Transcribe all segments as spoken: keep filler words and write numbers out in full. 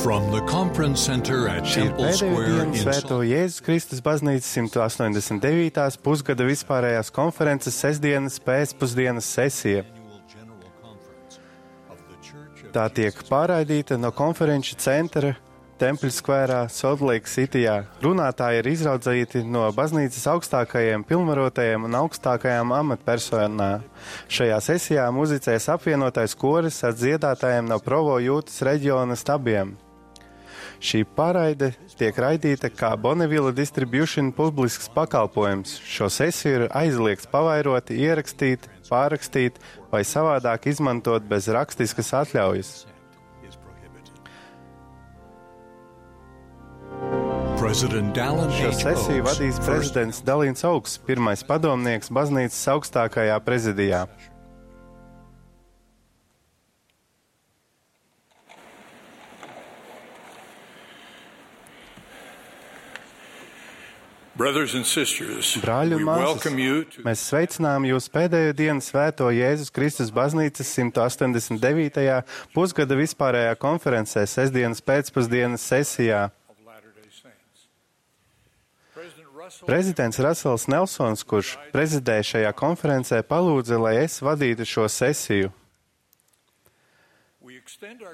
From the conference center at Šī ir Temple pēdējā Square diena in Svēto Salt Jēzus Kristus baznīcas simt astoņdesmit devītās pusgada vispārējās konferences sestdienas pēcpusdienas sesija. Tā tiek pārraidīta no konferenču centra Temple Square Salt Lake Cityjā. Runātāji ir izraudzīti no baznīcas augstākajiem pilnvarotajiem un augstākajām amatpersonām. Šajā sesijā muzicēs apvienotais koris ar dziedātājiem no Provo Jūtas reģiona stabiem. Šī pārraide tiek raidīta kā Bonneville Distribution publisks pakalpojums. Šo sesiju ir aizliegts pavairot, ierakstīt, pārrakstīt vai savādāk izmantot bez rakstiskas atļaujas. Šo sesiju vadīs prezidents Dalīns Augs, pirmais padomnieks baznīcas augstākajā prezidijā. Brāļi un māsas, mēs sveicinām jūs pēdējo dienu Svēto Jēzus Kristus baznīcas simt astoņdesmit devītajā pusgada vispārējā konferencē sestdienas pēcpusdienas sesijā. Prezidents Rasels Nelsons, kurš prezidēja šajā konferencē, palūdza, lai es vadītu šo sesiju.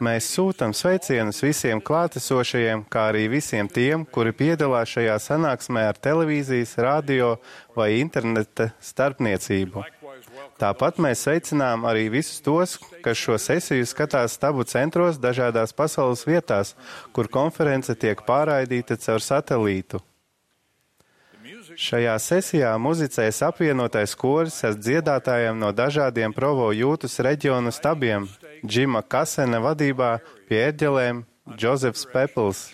Mēs sūtam sveicienus visiem klātesošajiem, kā arī visiem tiem, kuri piedalās šajā sanāksmē ar televīzijas, radio vai interneta starpniecību. Tāpat mēs sveicinām arī visus tos, kas šo sesiju skatās stabu centros dažādās pasaules vietās, kur konference tiek pārraidīta caur satelītu. Šajā sesijā muzicēs apvienotais koris ar dziedātājiem no dažādiem Provo Jūtas reģionu stabiem, Džima Kasena vadībā pie ērģelēm Džozefs Pepls.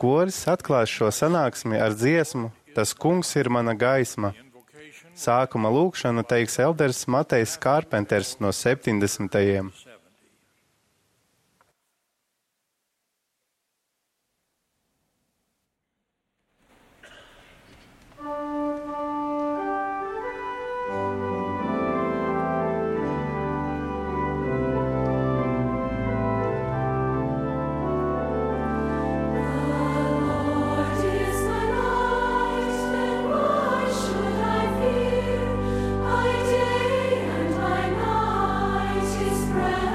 Koris atklās šo sanāksmi ar dziesmu Tas kungs ir mana gaisma. Sākuma lūkšanu teiks elders Matejs Kārpenters no septiņdesmitajiem. His presence.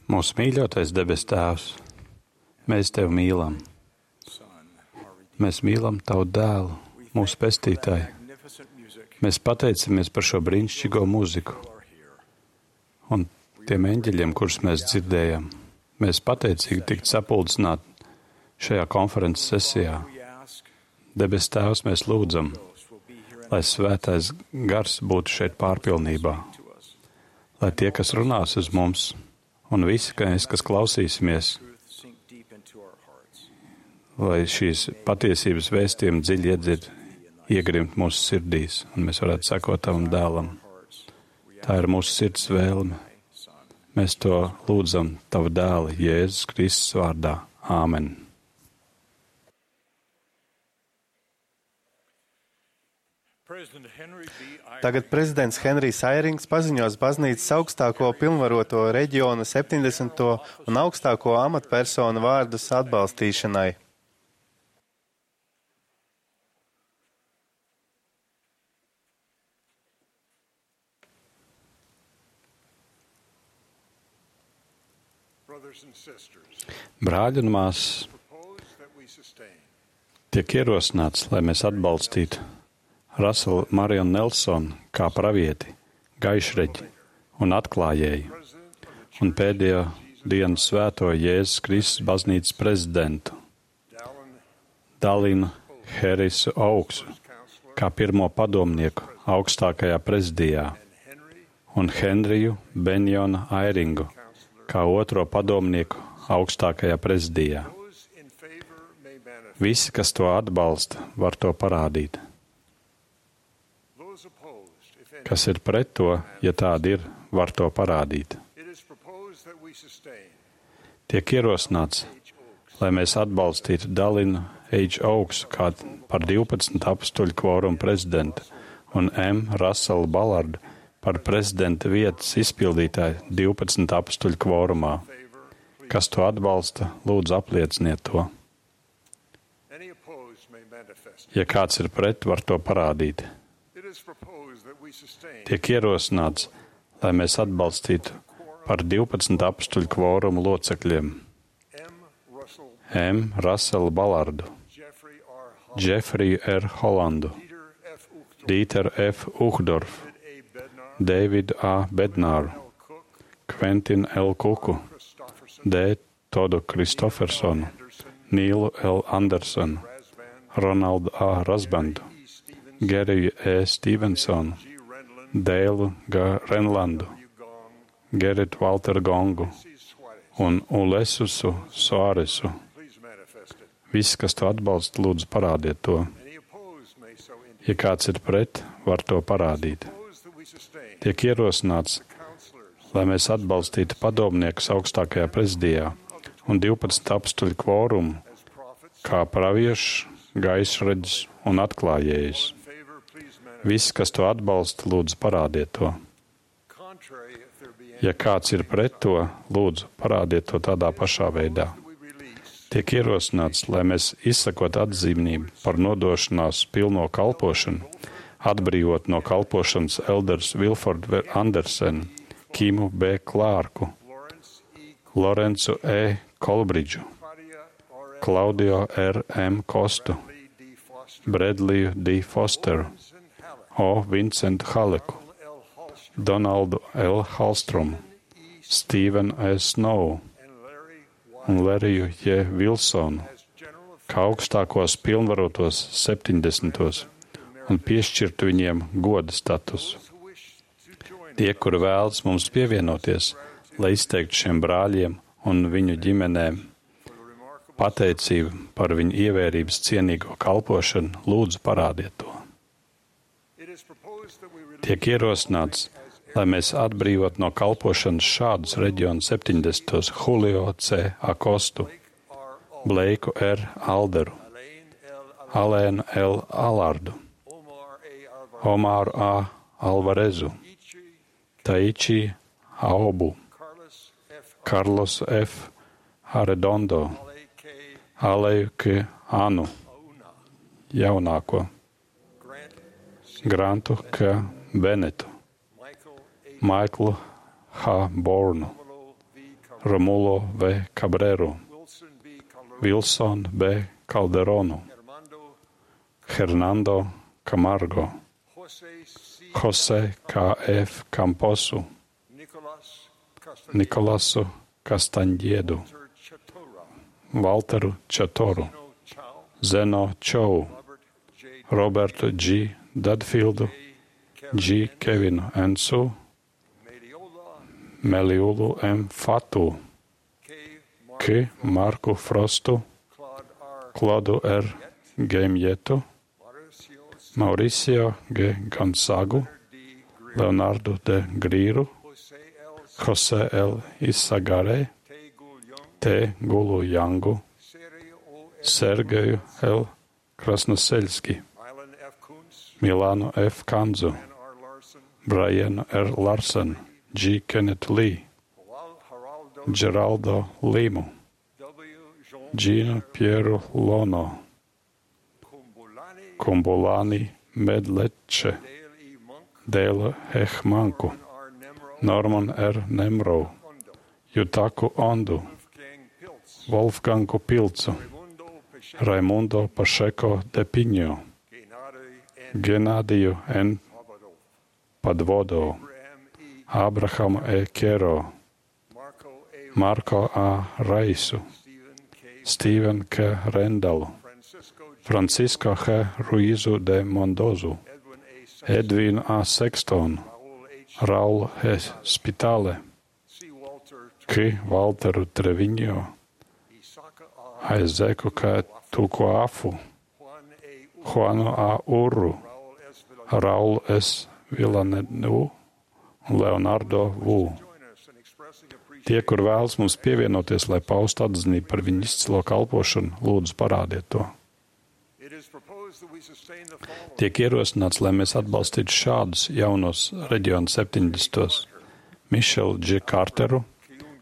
Mūsu mīļotais debes Tēvs, mēs Tevi mīlam. Mēs mīlam Tavu dēlu, mūsu pestītāju. Mēs pateicamies par šo brīnišķīgo mūziku un tiem eņģeļiem, kurus mēs dzirdējam. Mēs pateicīgi tikt sapulcināti šajā konferences sesijā. Debes Tēvs, mēs lūdzam, lai svētais gars būtu šeit pārpilnībā, lai tie, kas runās uz mums, un visi, kas, kas klausīsimies, lai šīs patiesības vēstījumi dziļi iedzird, iegrimt mūsu sirdīs, un mēs varētu sekot Tavam dēlam. Tā ir mūsu sirds vēlme. Mēs to lūdzam Tava dēla Jēzus Kristus vārdā. Āmen. Tagad prezidents Henrijs Airings paziņos baznīcas augstāko pilnvaroto reģiona septiņdesmito un augstāko amatpersonu vārdus atbalstīšanai. Brāļi un māsas, tiek ierosināts, lai mēs atbalstītu Raselu Marionu Nelsonu kā pravieti, gaišreģi un atklājēju, un pēdējo dienu svēto Jēzus Kristus baznīcas prezidentu, Dalinu Herisu Augsu kā pirmo padomnieku augstākajā prezidijā, un Henriju Benjonu Airingu kā otro padomnieku augstākajā prezidijā. Visi, kas to atbalsta, var to parādīt. Kas ir pret to, ja tāda ir, var to parādīt. Tiek ierosināts, lai mēs atbalstītu Dalinu H. Augsu kā par divpadsmit apstuļu kvorumu prezidentu un M. Raselu Balardu par prezidenta vietas izpildītāju divpadsmit apstuļu kvorumā. Kas to atbalsta, lūdzu aplieciniet to. Ja kāds ir pret, var to parādīt. Tiek ierosināts, lai mēs atbalstītu par divpadsmit apstuļu kvorumu locekļiem M. Raselu Balardu, Džefriju R. Holandu, Dīteru F. Uhdorfu, Davidu A. Bednāru, Kventinu L. Kuku, D. Todu Kristofersonu, Nīlu L. Andersonu, Ronaldu A. Rasbandu, Geriju E. Stevensonu, Dēlu G. Renlandu, Geritu Walteru Gongu un Ulesusu Soaresu. Visi, kas to atbalsta, lūdzu parādiet to. Ja kāds ir pret, var to parādīt. Tiek ierosināts, lai mēs atbalstītu padomniekus augstākajā prezidijā un divpadsmit apstuļu kvorumu kā praviešus, gaisraģis un atklājējus. Visi, kas to atbalsta, lūdzu parādiet to. Ja kāds ir pret to, lūdzu parādiet to tādā pašā veidā. Tiek ierosināts, lai mēs izsakot atzīmību par nodošanās pilno kalpošanu, atbrīvot no kalpošanas elders Vilfordu Andersenu, Kimu B. Klārku, Lorencu E. Kolbridžu, Klaudio R. M. Kostu, Bredliju D. Fosteru, O. Vincentu Haleku, Donaldu L. Halstromu, Stevenu S. Snowu un Leriju J. Vilsonu, kā augstākos pilnvarotos septiņdesmitos un piešķirtu viņiem goda statusu. Tie, kuri vēlas mums pievienoties, lai izteiktu šiem brāļiem un viņu ģimenēm pateicību par viņu ievērības cienīgo kalpošanu, lūdzu parādiet to. Tiek ierosināts, lai mēs atbrīvot no kalpošanas šādus reģionu septiņdesmitos Julio C. Akostu, Bleiku R. Alderu, Alēnu L. Alardu, Omāru A. Alvarezu, Taiči Aubu, Karlos F. Arredondo, Aleju K. Anu, jaunāko, Grantu K. Benetu, Maiklu H. Bornu, Romulo V. Cabreru, Wilson B. Calderonu, Hernando Camargo, Jose K. F. Camposu, Nikolasu Castaņiedu, Walteru Čatoru, Zeno Čou, Robertu G. Dadfieldu, G. Kevinu Ensu, Meliulu M. Fatu, K. Marku Frostu, Klodu R. Gemjetu, Mauricio G. Gonzagu, Leonardo D. Grīru, Jose L. Isagare, T. Gulu Jangu, Sergeju L. Krasnoseļski, Milānu F. Kanzu, Brianu R. Larsen, G. Kenneth Lee, Geraldo Limu, Gino Pieru Lono, Kumbulani Medleče, Dēla Hehmanku, Norman R. Nemrov, Jutaku Ondu, Wolfgangu Pilcu, Raimundo Pašeko de Piņo, Genādiju N. Padvodo, Abrahamu E. Kero, Marko A. Raisu, Steven K. Rendalu, Francisco H. Ruizu de Mondozu, Edvinu A. Sextonu, Raulu H. Spitale, K. Walteru Treviņo, Aizeku K. Tukuafu, Juanu A. Urru, Raulu S. Vilanenu un Leonardo Vu. Tie, kur vēlas mums pievienoties, lai paustu atzinību par viņu izcilo kalpošanu, lūdzu parādiet to. Tiek ierosināts, lai mēs atbalstītu šādus jaunos reģionu septiņdesmitos Mišelu G. Carteru,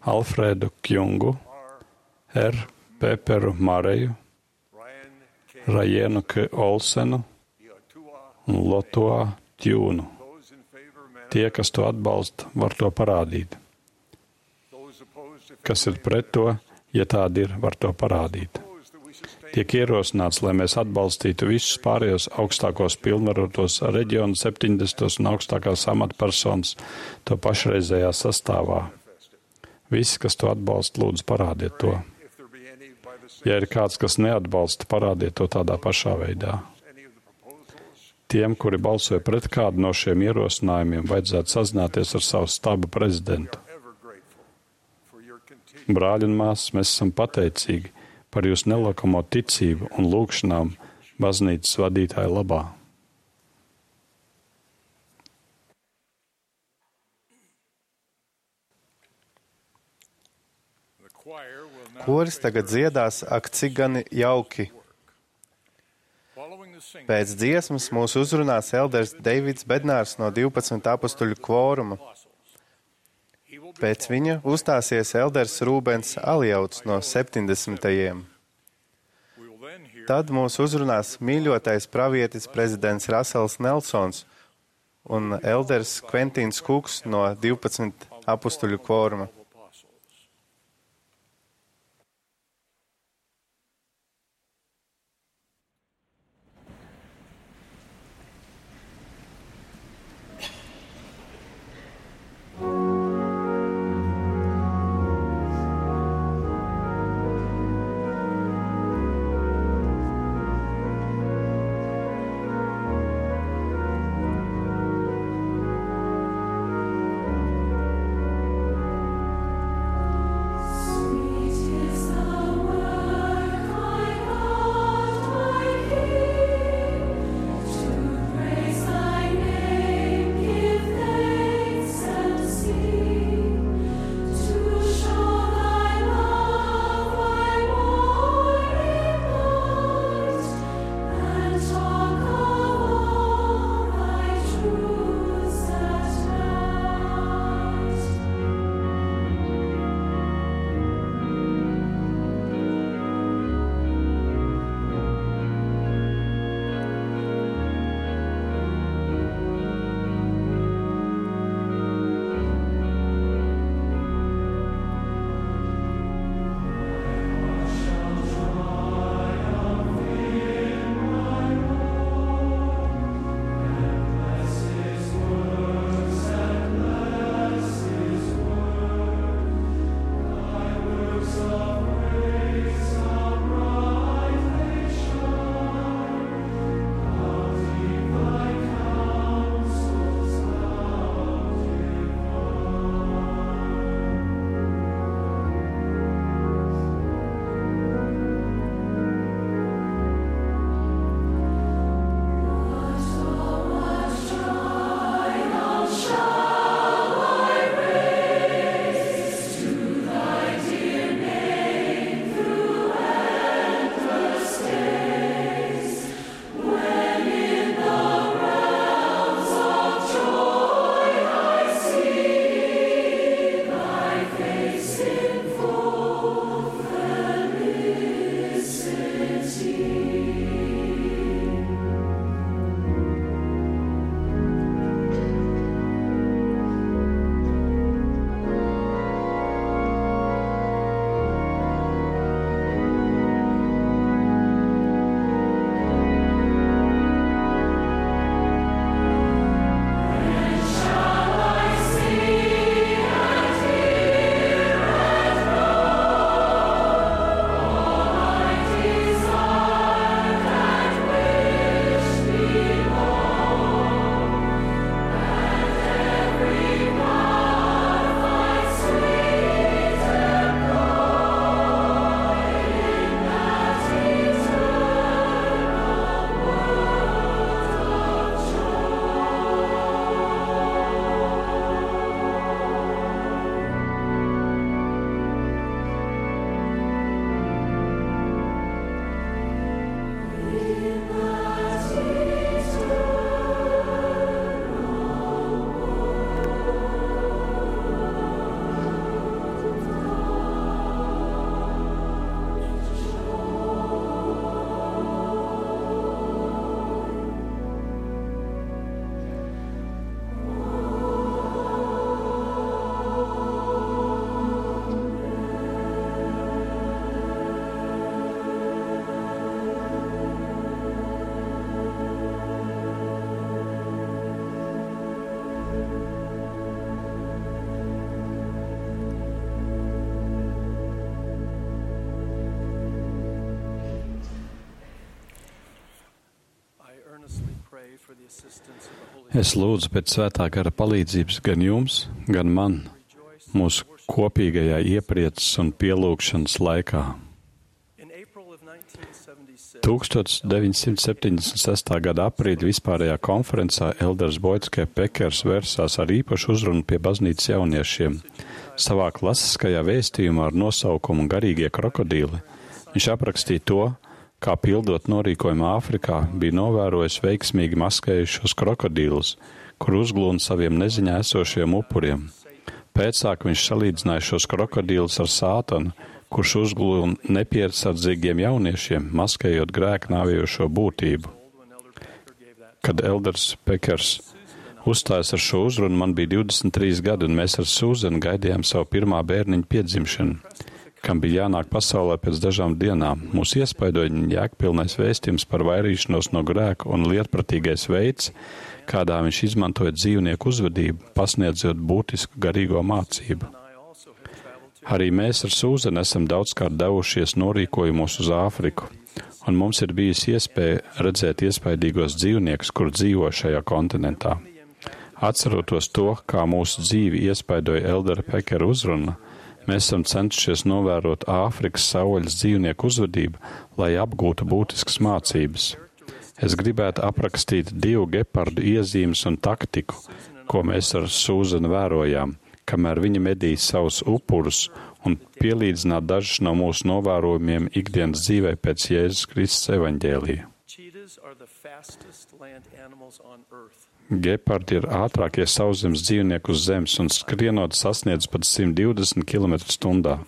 Alfredu Kjungu, R. Peperu Mareju, Rajenu K. Olsenu un Lotoa Tjūnu. Tie, kas to atbalsta, var to parādīt. Kas ir pret to, ja tādi ir, var to parādīt. Tiek ierosināts, lai mēs atbalstītu visus pārējos augstākos pilnvarotos reģionu septiņdesmitos un augstākās amatpersonas to pašreizējā sastāvā. Visi, kas to atbalsta, lūdzu parādiet to. Ja ir kāds, kas neatbalsta, parādiet to tādā pašā veidā. Tiem, kuri balsoja pret kādu no šiem ierosinājumiem, vajadzētu sazināties ar savu stabu prezidentu. Brāļi un māsas, mēs esam pateicīgi par jūsu nelakamo ticību un lūgšanām baznīcas vadītāja labā. Koris tagad dziedās, ak, cik gan jauki. Pēc dziesmas mūs uzrunās elders Deivids Bednārs no divpadsmit apustuļu kvoruma. Pēc viņa uzstāsies elders Rūbens Aljauts no septiņdesmitajiem. Tad mūs uzrunās mīļotais pravietis prezidents Rasels Nelsons un elders Kventīns Kuks no divpadsmit apustuļu kvoruma. Es lūdzu pēc svētā gara palīdzības gan jums, gan man, mūsu kopīgajā ieprieces un pielūgšanas laikā. deviņdesmit gada aprīļa vispārējā konferencē Elders Boyds K. Pekers vērsās ar īpašu uzrunu pie baznīcas jauniešiem. Savā klasiskajā vēstījumā ar nosaukumu Garīgie krokodīli viņš aprakstīja to, kā pildot norīkojumu Āfrikā bija novērojis veiksmīgi maskējušos krokodīlus, kur uzglūna saviem neziņā esošiem upuriem. Pēcāk viņš salīdzināja šos krokodīlus ar Sātanu, kurš uzglūna nepiersardzīgiem jauniešiem, maskējot grēku nāvējošo būtību. Kad Elders Pekers uzstājas ar šo uzrunu, man bija divdesmit trīs gadi, un mēs ar Sūzenu gaidījām savu pirmā bērniņu piedzimšanu, kam bija jānāk pasaulē pēc dažām dienām. Mūs iespaidoja jēgpilnais vēstījums par vairīšanos no grēka un lietpratīgais veids, kādā viņš izmantoja dzīvnieku uzvedību, pasniedzot būtisku garīgo mācību. Arī mēs ar Sūzenu esam daudzkārt devušies norīkojumos uz Āfriku, un mums ir bijusi iespēja redzēt iespaidīgos dzīvniekus, kur dzīvo šajā kontinentā. Atceroties to, kā mūsu dzīvi iespaidoja Eldera Pekera uzruna, mēs esam cenšies novērot Āfrikas savvaļas dzīvnieku uzvedību, lai apgūtu būtiskas mācības. Es gribētu aprakstīt divu gepardu iezīmes un taktiku, ko mēs ar Sūzenu vērojām, kamēr viņi medīja savus upurus, un pielīdzināt dažus no mūsu novērojumiem ikdienas dzīvē pēc Jēzus Kristus evaņģēlija. Gepardi ir ātrākie sauszemes dzīvnieki uz zemes un skrienot sasniedz pat simt divdesmit kilometrus stundā.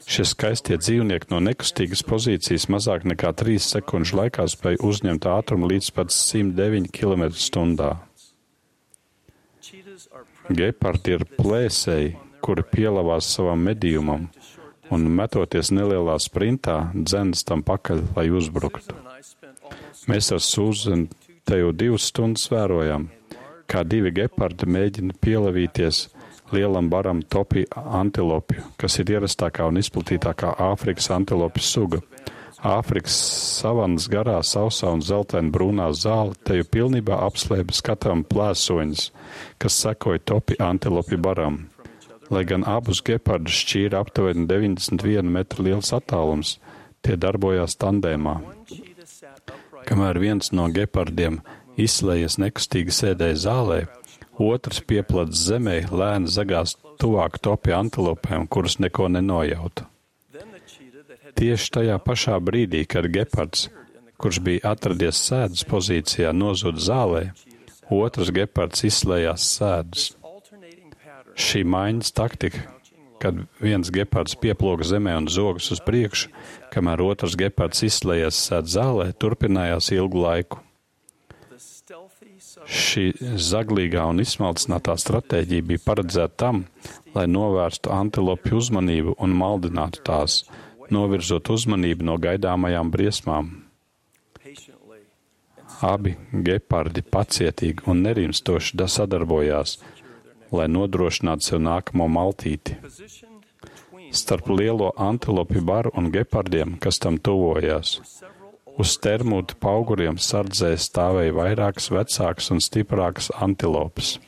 Šie skaistie dzīvnieki no nekustīgas pozīcijas mazāk nekā trīs sekundžu laikā spēj uzņemt ātrumu līdz pat simt deviņi kilometri stundā. Gepardi ir plēsēji, kuri pielavās savam medījumam un metoties nelielā sprintā, dzenas tam pakaļ, lai uzbruktu. Mēs ar Sūzenu te jau divas stundas vērojam, kā divi gepardi mēģina pielavīties lielam baram topi antilopju, kas ir ierastākā un izplatītākā Āfrikas antilopju suga. Āfrikas savanas garā, sausā un zeltaina brūnā zāle te jau pilnībā apslēpa skatām plēsoņus, kas sekoja topi antilopju baram. Lai gan abus gepardus šķīra aptuveni deviņdesmit viena metra liels attālums, tie darbojās tandēmā. Kamēr viens no gepardiem izslējies nekustīgi sēdēja zālē, otrs pieplats zemē lēni zagās tuvāk topi antilopēm, kuras neko nenojauta. Tieši tajā pašā brīdī, kad gepards, kurš bija atradies sēdas pozīcijā, nozuda zālē, otrs gepards izslējās sēdus. Šī maiņas taktika, kad viens gepards pieploga zemē un zogas uz priekšu, kamēr otrs gepards izslējies sēd zālē, turpinājās ilgu laiku. Šī zaglīgā un izsmalcinātā stratēģija bija paredzēta tam, lai novērstu antilopju uzmanību un maldinātu tās, novirzot uzmanību no gaidāmajām briesmām. Abi gepardi pacietīgi un nerimstoši sadarbojās, lai nodrošinātu sev nākamo maltīti. Starp lielo antilopju baru un gepardiem, kas tam tuvojās, uz termūta pauguriem sardzē stāvēja vairākas vecākas un stiprākas antilopes.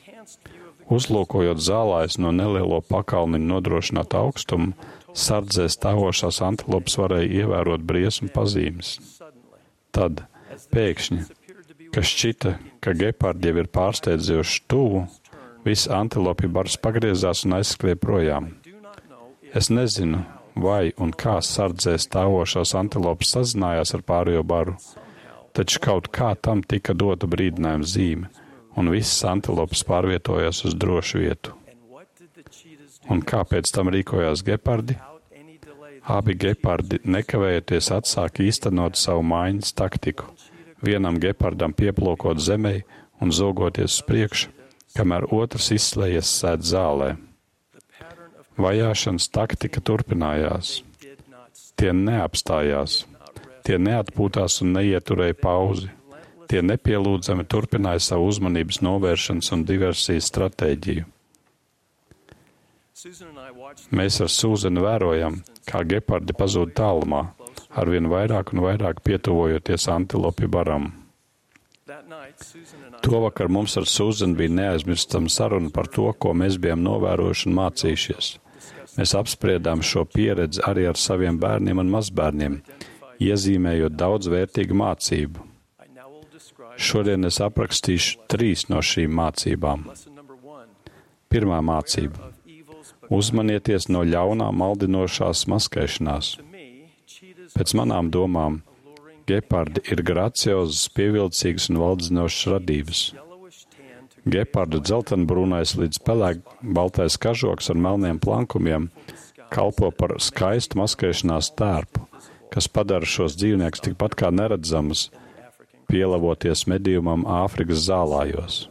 Uzlūkojot zālājus no nelielo pakalniņu nodrošinātu augstumu, sardzē stāvošās antilopes varēja ievērot briesmu pazīmes. Tad, pēkšņi, kas šķita, ka gepardi jau ir pārsteidzoši tuvu, viss antilopju bars pagriezās un aizskrēja projām. Es nezinu, vai un kā sardzē stāvošās antilopes sazinājās ar pārējo baru, taču kaut kā tam tika dota brīdinājuma zīme, un visas antilopes pārvietojās uz drošu vietu. Un kā pēc tam rīkojās gepardi? Abi gepardi nekavējoties atsāka īstenot savu maiņas taktiku, vienam gepardam pieplokot zemē un zogoties uz priekšu, kamēr otrs izslējies sēd zālē. Vajāšanas taktika turpinājās. Tie neapstājās, tie neatpūtās un neieturēja pauzi. Tie nepielūdzami turpināja savu uzmanības novēršanas un diversijas stratēģiju. Mēs ar Sūzenu vērojam, kā gepardi pazūd tālumā, arvien vairāk un vairāk pietuvojoties antilopju baram. To vakar mums ar Suzanu bija neaizmirstama saruna par to, ko mēs bijām novērojuši un mācījušies. Mēs apspriedām šo pieredzi arī ar saviem bērniem un mazbērniem, iezīmējot daudz vērtīgu mācību. Šodien es aprakstīšu trīs no šīm mācībām. Pirmā mācība. Uzmanieties no ļaunā maldinošās maskēšanās. Pēc manām domām, gepardi ir graciozas, pievilcīgas un valdzinošas radības. Gepardu dzeltenbrūnais līdz pelēkbaltais kažoks ar melniem plankumiem kalpo par skaistu maskēšanās tērpu, kas padara šos dzīvniekus tikpat kā neredzamus, pielavoties medījumam Āfrikas zālājos.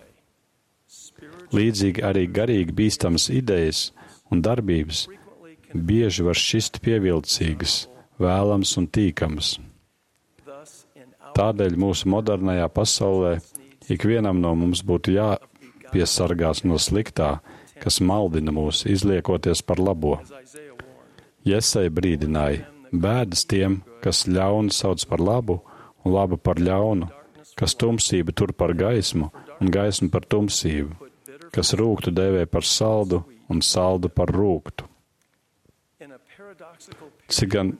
Līdzīgi arī garīgi bīstamas idejas un darbības bieži var šķist pievilcīgas, vēlams un tīkams. Tādēļ mūsu modernajā pasaulē ikvienam no mums būtu jāpiesargās no sliktā, kas maldina mūs, izliekoties par labo. Jesaja brīdināja, bēdas tiem, kas ļaunu sauc par labu un labu par ļaunu, kas tumsību tur par gaismu un gaismu par tumsību, kas rūgtu dēvē par saldu un saldu par rūgtu. Cik gan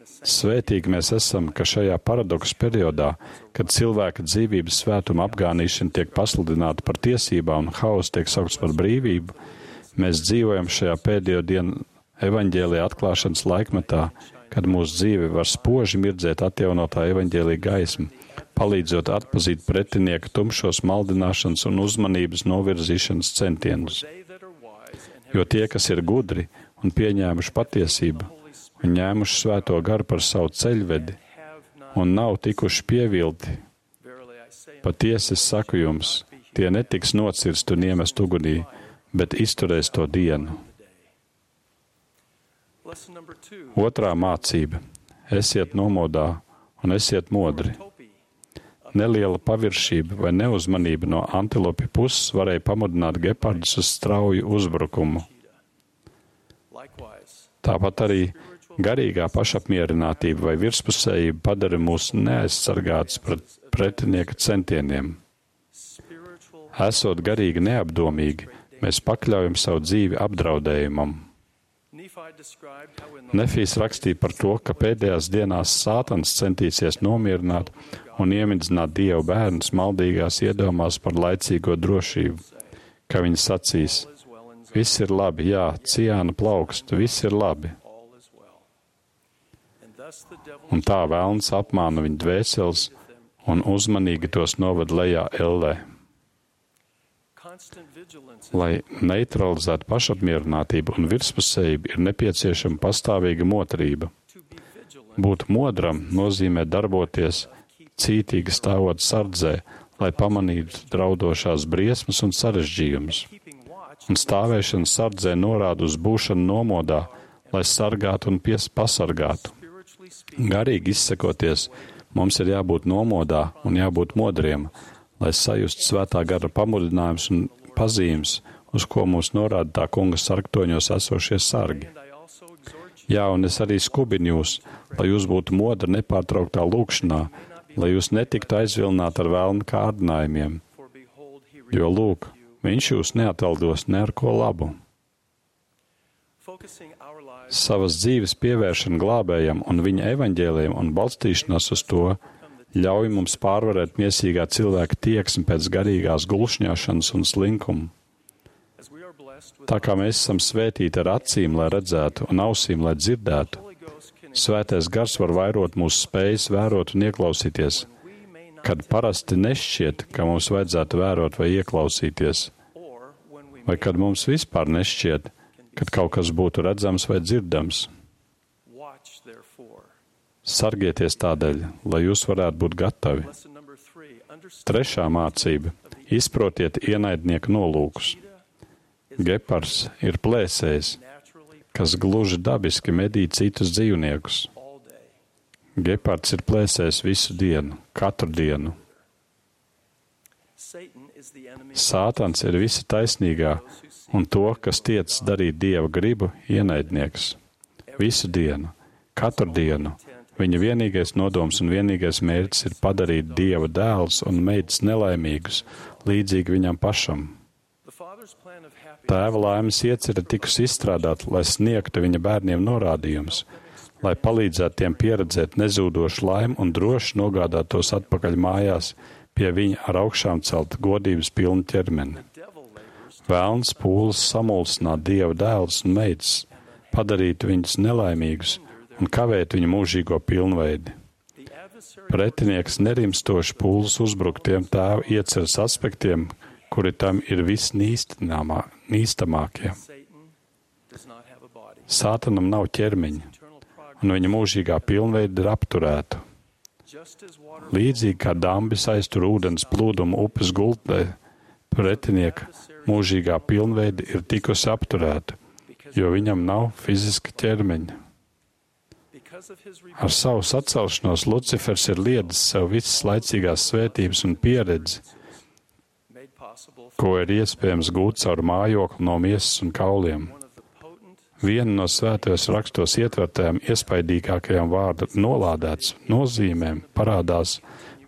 svētīgi mēs esam, ka šajā paradoksu periodā, kad cilvēka dzīvības svētuma apgānīšana tiek pasludināta par tiesībām un hauss tiek saukts par brīvību, mēs dzīvojam šajā pēdējo dienu evaņģēlija atklāšanas laikmetā, kad mūsu dzīve var spoži mirdzēt atjaunotā evaņģēlija gaismu, palīdzot atpazīt pretinieka tumšos maldināšanas un uzmanības novirzīšanas centienus. Jo tie, kas ir gudri un pieņēmuši patiesību, un ņēmuši svēto garu par savu ceļvedi un nav tikuši pievilti, patiesi es saku jums, tie netiks nocirst un iemest ugunī, bet izturēs to dienu. Otrā mācība. Esiet nomodā un esiet modri. Neliela paviršība vai neuzmanība no antilopja puses varēja pamudināt gepardus uz strauju uzbrukumu. Tāpat arī garīgā pašapmierinātība vai virspusējība padara mūs neaizsargātus pret pretinieka centieniem. Esot garīgi neapdomīgi, mēs pakļaujam savu dzīvi apdraudējumam. Nefijs rakstīja par to, ka pēdējās dienās Sātans centīsies nomierināt un iemidzināt Dievu bērnus maldīgās iedomās par laicīgo drošību, ka viņi sacīs, viss ir labi, jā, ciāna plaukst, viss ir labi. Un tā velns apmāna viņu dvēseles un uzmanīgi tos noved lejā ellē. Lai neutralizētu pašapmierinātību un virspusējību, ir nepieciešama pastāvīga motrība. Būt modram nozīmē darboties cītīgi stāvot sardzē, lai pamanītu draudošās briesmas un sarežģījumus. Un stāvēšana sardzē norāda uz būšanu nomodā, lai sargātu un pies pasargātu. Garīgi izsakoties, mums ir jābūt nomodā un jābūt modriem, lai sajustu svētā gara pamudinājums un pazīmes, uz ko mūs norāda tā kunga sargtoņos esošie sargi. Jā, un es arī skubinu jūs, lai jūs būtu modri nepārtrauktā lūkšanā, lai jūs netiktu aizvilināti ar vēlnu kārdinājumiem, jo, lūk, viņš jūs neataldos ne ar ko labu. Savas dzīves pievēršana glābējam un viņa evaņģēliem un balstīšanās uz to ļauj mums pārvarēt miesīgā cilvēka tieksmi pēc garīgās gulšņāšanas un slinkumu. Tā kā mēs esam svētīti ar acīm, lai redzētu, un ausīm, lai dzirdētu, svētais gars var vairot mūsu spējas vērot un ieklausīties, kad parasti nešķiet, ka mums vajadzētu vērot vai ieklausīties, vai kad mums vispār nešķiet, kad kaut kas būtu redzams vai dzirdams. Sargieties tādēļ, lai jūs varētu būt gatavi. Trešā mācība. Izprotiet ienaidnieku nolūkus. Gepards ir plēsējs, kas gluži dabiski medī citus dzīvniekus. Gepards ir plēsējs visu dienu, katru dienu. Sātans ir visa taisnīgā un to, kas tiec darīt Dieva gribu, ienaidnieks. Visu dienu, katru dienu, Viņa vienīgais nodoms un vienīgais mērķis ir padarīt Dieva dēlus un meitas nelaimīgus, līdzīgi viņam pašam. Tēva laimes iecerē tikus izstrādāt, lai sniegtu viņa bērniem norādījumus, lai palīdzētu tiem pieredzēt nezūdošu laimi un droši nogādāt tos atpakaļ mājās pie viņa ar augšām celt godības pilnu ķermeni. Vēlns pūles samulsināt Dieva dēlus un meitas, padarīt viņus nelaimīgus un kavēt viņu mūžīgo pilnveidi. Pretinieks nerimstoši pūles uzbruk tiem tēva ieceres aspektiem, kuri tam ir visnīstamākie. Sātanam nav ķermeņa, un viņa mūžīgā pilnveida ir apturēta. Līdzīgi kā dambis aiztur ūdens plūdumu upes gultnē, pretinieka mūžīgā pilnveida ir tikusi apturēta, jo viņam nav fiziska ķermeņa. Ar savu sacelšanos Lucifers ir liedzis sev visas laicīgās svētības un pieredzi, ko ir iespējams gūt caur mājokli no miesas un kauliem. Viena no svētajos rakstos ietvertajām iespaidīgākajām vārda nolādēts nozīmēm parādās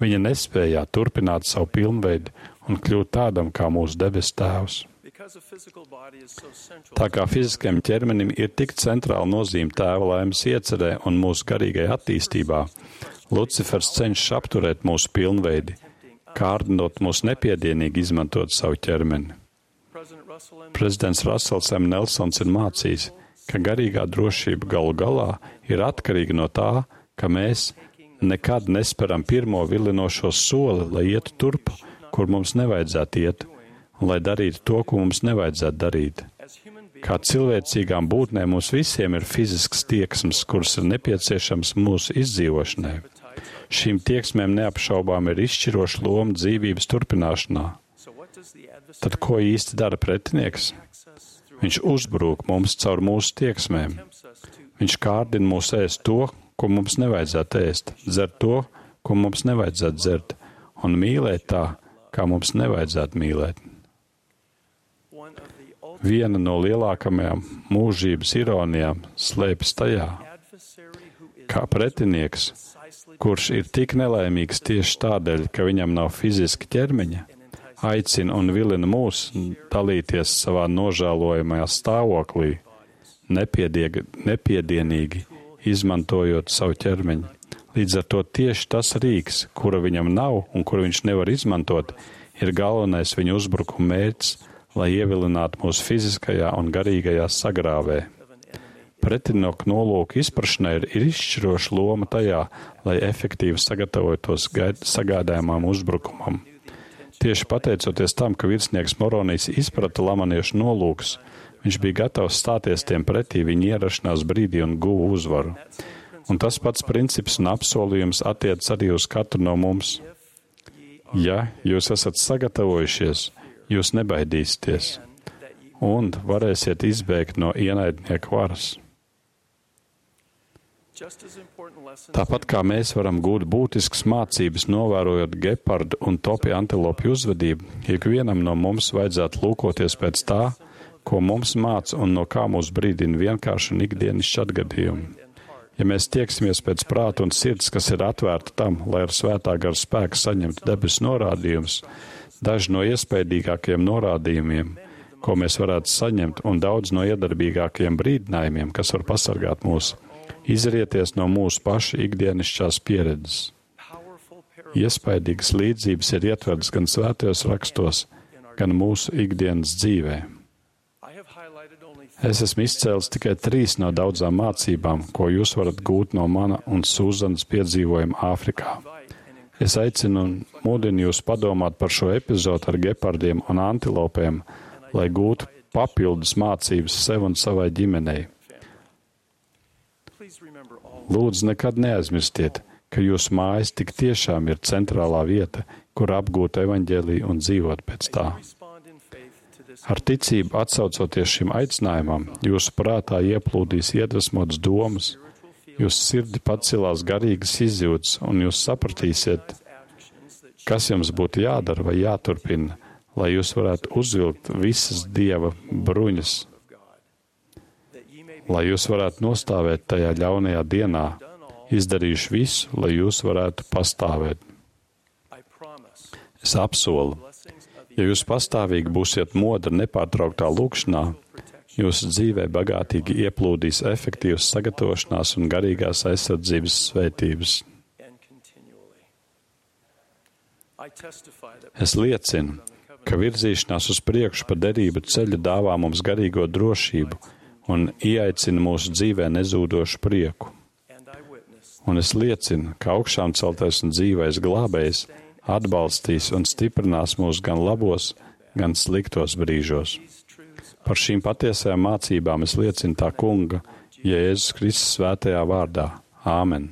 viņa nespējā turpināt savu pilnveidi un kļūt tādam kā mūsu debes tēvs. Tā kā fiziskajam ķermenim ir tik centrāla nozīme tēva laimes iecerē un mūsu garīgai attīstībā, Lucifers cenšas apturēt mūsu pilnveidi, kārdinot mūs nepiedienīgi izmantot savu ķermeni. Prezidents Russells M. Nelsons ir mācījis, ka garīgā drošība galu galā ir atkarīga no tā, ka mēs nekad nesperam pirmo vilinošo soli, lai ietu turp, kur mums nevajadzētu iet, un lai darītu to, ko mums nevajadzētu darīt. Kā cilvēcīgām būtnēm mums visiem ir fizisks tieksmes, kuras ir nepieciešams mūsu izdzīvošanai. Šīm tieksmēm neapšaubām ir izšķiroša loma dzīvības turpināšanā. Tad ko īsti dara pretinieks? Viņš uzbrūk mums caur mūsu tieksmēm. Viņš kārdina mūs ēst to, ko mums nevajadzētu ēst, dzert to, ko mums nevajadzētu dzert, un mīlēt tā, kā mums nevajadzētu mīlēt. Viena no lielākajām mūžības ironijām slēpjas tajā, kā pretinieks, kurš ir tik nelaimīgs tieši tādēļ, ka viņam nav fiziska ķermeņa, aicina un vilina mūs dalīties savā nožēlojamajā stāvoklī, nepiedienīgi izmantojot savu ķermeņu. Līdz ar to tieši tas rīks, kura viņam nav un kuru viņš nevar izmantot, ir galvenais viņa uzbrukuma mērķis, lai ievilinātu mūsu fiziskajā un garīgajā sagrāvē. Pretinieka nolūku izprašanai ir, ir izšķiroša loma tajā, lai efektīvi sagatavotos sagādājumam uzbrukumam. Tieši pateicoties tam, ka virsnieks Moronijs izprata lamaniešu nolūkus, viņš bija gatavs stāties tiem pretī viņa ierašanās brīdī un guva uzvaru. Un tas pats princips un apsolījums attiec arī uz katru no mums. Ja jūs esat sagatavojušies, jūs nebaidīsieties un varēsiet izbēgt no ienaidnieka varas. Tāpat kā mēs varam gūt būtiskas mācības, novērojot gepardu un topi antilopju uzvedību, ikvienam no mums vajadzētu lūkoties pēc tā, ko mums māca un no kā mūs brīdina vienkārši un ikdienišķi atgadījumi. Ja mēs tieksimies pēc prāta un sirds, kas ir atvērta tam, lai ar svētā gara spēku saņemtu debesu norādījumus, daži no iespaidīgākajiem norādījumiem, ko mēs varētu saņemt, un daudz no iedarbīgākajiem brīdinājumiem, kas var pasargāt mūs, izrieties no mūsu pašu ikdienišķās pieredzes. Iespaidīgas līdzības ir ietvertas gan svētajos rakstos, gan mūsu ikdienas dzīvē. Es esmu izcēlis tikai trīs no daudzām mācībām, ko jūs varat gūt no mana un Sūzanas piedzīvojuma Āfrikā. Es aicinu un mudinu jūs padomāt par šo epizodu ar gepardiem un antilopēm, lai gūtu papildus mācības sev un savai ģimenei. Lūdzu, nekad neaizmirstiet, ka jūsu mājas tik tiešām ir centrālā vieta, kur apgūt evaņģēliju un dzīvot pēc tā. Ar ticību atsaucoties šim aicinājumam, jūsu prātā ieplūdīs iedvesmotas domas, jūsu sirdi pacilās garīgas izjūtas, un jūs sapratīsiet, kas jums būtu jādara vai jāturpina, lai jūs varētu uzvilkt visas Dieva bruņas, lai jūs varētu nostāvēt tajā ļaunajā dienā, Izdarīšu visu, lai jūs varētu pastāvēt. Es apsolu, ja jūs pastāvīgi būsiet modri nepārtrauktā lūkšanā, jūsu dzīvē bagātīgi ieplūdīs efektīvas sagatavošanās un garīgās aizsardzības svētības. Es liecinu, ka virzīšanās uz priekšu pa derību ceļu dāvā mums garīgo drošību un ieaicina mūsu dzīvē nezūdošu prieku. Un es liecinu, ka augšām celtais un dzīvais glābējs atbalstīs un stiprinās mūs gan labos, gan sliktos brīžos. Par šīm patiesajām mācībām es liecinu tā kunga, Jēzus Kristus svētajā vārdā. Āmen.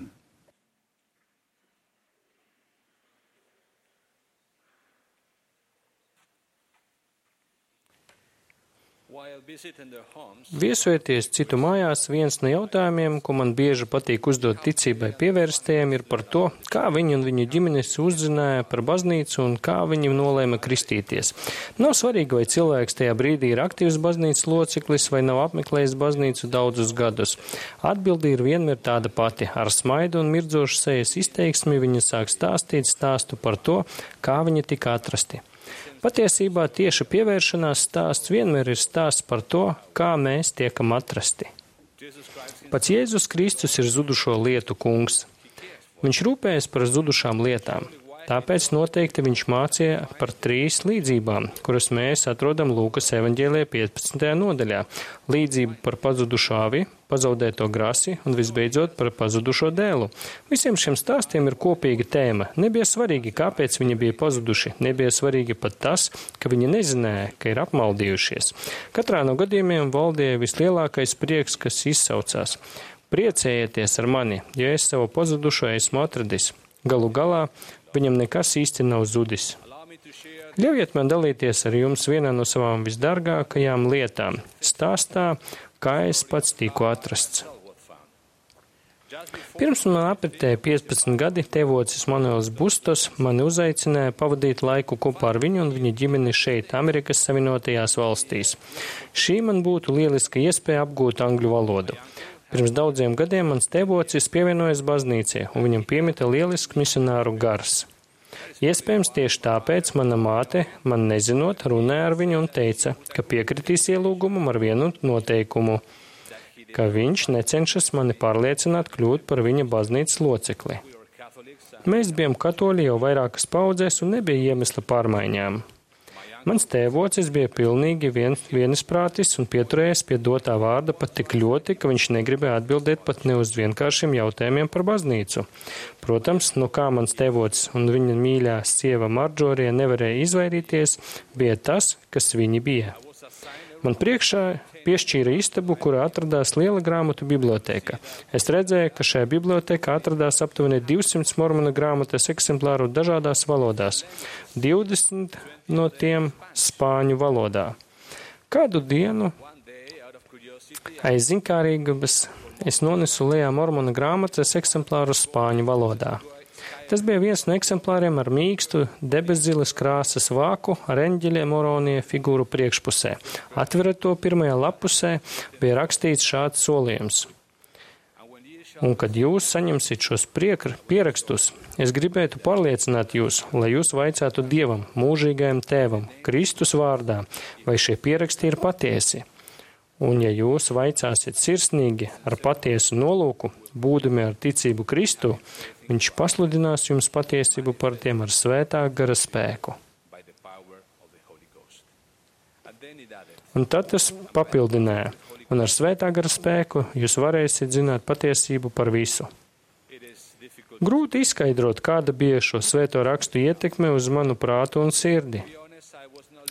Viesojoties citu mājās, viens no jautājumiem, ko man bieži patīk uzdot ticībai pievērstiem, ir par to, kā viņi un viņu ģimenes uzzināja par baznīcu un kā viņi nolēma kristīties. Nav svarīgi, vai cilvēks tajā brīdī ir aktīvs baznīcas loceklis vai nav apmeklējis baznīcu daudzus gadus. Atbilde ir vienmēr tāda pati. Ar smaidu un mirdzošu sejas izteiksmi viņi sāk stāstīt stāstu par to, kā viņi tika atrasti. Patiesībā tieši pievēršanās stāsts vienmēr ir stāsts par to, kā mēs tiekam atrasti. Pats Jēzus Kristus ir zudušo lietu kungs. Viņš rūpējas par zudušām lietām. Tāpēc noteikti viņš mācīja par trīs līdzībām, kuras mēs atrodam Lūkas evaņģēlijā piecpadsmitajā nodaļā. Līdzību par pazudušo avi, pazaudēto grasi un visbeidzot par pazudušo dēlu. Visiem šiem stāstiem ir kopīga tēma. Nebija svarīgi, kāpēc viņi bija pazuduši. Nebija svarīgi pat tas, ka viņi nezināja, ka ir apmaldījušies. Katrā no gadījumiem valdīja vislielākais prieks, kas izsaucās. Priecējieties ar mani, ja es savu pazudušo esmu atradis. Galu galā viņam nekas īsti nav zudis. Ļaujiet man dalīties ar jums vienā no savām visdārgākajām lietām - stāstā, kā es pats tiku atrasts. Pirms man apritēja piecpadsmit gadi, tēvocis Manuels Bustos mani uzaicināja pavadīt laiku kopā ar viņu un viņa ģimeni šeit, Amerikas Savienotajās valstīs. Šī man būtu lieliska iespēja apgūt angļu valodu. Pirms daudziem gadiem mans tēvocis pievienojas baznīcai, un viņam piemita lielisks misionāru gars. Iespējams, tieši tāpēc mana māte, man nezinot, runāja ar viņu un teica, ka piekritīs ielūgumam ar vienu noteikumu, ka viņš necenšas mani pārliecināt kļūt par viņa baznīcas locekli. Mēs bijām katoļi jau vairākas paudzēs un nebija iemesla pārmaiņām. Mans tēvocis bija pilnīgi vien, vienisprātis un pieturējies pie dotā vārda pat tik ļoti, ka viņš negribēja atbildēt pat ne uz vienkāršiem jautājumiem par baznīcu. Protams, no kā mans tēvocis un viņa mīļā sieva Marģorija nevarēja izvairīties, bija tas, kas viņi bija. Man priekšā piešķīra istabu, kurā atradās liela grāmatu biblioteka. Es redzēju, ka šajā bibliotekā atradās aptuveni divsimt mormona grāmatas eksemplāru dažādās valodās, divdesmit no tiem spāņu valodā. Kādu dienu aiz zinkārības es nonesu lejā mormona grāmatas eksemplāru spāņu valodā. Tas bija viens no eksemplāriem ar mīkstu, debeszilas krāsas vāku ar eņģeļa moronija figūru priekšpusē. Atverot to pirmajā lapusē, bija rakstīts šāds solījums. Un, kad jūs saņemsiet šos priekr, pierakstus, es gribētu pārliecināt jūs, lai jūs vaicātu Dievam, mūžīgajam tēvam, Kristus vārdā, vai šie pieraksti ir patiesi. Un, ja jūs vaicāsiet sirsnīgi ar patiesu nolūku, būdami ar ticību Kristu, viņš pasludinās jums patiesību par tiem ar svētā gara spēku. Un tad tas papildināja, un ar svētā gara spēku jūs varēsiet zināt patiesību par visu. Grūti izskaidrot, kāda bija šo svēto rakstu ietekme uz manu prātu un sirdi.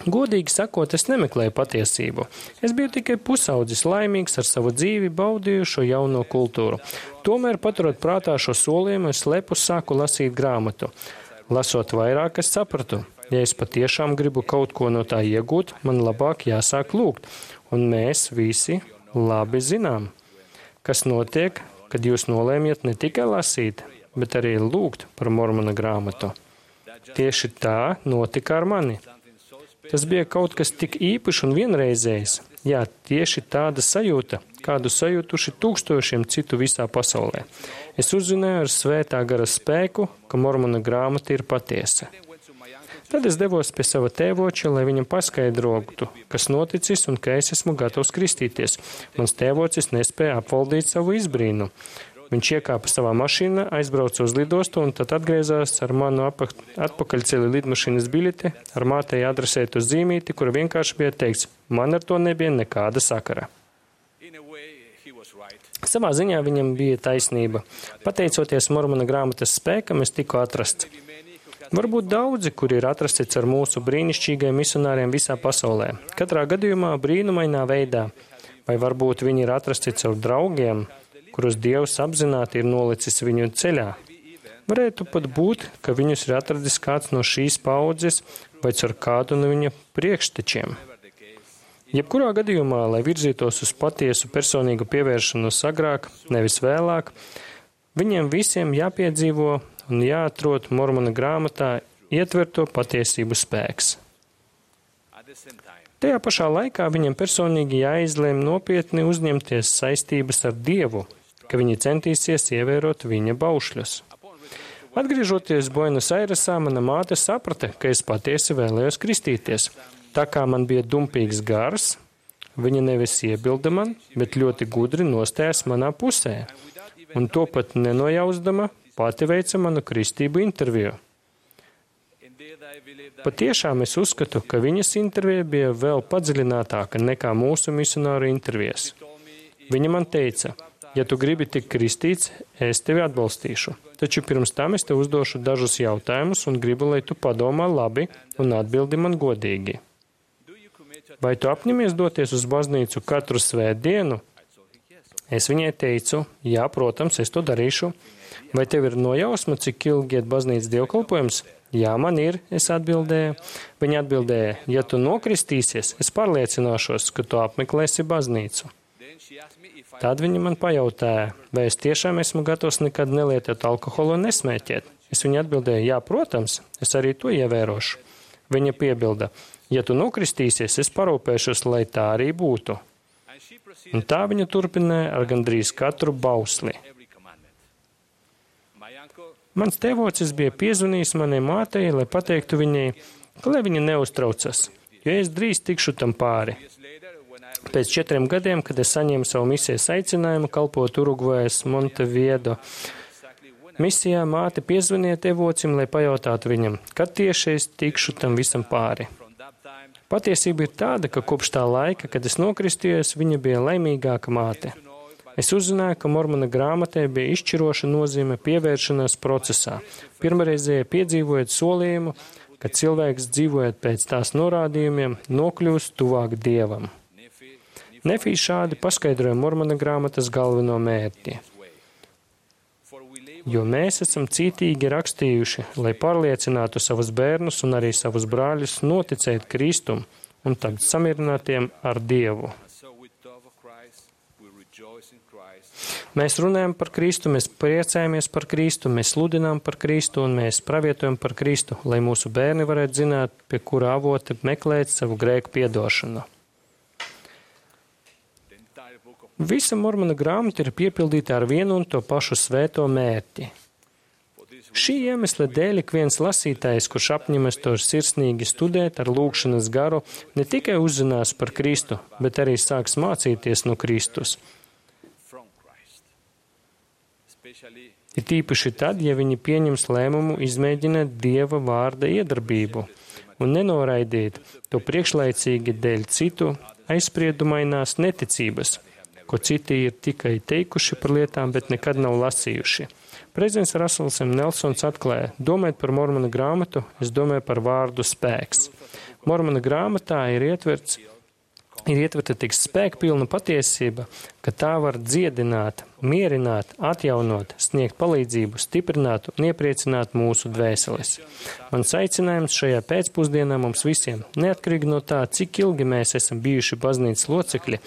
Godīgi sakot, es nemeklēju patiesību. Es biju tikai pusaudzis, laimīgs ar savu dzīvi, baudīju šo jauno kultūru. Tomēr, paturot prātā šo solījumu, es lepus sāku lasīt grāmatu. Lasot vairāk, es sapratu, ja es patiešām gribu kaut ko no tā iegūt, man labāk jāsāk lūgt. Un mēs visi labi zinām, kas notiek, kad jūs nolēmjat ne tikai lasīt, bet arī lūgt par mormona grāmatu. Tieši tā notika ar mani. Tas bija kaut kas tik īpašs un vienreizējs. Jā, tieši tāda sajūta, kādu sajūtuši tūkstošiem citu visā pasaulē. Es uzzināju ar svētā gara spēku, ka Mormona grāmata ir patiesa. Tad es devos pie sava tēvoča, lai viņam paskaidrotu, kas noticis un ka es esmu gatavs kristīties. Mans tēvocis nespēja apvaldīt savu izbrīnu. Viņš iekāpa savā mašīnā, aizbrauca uz lidostu un tad atgriezās ar manu atpakaļceļa lidmašīnas biļeti, ar mātei adresētu zīmīti, kura vienkārši bija teikts, man ar to nebija nekāda sakara. Savā ziņā viņam bija taisnība. Pateicoties Mormona grāmatas spēkam, es tiku atrasts. Varbūt daudzi, kuri ir atrasti ar mūsu brīnišķīgajiem misionāriem visā pasaulē. Katrā gadījumā brīnumainā veidā. Vai varbūt viņi ir atrasti caur draugiem, kurus Dievs apzināti ir nolicis viņu ceļā. Varētu pat būt, ka viņus ir atradis kāds no šīs paudzes vai caur kādu no viņa priekštečiem. Jebkurā gadījumā, lai virzītos uz patiesu personīgu pievēršanos agrāk, nevis vēlāk, viņiem visiem jāpiedzīvo un jāatrod Mormona grāmatā ietverto patiesību spēks. Tajā pašā laikā viņam personīgi jāizlēm nopietni uzņemties saistības ar Dievu, ka viņi centīsies ievērot viņa baušļus. Atgriežoties Buenos Airesā, mana māte saprata, ka es patiesi vēlējos kristīties. Tā kā man bija dumpīgs gars, viņa nevis iebilda man, bet ļoti gudri nostājas manā pusē, un to pat nenojausdama pati veica manu kristību interviju. Patiešām es uzskatu, ka viņas intervija bija vēl padziļinātāka nekā mūsu misionāru intervijas. Viņa man teica, ja tu gribi tik kristīts, es tevi atbalstīšu. Taču pirms tam es tev uzdošu dažus jautājumus un gribu, lai tu padomā labi un atbildi man godīgi. Vai tu apņemies doties uz baznīcu katru svētdienu? Es viņai teicu, jā, protams, es to darīšu. Vai tev ir nojausma, cik ilgi iet baznīcas dievkalpojums? Jā, man ir, es atbildēju. Viņa atbildēja, ja tu nokristīsies, es pārliecināšos, ka tu apmeklēsi baznīcu. Tad viņa man pajautāja, vai es tiešām esmu gatavs nekad nelietot alkoholu un nesmēķēt. Es viņai atbildēju, jā, protams, es arī to ievērošu. Viņa piebilda, ja tu nokristīsies, es parūpēšos, lai tā arī būtu. Un tā viņa turpināja ar gandrīz katru bausli. Mans tēvocis bija piezvanījis manai mātei, lai pateiktu viņai, ka lai viņa neuztraucas, jo es drīz tikšu tam pāri. Pēc četriem gadiem, kad es saņēmu savu misijas aicinājumu kalpot Urugvajas Monteviedo misijā, māte piezvanīja tēvocim, lai pajautātu viņam, kad tieši es tikšu tam visam pāri. Patiesība ir tāda, ka kopš tā laika, kad es nokristījos, viņa bija laimīgāka māte. Es uzzināju, ka Mormona grāmatai bija izšķiroša nozīme pievēršanās procesā. Pirmreizēji piedzīvojot solījumu, ka cilvēks dzīvojot pēc tās norādījumiem, nokļūst tuvāk Dievam. Nefī šādi paskaidroja Mormona grāmatas galveno mērķi. Jo mēs esam cītīgi rakstījuši, lai pārliecinātu savus bērnus un arī savus brāļus noticēt Kristum un tapt samierinātiem ar Dievu. Mēs runājam par Kristu, mēs priecājamies par Kristu, mēs sludinām par Kristu un mēs pravietojam par Kristu, lai mūsu bērni varētu zināt, pie kura avota meklēt savu grēku piedošanu. Visa Mormona grāmata ir piepildīta ar vienu un to pašu svēto mērķi. Šī iemesla dēļ ik viens lasītājs, kurš apņemas to sirsnīgi studēt ar lūgšanas garu, ne tikai uzzinās par Kristu, bet arī sāks mācīties no Kristus. Ir tīpaši tad, ja viņi pieņems lēmumu izmēģināt Dieva vārda iedarbību un nenoraidīt to priekšlaicīgi dēļ citu aizspriedumainās neticības, ko citi ir tikai teikuši par lietām, bet nekad nav lasījuši. Prezidents Rasels M. Nelsons atklāja, domājot par Mormona grāmatu, es domāju par vārdu spēks. Mormona grāmatā ir ietverts Ir ietverta tik spēkpilna patiesība, ka tā var dziedināt, mierināt, atjaunot, sniegt palīdzību, stiprināt un iepriecināt mūsu dvēseles. Mans aicinājums šajā pēcpusdienā mums visiem, neatkarīgi no tā, cik ilgi mēs esam bijuši baznīcas locekļi,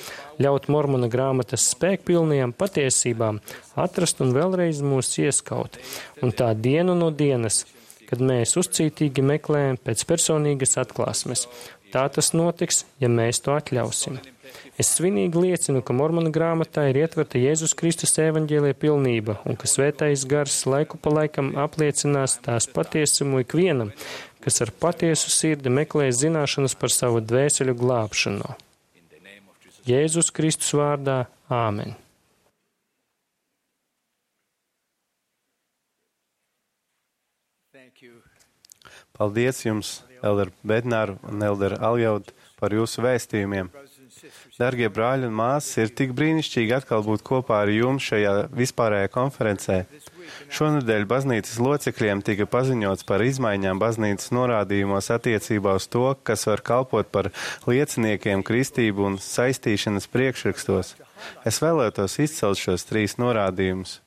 ļaut Mormona grāmatas spēkpilnajām patiesībām atrast un vēlreiz mūs ieskaut. Un tā dienu no dienas, kad mēs uzcītīgi meklējam pēc personīgas atklāsmes. Tā tas notiks, ja mēs to atļausim. Es svinīgi liecinu, ka Mormona grāmatā ir ietverta Jēzus Kristus evaņģēlija pilnība un ka svētais gars laiku pa laikam apliecinās tās patiesumu ikvienam, kas ar patiesu sirdi meklē zināšanas par savu dvēseļu glābšanu. Jēzus Kristus vārdā. Āmen. Paldies jums, Elder Bednāru un Elder Aljaud, par jūsu vēstījumiem. Dargie brāļi un māsas, ir tik brīnišķīgi atkal būt kopā ar jums šajā vispārējā konferencē. Šonedēļ baznīcas locekļiem tika paziņots par izmaiņām baznīcas norādījumos attiecībā uz to, kas var kalpot par lieciniekiem kristību un saistīšanas priekšrakstos. Es vēlētos izcelt šos trīs norādījumus.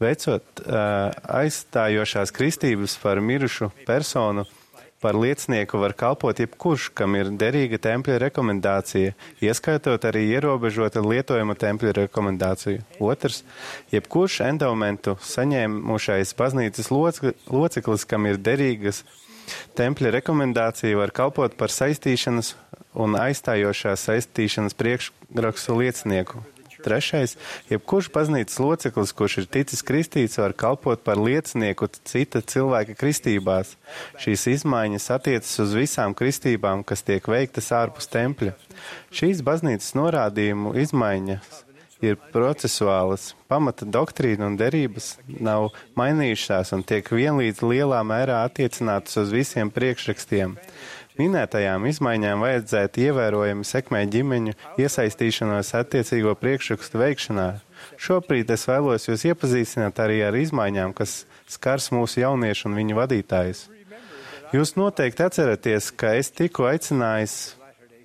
Veicot uh, aizstājošās kristības par mirušu personu, par liecinieku var kalpot jebkurš, kam ir derīga tempļa rekomendācija, ieskaitot arī ierobežota lietojuma tempļa rekomendāciju. Otrs, jebkurš endaumentu saņēmušais baznīcas loceklis, kam ir derīgas tempļa rekomendācija, var kalpot par saistīšanas un aizstājošās saistīšanas priekšrakstu liecinieku. Trešais, jebkurš baznīcas loceklis, kurš ir ticis kristīts, var kalpot par liecinieku cita cilvēka kristībās. Šīs izmaiņas attiecas uz visām kristībām, kas tiek veiktas ārpus tempļa. Šīs baznīcas norādījumu izmaiņas ir procesuālas, pamata doktrīna un derības nav mainījušās un tiek vienlīdz lielā mērā attiecinātas uz visiem priekšrakstiem. Minētajām izmaiņām vajadzētu ievērojami sekmēt ģimeņu iesaistīšanos attiecīgo priekšrakstu veikšanā. Šobrīd es vēlos jūs iepazīstināt arī ar izmaiņām, kas skars mūsu jauniešu un viņu vadītājus. Jūs noteikti atceraties, ka es tikko aicinājis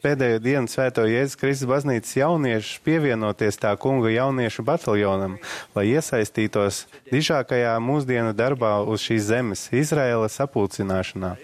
pēdējo dienu Svēto Jēzus Kristus baznīcas jauniešus pievienoties tā kunga jauniešu bataljonam, lai iesaistītos dižākajā mūsdienu darbā uz šīs zemes, Izraēla sapulcināšanā.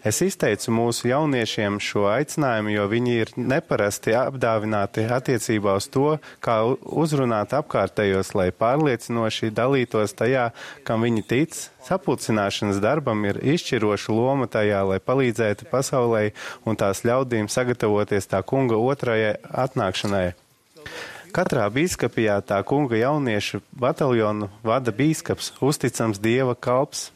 Es izteicu mūsu jauniešiem šo aicinājumu, jo viņi ir neparasti apdāvināti attiecībā uz to, kā uzrunāt apkārtējos, lai pārliecinoši dalītos tajā, kam viņi tic. Sapulcināšanas darbam ir izšķiroša loma tajā, lai palīdzētu pasaulē un tās ļaudīm sagatavoties tā kunga otrajai atnākšanai. Katrā bīskapijā tā kunga jauniešu bataljonu vada bīskaps, uzticams Dieva kalps.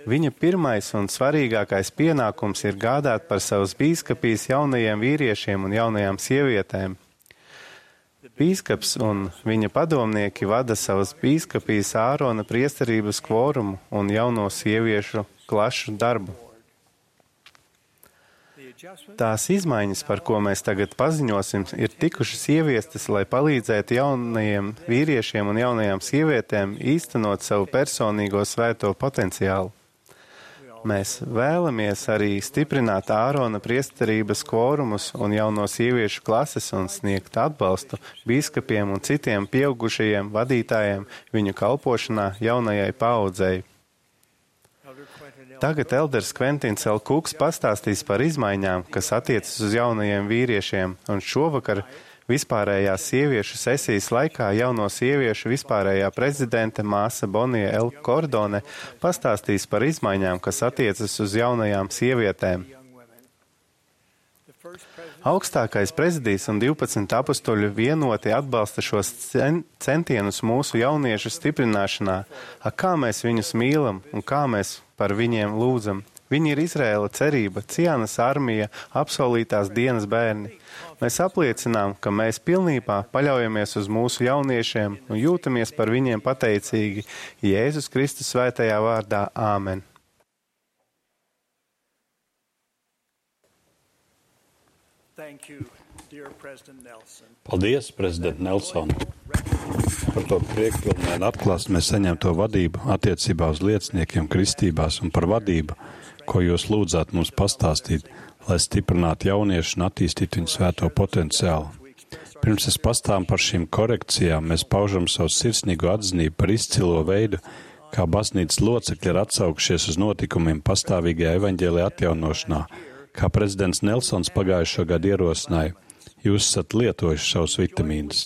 Viņa pirmais un svarīgākais pienākums ir gādāt par savas bīskapijas jaunajiem vīriešiem un jaunajām sievietēm. Bīskaps un viņa padomnieki vada savas bīskapijas Ārona priesterības kvorumu un jauno sieviešu klašu darbu. Tās izmaiņas, par ko mēs tagad paziņosim, ir tikušas ieviestas, lai palīdzētu jaunajiem vīriešiem un jaunajām sievietēm īstenot savu personīgo svēto potenciālu. Mēs vēlamies arī stiprināt Ārona priesterības kvorumus un jauno sieviešu klases un sniegt atbalstu bīskapiem un citiem pieaugušajiem vadītājiem viņu kalpošanā jaunajai paaudzei. Tagad elders Kventins L. Kuks pastāstīs par izmaiņām, kas attiecas uz jaunajiem vīriešiem, un šovakar vispārējās sieviešu sesijas laikā jauno sieviešu vispārējā prezidente māsa Bonija L. Kordone pastāstīs par izmaiņām, kas attiecas uz jaunajām sievietēm. Augstākais prezidijs un divpadsmit apustuļi vienoti atbalsta šos centienus mūsu jauniešu stiprināšanā, a kā mēs viņus mīlam un kā mēs par viņiem lūdzam. Viņi ir Izraēla cerība, Cianas armija, apsolītās dienas bērni. Mēs apliecinām, ka mēs pilnībā paļaujamies uz mūsu jauniešiem un jūtamies par viņiem pateicīgi Jēzus Kristus svētajā vārdā. Āmen. Paldies, prezident Nelson, par to priekšpilnēnu atklāsmi mēs saņemto vadību attiecībā uz lieciniekiem kristībās un par vadību, ko jūs lūdzāt mums pastāstīt, lai stiprinātu jauniešu un attīstītu viņu svēto potenciālu. Pirms es pastāvu par šīm korekcijām, mēs paužam savu sirsnīgo atzinību par izcilo veidu, kā baznīcas locekļi ir atsaukšies uz notikumiem pastāvīgajā evaņģēlijā atjaunošanā, kā prezidents Nelsons pagājušo gadu ierosināja. Jūs esat lietojuši savus vitamīnus.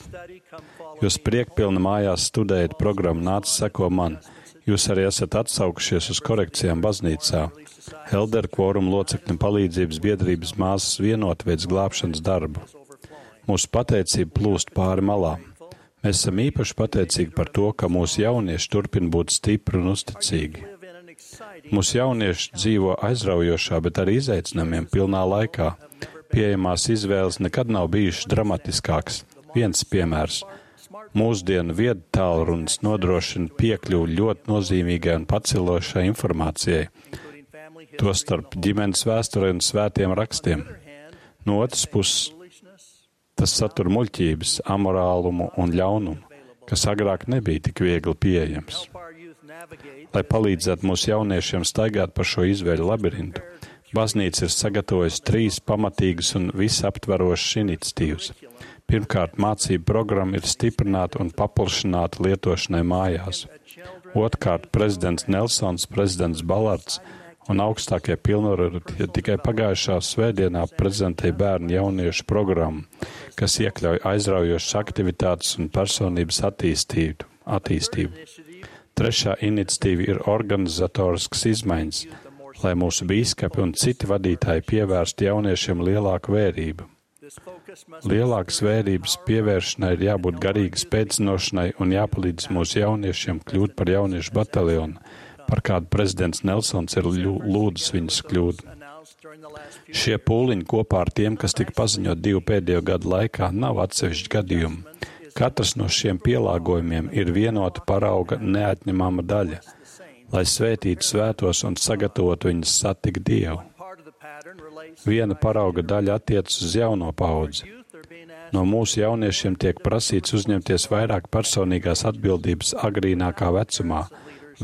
Jūs priekpilni mājās studējat programmu Nāc seko man. Jūs arī esat atsaukušies uz korekcijām baznīcā. Elderu kvorumu locekļu palīdzības biedrības māsas vienot veids glābšanas darbu. Mūsu pateicība plūst pāri malām. Mēs esam īpaši pateicīgi par to, ka mūsu jaunieši turpina būt stipri un uzticīgi. Mūsu jaunieši dzīvo aizraujošā, bet arī izaicinājumiem pilnā laikā. Pieejamās izvēles nekad nav bijušas dramatiskākas. Viens piemērs. Mūsdienu viedu tālrunis nodrošina piekļuvi ļoti nozīmīgai un pacelošai informācijai, tostarp ģimenes vēsturē un svētiem rakstiem. No otras puses, tas satur muļķības, amorālumu un ļaunumu, kas agrāk nebija tik viegli pieejams. Lai palīdzētu mūsu jauniešiem staigāt pa šo izvēļu labirintu, baznīca ir sagatavojusi trīs pamatīgas un visaptverošas iniciatīvas. Pirmkārt, mācību programma ir stiprināta un paplašināta lietošanai mājās. Otrkārt, prezidents Nelsons, prezidents Balards un augstākie pilnvarotie tikai pagājušā svētdienā prezentēja bērnu jauniešu programmu, kas iekļauj aizraujošas aktivitātes un personības attīstību. attīstību. Trešā iniciatīva ir organizatoriskas izmaiņas, lai mūsu bīskapi un citi vadītāji pievērstu jauniešiem lielāku vērību. Lielākas vērības pievēršanai ir jābūt garīgas pēcinošanai un jāpalīdz mūsu jauniešiem kļūt par jauniešu bataljonu, par kādu prezidents Nelsons ir lūdzis viņus kļūt. Šie pūliņi kopā ar tiem, kas tika paziņot divu pēdējo gadu laikā, nav atsevišķi gadījumi. Katrs no šiem pielāgojumiem ir vienota parauga neatņemama daļa, lai svētītu svētos un sagatavotu viņus satikt Dievu. Viena parauga daļa attiecas uz jauno paudzi. No mūsu jauniešiem tiek prasīts uzņemties vairāk personīgās atbildības agrīnākā vecumā,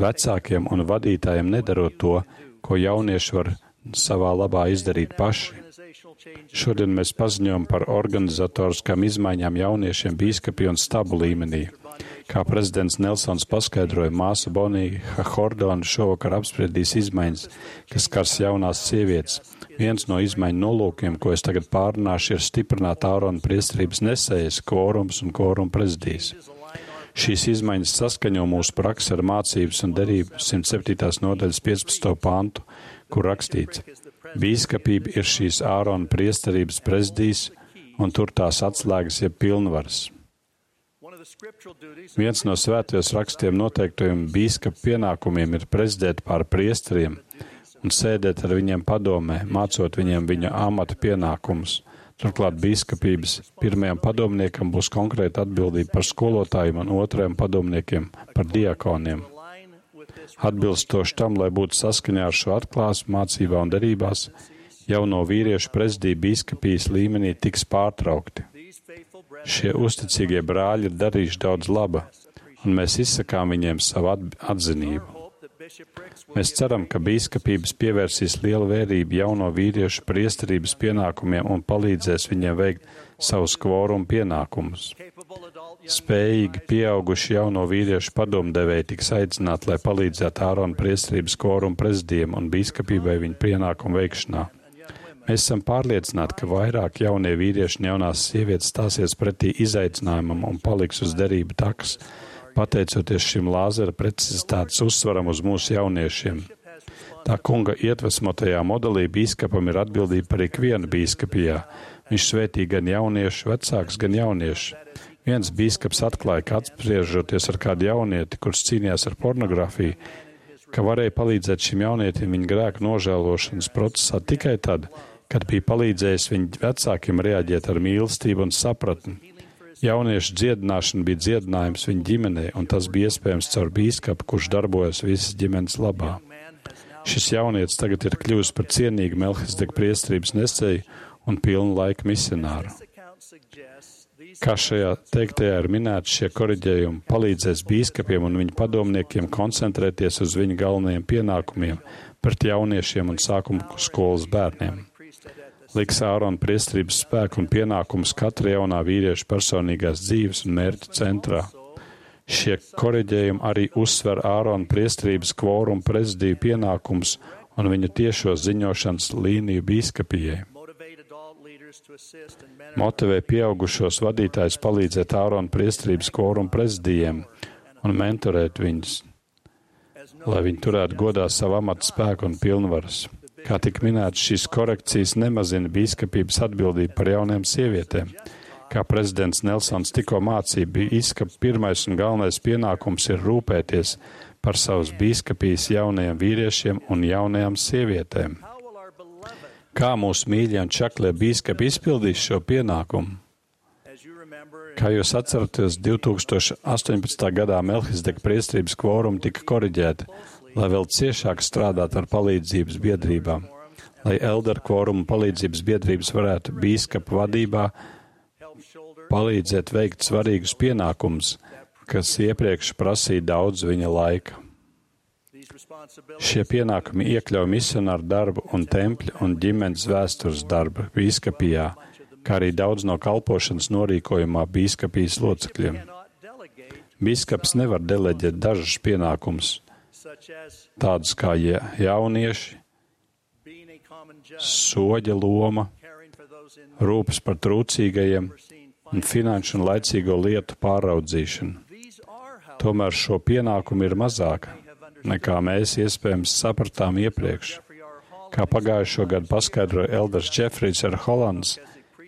vecākiem un vadītājiem nedarot to, ko jaunieši var savā labā izdarīt paši. Šodien mēs paziņojam par organizatoriskām izmaiņām jauniešiem bīskapi un stabu līmenī. Kā prezidents Nelsons paskaidroja, māsa Bonija Hordona šovakar apspriedīs izmaiņas, kas skars jaunās sievietes. Viens no izmaiņu nolūkiem, ko es tagad pārunāšu, ir stiprināt Ārona priesterības nesējas, kvorums un kvoruma prezidijas. Šīs izmaiņas saskaņo mūsu praksi ar mācības un derību simt septītās nodaļas piecpadsmito pantu, kur rakstīts: Bīskapība ir šīs Ārona priesterības prezidijas, un tur tās atslēgas jeb pilnvaras. Viens no svētajos rakstiem noteiktajiem bīskapa pienākumiem ir prezidēt pār priesteriem un sēdēt ar viņiem padomē, mācot viņiem viņa amata pienākumus. Turklāt bīskapības pirmajam padomniekam būs konkrēta atbildība par skolotājiem un otrajam padomniekiem par diakoniem. Atbilstoši tam, lai būtu saskaņā ar šo atklāsmu mācībā un derībās, jauno vīriešu prezidiju bīskapijas līmenī tiks pārtraukti. Šie uzticīgie brāļi ir darījuši daudz laba, un mēs izsakām viņiem savu atzinību. Mēs ceram, ka bīskapības pievērsīs lielu vērību jauno vīriešu priesterības pienākumiem un palīdzēs viņiem veikt savus kvorumu pienākumus. Spējīgi pieauguši jauno vīriešu padomdevēji tiks aicināti, lai palīdzētu Ārona priesterības kvorumu prezidijiem un bīskapībai viņu pienākumu veikšanā. Mēs esam pārliecināti, ka vairāk jaunie vīrieši un jaunās sievietes stāsies pretī izaicinājumam un paliks uz derību takas, pateicoties šim Lāzera precizitātes uzsvaram uz mūsu jauniešiem. Tā kunga iedvesmotajā modelī bīskapam ir atbildība par ikvienu bīskapijā. Viņš svētī gan jauniešu, vecāks, gan jauniešu. Viens bīskaps atklāja, ka apspriežoties ar kādu jaunieti, kurš cīnījās ar pornogrāfiju, ka varēja palīdzēt šim jaunietim viņa grēku nožēlošanas procesā tikai tad, kad bija palīdzējis viņa vecākiem reaģēt ar mīlestību un sapratni. Jauniešu dziedināšana bija dziedinājums viņa ģimenei, un tas bija iespējams caur bīskapu, kurš darbojas visas ģimenes labā. Šis jaunietis tagad ir kļuvis par cienīgu Melhizedeka priesterības nesēju un pilnu laiku misionāru. Kā šajā teiktajā ir minēts, šie koriģējumi palīdzēs bīskapiem un viņu padomniekiem koncentrēties uz viņu galvenajiem pienākumiem pret jauniešiem un sākuma skolas bērniem. Liks Ārona priesterības spēku un pienākumus katra jaunā vīrieša personīgās dzīves un mērķa centrā. Šie koriģējumi arī uzsver Ārona priesterības kvorumu prezidiju pienākums un viņa tiešo ziņošanas līniju bīskapijai. Motivē pieaugušos vadītājus palīdzēt Ārona priesterības kvorumu prezidijiem un mentorēt viņus. lai viņi turētu godā savu amatu spēku un pilnvaras. Kā tik minēts, šīs korekcijas nemazina bīskapības atbildību par jaunajām sievietēm. Kā prezidents Nelsons tikko mācīja, bīskapa pirmais un galvenais pienākums ir rūpēties par savas bīskapijas jaunajiem vīriešiem un jaunajām sievietēm. Kā mūsu mīļie un čaklie bīskapi izpildīs šo pienākumu? Kā jūs atceraties, divi tūkstoši astoņpadsmitā gadā Melhizedeka priesterības kvorumi tika koriģēti, lai vēl ciešāk strādātu ar palīdzības biedrībām, lai elder kvorumu palīdzības biedrības varētu bīskapa vadībā palīdzēt veikt svarīgus pienākumus, kas iepriekš prasīja daudz viņa laika. Šie pienākumi iekļauj misionāru darbu un tempļa un ģimenes vēstures darbu bīskapijā, kā arī daudz no kalpošanas norīkojumā bīskapijas locekļiem. Bīskaps nevar deleģēt dažus pienākumus, tādus kā jaunieši, soģa loma, rūpes par trūcīgajiem un finanšu un laicīgo lietu pāraudzīšanu. Tomēr šo pienākumu ir mazāk, nekā mēs iespējams sapratām iepriekš. Kā pagājušo gadu paskaidroja elders Džefrijs R. Holands,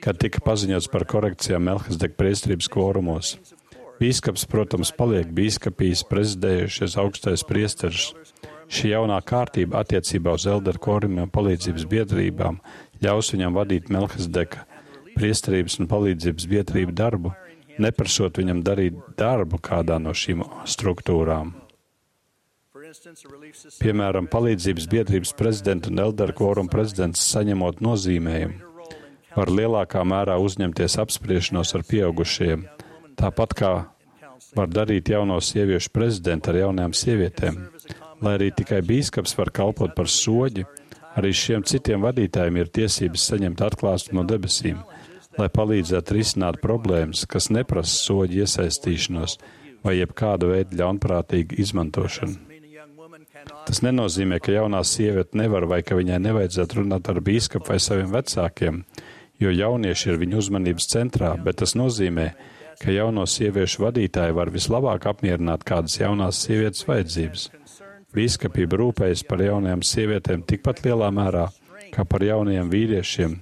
kad tika paziņots par korekcijām Melhizedeka priesterības kvorumos. Bīskaps, protams, paliek bīskapijas prezidējušies augstais priesteris. Šī jaunā kārtība attiecībā uz elderu kvorumiem palīdzības biedrībām ļaus viņam vadīt Melhizedeka priesterības un palīdzības biedrību darbu, neprasot viņam darīt darbu kādā no šīm struktūrām. Piemēram, palīdzības biedrības prezidenta un elderu kvorumu prezidents saņemot nozīmējumu, var lielākā mērā uzņemties apspriešanos ar pieaugušajiem, tāpat kā var darīt jauno sieviešu prezidentu ar jaunajām sievietēm. Lai arī tikai bīskaps var kalpot par soģi, arī šiem citiem vadītājiem ir tiesības saņemt atklāsmu no debesīm, lai palīdzētu risināt problēmas, kas neprasa soģi iesaistīšanos vai jebkāda veida ļaunprātīgu izmantošanu. Tas nenozīmē, ka jaunā sieviete nevar vai ka viņai nevajadzētu runāt ar bīskapu vai saviem vecākiem, jo jaunieši ir viņu uzmanības centrā, bet tas nozīmē, ka jauno sieviešu vadītāji var vislabāk apmierināt kādas jaunās sievietes vajadzības. Bīskapība rūpējas par jaunajām sievietēm tikpat lielā mērā, kā par jaunajiem vīriešiem,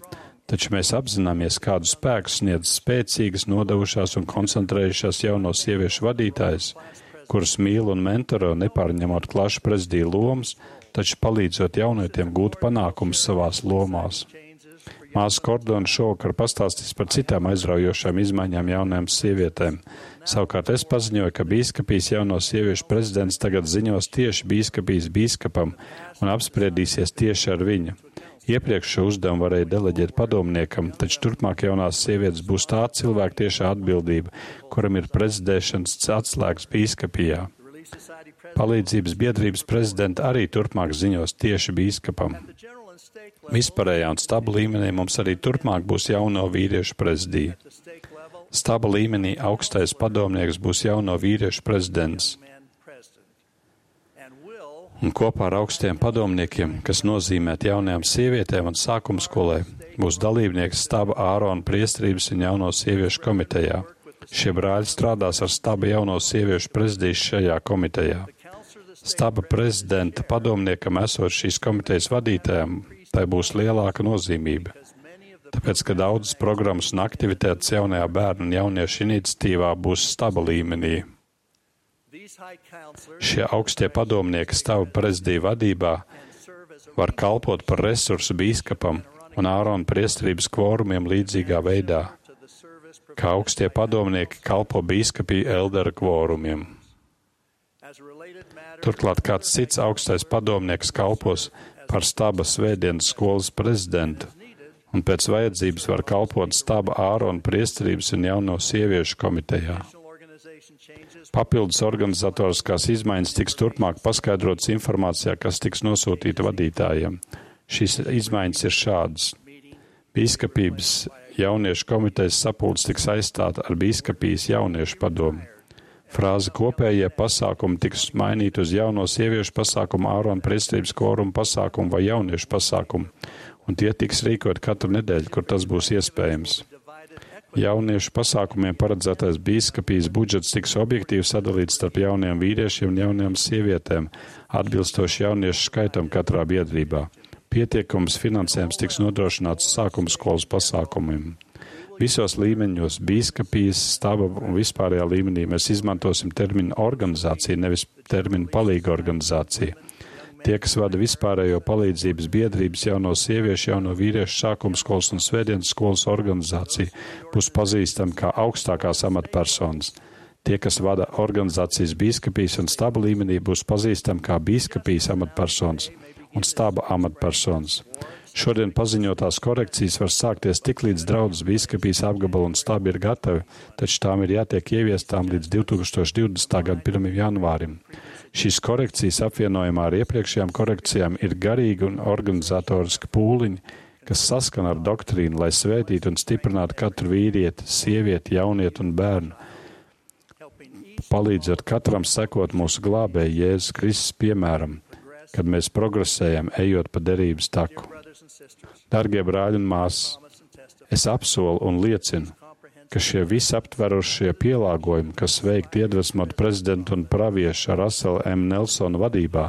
taču mēs apzināmies, kādu spēku sniedz spēcīgas, nodevušās un koncentrējušās jauno sieviešu vadītājas, kuras mīl un mentoro nepārņemot klašu prezidiju lomas, taču palīdzot jaunietiem gūt panākumus savās lomās. Māsa Kordona šovakar pastāstīs par citām aizraujošām izmaiņām jaunajām sievietēm. Savukārt es paziņoju, ka bīskapijas jauno sieviešu prezidents tagad ziņos tieši bīskapijas bīskapam un apspriedīsies tieši ar viņu. Iepriekš šo uzdevumu varēja deleģēt padomniekam, taču turpmāk jaunās sievietes būs tā cilvēka tiešā atbildība, kuram ir prezidēšanas atslēgas bīskapijā. Palīdzības biedrības prezidenta arī turpmāk ziņos tieši bīskapam. Vispārējā un staba līmenī mums arī turpmāk būs jauno vīriešu prezidija. Staba līmenī augstais padomnieks būs jauno vīriešu prezidents. Un kopā ar augstiem padomniekiem, kas nozīmēt jaunajām sievietēm un sākuma skolai, būs dalībnieks staba Ārona priesterības un jauno sieviešu komitejā. Šie brāļi strādās ar staba jauno sieviešu prezidiju šajā komitejā. Staba prezidenta padomniekam esot šīs komitejas vadītājiem, tai būs lielāka nozīmība. Tāpēc, ka daudzas programmas un aktivitātes jaunajā bērnu un jauniešu iniciatīvā būs staba līmenī. Šie augstie padomnieki staba prezidija vadībā var kalpot par resursu bīskapam un Ārona priesterības kvorumiem līdzīgā veidā, kā augstie padomnieki kalpo bīskapiju eldera kvorumiem. Turklāt kāds cits augstais padomnieks kalpos par staba svētdienas skolas prezidentu, un pēc vajadzības var kalpot staba Ārona priesterības un jauno sieviešu komitejā. Papildus organizatoriskās izmaiņas tiks turpmāk paskaidrotas informācijā, kas tiks nosūtīta vadītājiem. Šīs izmaiņas ir šādas. Bīskapības jauniešu komitejas sapulce tiks aizstāta ar bīskapijas jauniešu padomu. Frāze kopējie pasākumi tiks mainīta uz jauno sieviešu pasākumu, Ārona priesterības kvorumu pasākumu vai jauniešu pasākumu, un tie tiks rīkot katru nedēļu, kur tas būs iespējams. Jauniešu pasākumiem paredzētais bīskapijas budžets tiks objektīvi sadalīts starp jauniem vīriešiem un jauniem sievietēm, atbilstoši jauniešu skaitam katrā biedrībā. Pietiekams finansējums tiks nodrošināts sākuma skolas pasākumiem. Visos līmeņos, bīskapijas, staba un vispārējā līmenī mēs izmantosim terminu organizācija, nevis terminu palīga organizācija. Tie, kas vada vispārējo palīdzības biedrības jauno sieviešu, jauno vīriešu sākuma skolas un svētdienas skolas organizāciju, būs pazīstami kā augstākās amatpersonas. Tie, kas vada organizācijas bīskapijas un staba līmenī, būs pazīstami kā bīskapijas amatpersonas un staba amatpersonas. Šodien paziņotās korekcijas var sākties tik līdz draudzes bīskapijas apgabala un stabi ir gatavi, taču tām ir jātiek ieviestām līdz divi tūkstoši divdesmitā gada pirmajam janvārim. Šīs korekcijas apvienojumā ar iepriekšējām korekcijām ir garīgi un organizatoriski pūliņi, kas saskana ar doktrīnu, lai svētītu un stiprinātu katru vīrieti, sievieti, jaunieti un bērnu, palīdzot katram sekot mūsu glābēju Jēzus Kristus piemēram, kad mēs progresējam, ejot pa derības taku. Dargie brāļi un māsas, es apsolu un liecinu, ka šie visaptverošie pielāgojumi, kas veikti iedvesmot prezidentu un praviešu Russell M. Nelsona vadībā,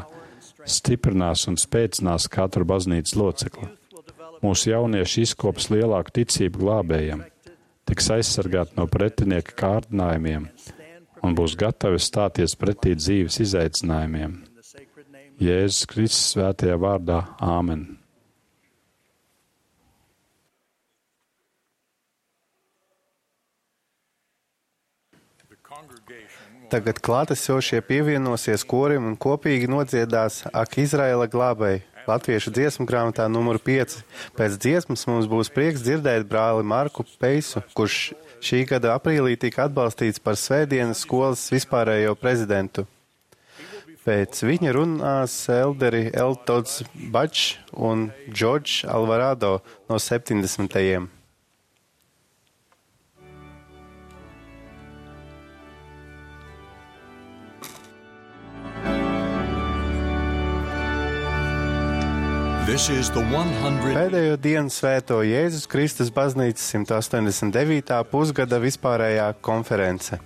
stiprinās un spēcinās katru baznīcas locekli. Mūsu jaunieši izkops lielāku ticību glābējam, tiks aizsargāti no pretinieka kārdinājumiem un būs gatavi stāties pretī dzīves izaicinājumiem. Jēzus Kristus svētajā vārdā. Āmen. Tagad klātesošie pievienosies korim un kopīgi nodziedās Ak Izraēla glābēji, latviešu dziesmu grāmatā numuru pieci. Pēc dziesmas mums būs prieks dzirdēt brāli Marku Peisu, kurš šī gada aprīlī tika atbalstīts par svētdienas skolas vispārējo prezidentu. Pēc viņa runās elderi Eltods Bačs un Džordžs Alvarado no septiņdesmitajiem. Pēdējo dienu svēto Jēzus Kristus baznīcas simt astoņdesmit devītā pusgada vispārējā konference.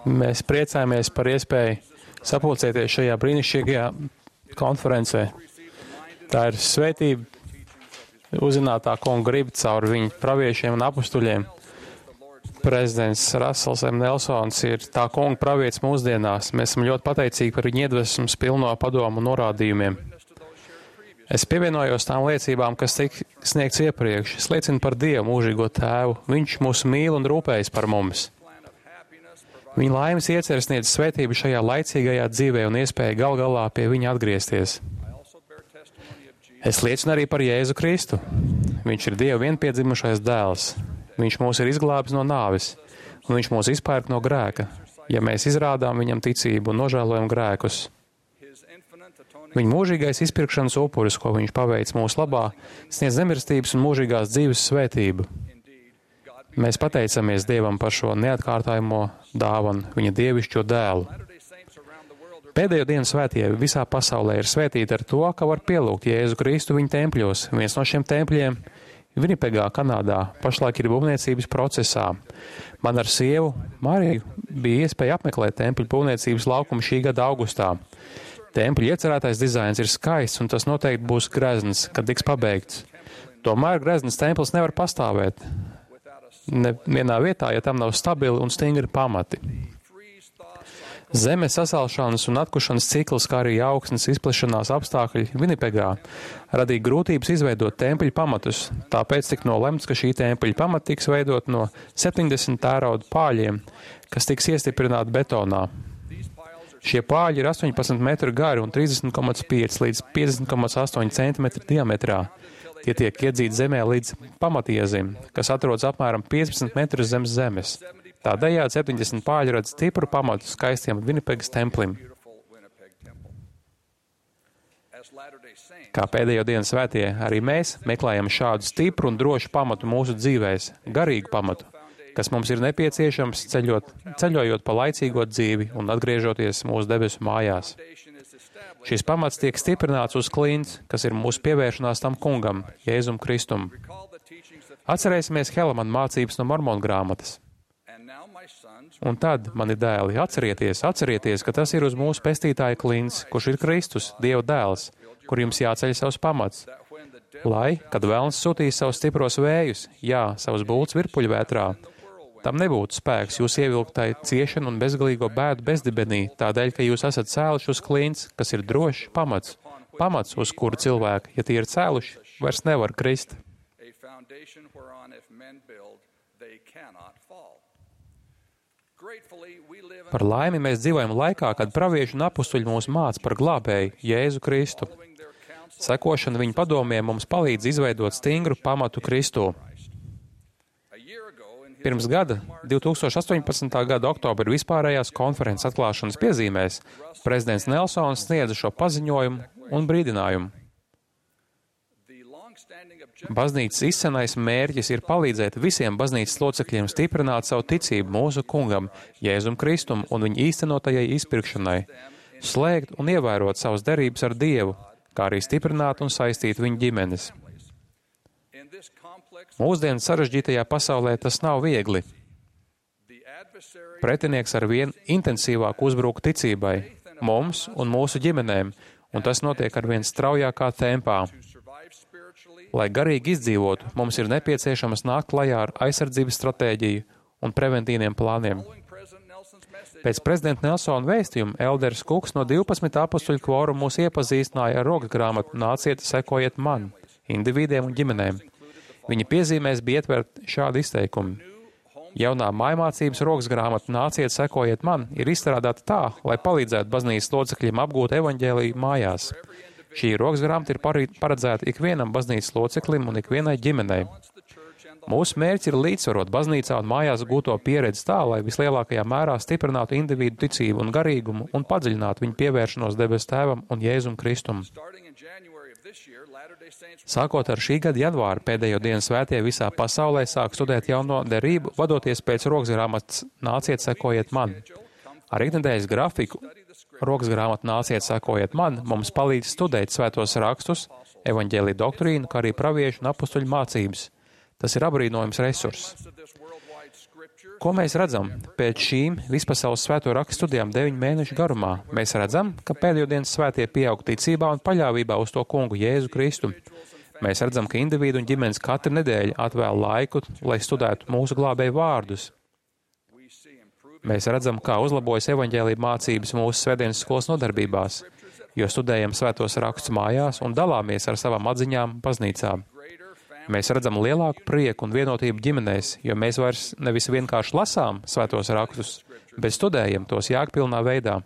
Mēs priecājamies par iespēju sapulcēties šajā brīnišķīgajā konferencē. Tā ir svētība uzzināt tā kunga gribu caur viņu praviešiem un apustuļiem. Prezidents Rasels M. Nelsons ir tā kunga pravietis mūsdienās. Mēs esam ļoti pateicīgi par viņa iedvesmas pilno padomu un norādījumiem. Es pievienojos tām liecībām, kas tika sniegts iepriekš. Es liecinu par Dievu, mūžīgo Tēvu. Viņš mūs mīl un rūpējas par mums. Viņa laimes ieceres sniedz svētību šajā laicīgajā dzīvē un iespēju gal galā pie viņa atgriezties. Es liecinu arī par Jēzu Kristu. Viņš ir Dieva vienpiedzimušais dēls. Viņš mūs ir izglābis no nāves, un viņš mūs izpērk no grēka, ja mēs izrādām viņam ticību un nožēlojam grēkus. Viņa mūžīgais izpirkšanas upuris, ko viņš paveic mūsu labā, sniedz nemirstības un mūžīgās dzīves svētību. Mēs pateicamies Dievam par šo neatkārtojamo dāvanu, viņa dievišķo dēlu. Pēdējo dienu svētie visā pasaulē ir svētīti ar to, ka var pielūgt Jēzu Kristu viņa tempļos. Viens no šiem tempļiem, Vinipegā, Kanādā, pašlaik ir būvniecības procesā. Man ar sievu Mariju bija iespēja apmeklēt tempļu būvniecības laukumu šī gada augustā. Tempļa iecerētais dizains ir skaists, un tas noteikti būs grezns, kad tiks pabeigts. Tomēr grezns templis nevar pastāvēt nevienā vietā, ja tam nav stabili un stingri pamati. Zemes sasalšanas un atkušanas cikls, kā arī augsnes izplešanās apstākļi Vinipegā radīja grūtības izveidot tempļu pamatus, tāpēc tika nolemts, ka šī tempļa pamata tiks veidot no septiņdesmit tērauda pāļiem, kas tiks iestiprināti betonā. Šie pāļi ir astoņpadsmit metru gari un trīsdesmit komats pieci līdz piecdesmit komats astoņi centimetri diametrā. Tie tiek iedzīti zemē līdz pamatiezim, kas atrodas apmēram piecpadsmit metrus zem zemes. Tādējādi septiņdesmit pāļi rada stipru pamatu skaistiem Vinipegas templim. Kā pēdējo dienu svētie, arī mēs meklējam šādu stipru un drošu pamatu mūsu dzīvēs, garīgu pamatu, kas mums ir nepieciešams ceļot, ceļojot pa laicīgo dzīvi un atgriežoties mūsu debesu mājās. Šis pamats tiek stiprināts uz klints, kas ir mūsu pievēršanās tam kungam, Jēzum Kristum. Atcerēsimies Helemana mācības no Mormonu grāmatas. Un tad, mani dēli, atcerieties, atcerieties, ka tas ir uz mūsu pestītāja klints, kurš ir Kristus, Dieva dēls, kur jums jāceļ savs pamats. Lai, kad velns sūtīs savus stipros vējus, jā, savus bults virpuļvētrā, tam nebūtu spēks jūs ievilktai ciešanu un bezgalīgo bēdu bezdibenī, tādēļ, ka jūs esat cēluši uz klints, kas ir drošs pamats, pamats, uz kuru cilvēki, ja tie ir cēluši, vairs nevar krist. Par laimi mēs dzīvojam laikā, kad pravieši un apustuļi mūs māca par glābēju Jēzu Kristu. Sekošana viņa padomiem mums palīdz izveidot stingru pamatu Kristū. Pirms gada, divi tūkstoši astoņpadsmitā gada oktobra vispārējās konferences atklāšanas piezīmēs, prezidents Nelsons sniedza šo paziņojumu un brīdinājumu. Baznīcas izcenais mērķis ir palīdzēt visiem baznīcas locekļiem stiprināt savu ticību mūsu kungam, Jēzum Kristum un viņa īstenotajai izpirkšanai, slēgt un ievērot savas derības ar Dievu, kā arī stiprināt un saistīt viņa ģimenes. Mūsdienu sarežģītajā pasaulē tas nav viegli. Pretinieks ar vien intensīvāk uzbruk ticībai, mums un mūsu ģimenēm, un tas notiek ar vien straujākā tempā. Lai garīgi izdzīvotu, mums ir nepieciešams nākt klajā ar aizsardzības stratēģiju un preventīviem plāniem. Pēc prezidenta Nelsona vēstījuma Elders Kuks no divpadsmit apustuļu kvorumu mūs iepazīstināja ar rokas grāmatu Nāciet, sekojiet man, individiem un ģimenēm. Viņa piezīmēs bija ietvert šādi izteikumi. Jaunā mājmācības rokas grāmata Nāciet, sekojiet man ir izstrādāta tā, lai palīdzētu baznīcas locekļiem apgūt evaņģēliju mājās. Šī rokas grāmata ir paredzēta ikvienam baznīcas loceklim un ikvienai ģimenei. Mūsu mērķis ir līdzsvarot baznīcā un mājās gūto pieredzi tā, lai vislielākajā mērā stiprinātu individu ticību un garīgumu un padziļinātu viņu pievēršanos debesu Tēvam un Jēzum Kristum. Sākot ar šī gada janvāru, pēdējo dienu svētie visā pasaulē sāk studēt jauno derību, vadoties pēc rokas grāmatas Nāciet, sekojiet man. Ar ikdienas grafiku rokas grāmata Nāciet, sekojiet man mums palīdz studēt svētos rakstus, evaņģēlija doktrīna, kā arī praviešu un apustuļu mācības. Tas ir abrīnojams resurss. Ko mēs redzam pēc šīm vispasaules svēto rakstu studijām deviņu mēnešu garumā? Mēs redzam, ka pēdējo dienas svētie pieaug ticībā un paļāvībā uz to kungu Jēzu Kristu. Mēs redzam, ka individu un ģimenes katru nedēļu atvēl laiku, lai studētu mūsu glābēju vārdus. Mēs redzam, kā uzlabojas evaņģēlija mācības mūsu svētdienas skolas nodarbībās, jo studējam svētos rakstus mājās un dalāmies ar savām atziņām baznīcām. Mēs redzam lielāku prieku un vienotību ģimenēs, jo mēs vairs nevis vienkārši lasām svētos rakstus, bet studējam tos jēgpilnā veidā.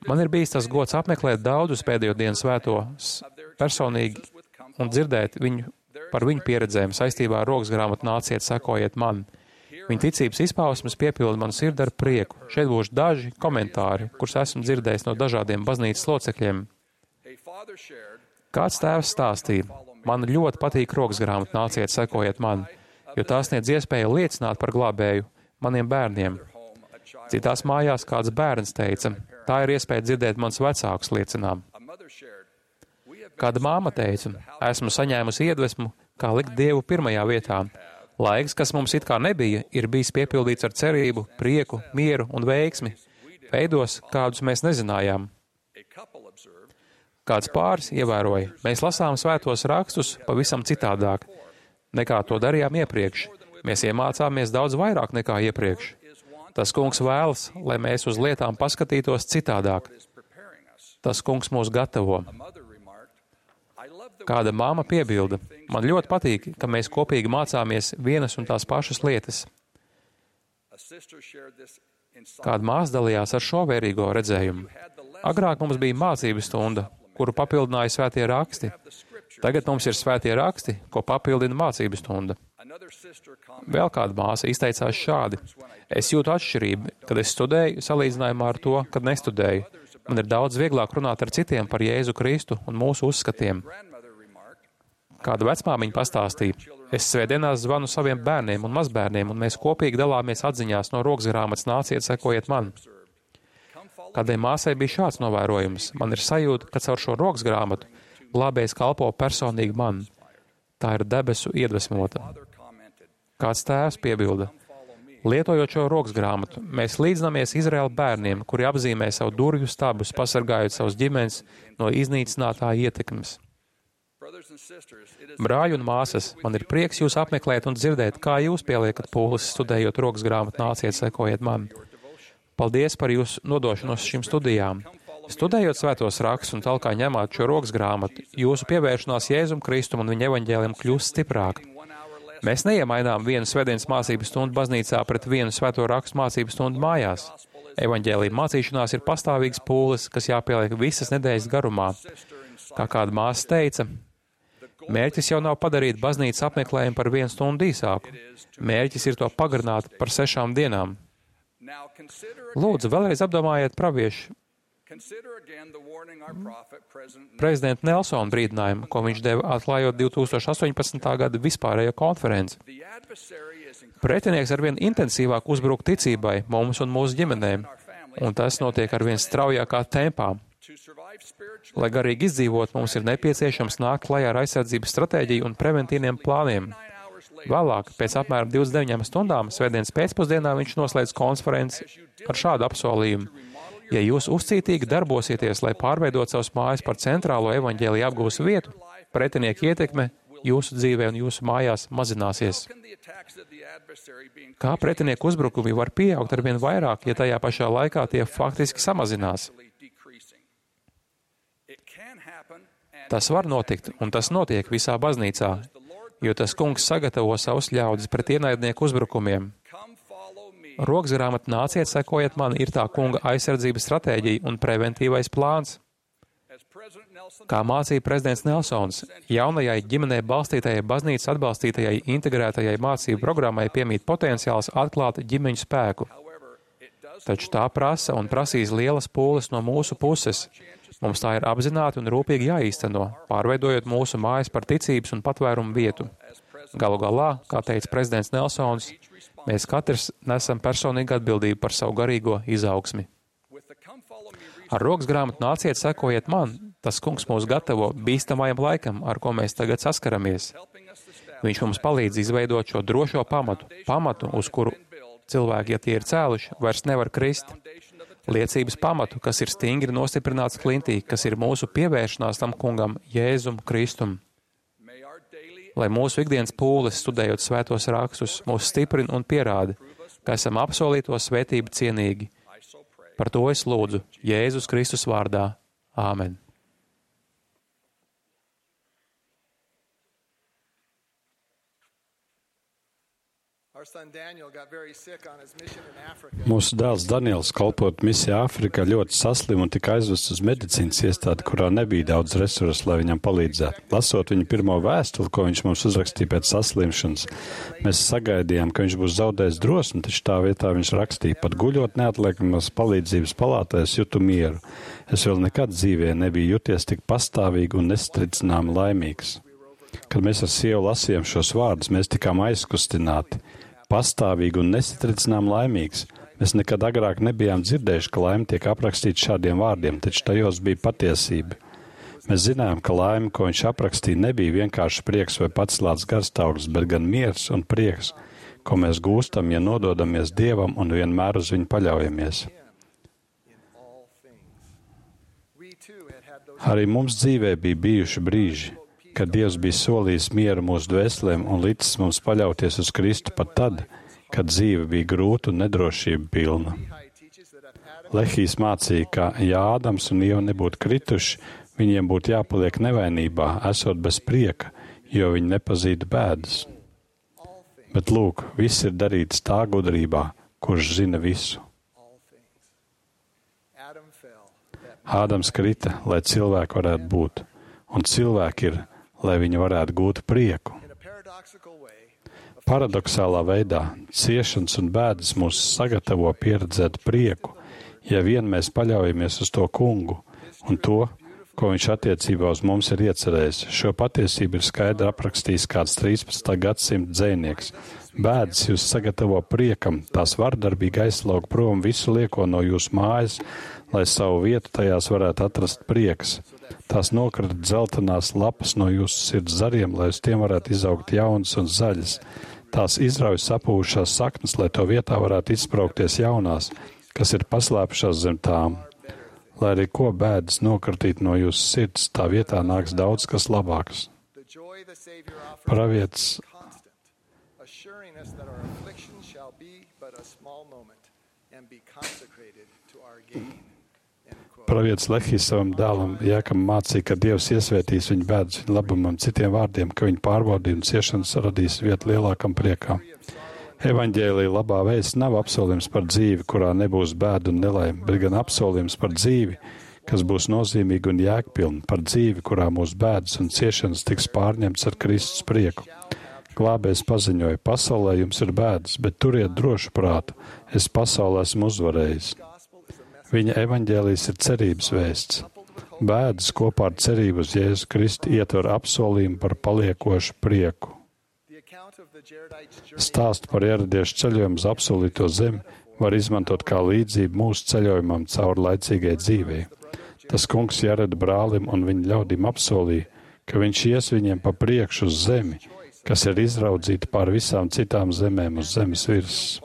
Man ir bijis tas gods apmeklēt daudzus pēdējo dienu svētos personīgi un dzirdēt viņu par viņu pieredzēm saistībā ar rokas grāmatu Nāciet, sekojiet man. Viņa ticības izpausmes piepilda manu sirdi ar prieku. Šeit būs daži komentāri, kurus esmu dzirdējis no dažādiem baznīcas locekļiem. Kāds tēvs stāstīja? Man ļoti patīk rokas grāmata Nāciet, sekojiet man, jo tā sniedz iespēju liecināt par glābēju maniem bērniem. Citās mājās kāds bērns teica, tā ir iespēja dzirdēt mans vecākus liecinām. Kāda māma teica, esmu saņēmusi iedvesmu, kā likt Dievu pirmajā vietā. Laiks, kas mums it kā nebija, ir bijis piepildīts ar cerību, prieku, mieru un veiksmi, veidos, kādus mēs nezinājām. Kāds pāris ievēroja, mēs lasām svētos rakstus pavisam citādāk, nekā to darījām iepriekš. Mēs iemācāmies daudz vairāk nekā iepriekš. Tas kungs vēlas, lai mēs uz lietām paskatītos citādāk. Tas kungs mūs gatavo. Kāda māma piebilda, man ļoti patīk, ka mēs kopīgi mācāmies vienas un tās pašas lietas. Kāda māsa dalījās ar šo vērīgo redzējumu. Agrāk mums bija mācības stunda, kuru papildināja svētie raksti. Tagad mums ir svētie raksti, ko papildina mācības stunda. Vēl kāda māsa izteicās šādi. Es jūtu atšķirību, kad es studēju, salīdzinājumā ar to, kad nestudēju. Man ir daudz vieglāk runāt ar citiem par Jēzu Kristu un mūsu uzskatiem. Kāda vecmāmiņa pastāstīja. Es svētdienās zvanu saviem bērniem un mazbērniem, un mēs kopīgi dalāmies atziņās no rokas grāmatas Nāciet, sekojiet man. Kādai māsai bija šāds novērojums. Man ir sajūta, ka caur šo rokas grāmatu glābējs kalpo personīgi man. Tā ir debesu iedvesmota. Kāds tēvs piebilda. Lietojot šo rokas grāmatu, mēs līdzinamies Izraēla bērniem, kuri apzīmē savu durvju stabus, pasargājot savus ģimenes no iznīcinātāja ietekmes. Brāļi un māsas, man ir prieks jūs apmeklēt un dzirdēt, kā jūs pieliekat pūles studējot rokas grāmatu Nāciet, sekojiet man. Paldies par jūsu nodošanos šīm studijām. Studējot svētos rakstus un talkā ņemot šo rokas grāmatu, jūsu pievēršanās Jēzum Kristum un viņa evaņģēlim kļūst stiprāka. Mēs neiemainām vienu svētdienas mācību stundu baznīcā pret vienu svēto rakstu mācību stundu mājās. Evaņģēlija mācīšanās ir pastāvīgs pūles, kas jāpieliek visas nedēļas garumā. Kā kāda māsa teica, mērķis jau nav padarīt baznīcas apmeklējumu par vienu stundu īsāku. Mērķis ir to pagarināt par sešām dienām. Lūdzu, vēlreiz apdomājiet praviešu prezidenta Nelsona brīdinājumu, ko viņš deva atklājot divi tūkstoši astoņpadsmitā gada vispārējo konferenci. Pretinieks arvien intensīvāk uzbruk ticībai mums un mūsu ģimenēm, un tas notiek arvien straujākā tempā. Lai garīgi izdzīvot, mums ir nepieciešams nākt klajā ar aizsardzības stratēģiju un preventīviem plāniem. Vēlāk, pēc apmēram divdesmit deviņām stundām, svētdienas pēcpusdienā viņš noslēdz konferenci ar šādu apsolījumu. Ja jūs uzcītīgi darbosieties, lai pārveidot savus mājas par centrālo evaņģēlija apgūs vietu, pretinieka ietekme jūsu dzīvē un jūsu mājās mazināsies. Kā pretinieku uzbrukumi var pieaugt arvien vairāk, ja tajā pašā laikā tie faktiski samazinās? Tas var notikt, un tas notiek visā baznīcā, jo tas kungs sagatavo savus ļaudis pret ienaidnieku uzbrukumiem. Rokas grāmata Nāciet, sekojiet man, ir tā kunga aizsardzības stratēģija un preventīvais plāns. Kā mācīja prezidents Nelsons, jaunajai ģimenē balstītajai baznīcas atbalstītajai integrētajai mācību programmai piemīt potenciāls atklāt ģimeņu spēku. Taču tā prasa un prasīs lielas pūles no mūsu puses. Mums tā ir apzināti un rūpīgi jāīsteno, pārveidojot mūsu mājas par ticības un patvērumu vietu. Galu galā, kā teica prezidents Nelsons, mēs katrs nesam personīgu atbildību par savu garīgo izaugsmi. Ar rokas grāmatu Nāciet, sekojiet man, Tas kungs mūs gatavo bīstamajam laikam, ar ko mēs tagad saskaramies. Viņš mums palīdz izveidot šo drošo pamatu, pamatu, uz kuru cilvēki, ja tie ir cēluši, vairs nevar krist. Liecības pamatu, kas ir stingri nostiprināts klintī, kas ir mūsu pievēršanās tam kungam, Jēzum Kristum. Lai mūsu ikdienas pūles, studējot svētos rakstus, mūs stiprina un pierāda, ka esam apsolīto svētību cienīgi. Par to es lūdzu Jēzus Kristus vārdā. Āmen. Mūsu dēls Daniels, kalpot misijā Āfrikā, ļoti saslim un tika aizvests uz medicīnas iestādi, kurā nebija daudz resursu, lai viņam palīdzētu. Lasot viņa pirmo vēstuli, ko viņš mums uzrakstīja pēc saslimšanas, mēs sagaidījām, ka viņš būs zaudējis drosmi, taču tā vietā viņš rakstīja, pat guļot neatliekamas palīdzības palātā, es jūtu mieru. Es vēl nekad dzīvē nebiju jūties tik pastāvīgi un nestricināmi laimīgs. Kad mēs ar sievu lasījām šos vārdus, mēs tikām aizkustināti. Pastāvīgi un nesatricinām laimīgs. Mēs nekad agrāk nebijām dzirdējuši, ka laime tiek aprakstīta šādiem vārdiem, taču tajos bija patiesība. Mēs zinājām, ka laime, ko viņš aprakstīja, nebija vienkārši prieks vai pacelāts garstāvoklis, bet gan miers un prieks, ko mēs gūstam, ja nododamies Dievam un vienmēr uz viņu paļaujamies. Arī mums dzīvē bija bijuši brīži, kad Dievs bija solījis mieru mūsu dvēselēm un licis mums paļauties uz Kristu pat tad, kad dzīve bija grūta un nedrošība pilna. Lehijs mācīja, ka, ja Ādams un Ieva nebūtu krituši, viņiem būtu jāpaliek nevainībā, esot bez prieka, jo viņi nepazītu bēdas. Bet lūk, viss ir darīts tā gudrībā, kurš zina visu. Ādams krita, lai cilvēki varētu būt, un cilvēki ir, lai viņi varētu gūt prieku. Paradoxālā veidā ciešanas un bēdas mūs sagatavo pieredzēt prieku, ja vien mēs paļaujamies uz to kungu un to, ko viņš attiecībā uz mums ir iecerējis. Šo patiesību ir skaidri aprakstījis kāds trīspadsmitā gadsimta dzejnieks. Bēdas jūs sagatavo priekam, tās vardarbīgi aizslaug prom visu lieko no jūsu mājas, lai savu vietu tajās varētu atrast prieks. Tās nokrat dzeltenās lapas no jūsu sirds zariem, lai uz tiem varētu izaugt jaunas un zaļas. Tās izrauj sapūšās saknes, lai to vietā varētu izspraukties jaunās, kas ir paslēpušās zem tām. Lai arī ko bēdas nokratīt no jūsu sirds, tā vietā nāks daudz kas labāks. Pravietis Pravietis Lehijs savam dēlam Jēkabam mācīja, ka Dievs iesvētīs viņu bēdas viņa labumam, citiem vārdiem, ka viņa pārbaudījuma ciešanas radīs vietu lielākam priekam. Evaņģēlija labā vēsts nav apsolījums par dzīvi, kurā nebūs bēdu un nelaime, bet gan apsolījums par dzīvi, kas būs nozīmīga un jēgpilna, par dzīvi, kurā mūsu bēdas un ciešanas tiks pārņemts ar Kristus prieku. Glābējs paziņoja, pasaulē jums ir bēdas, bet turiet drošu prātu, es pasaulē esmu uzvarējis. Viņa evaņģēlijs ir cerības vēsts. Bēdas kopā ar cerību uz Jēzu Kristu ietver apsolījumu par paliekošu prieku. Stāstu par ieradiešu ceļojumu uz apsolīto zemi var izmantot kā līdzību mūsu ceļojumam cauri laicīgai dzīvei. Tas kungs Jareda brālim un viņa ļaudīm apsolīja, ka viņš ies viņiem pa priekšu uz zemi, kas ir izraudzīta pār visām citām zemēm uz zemes virsmas.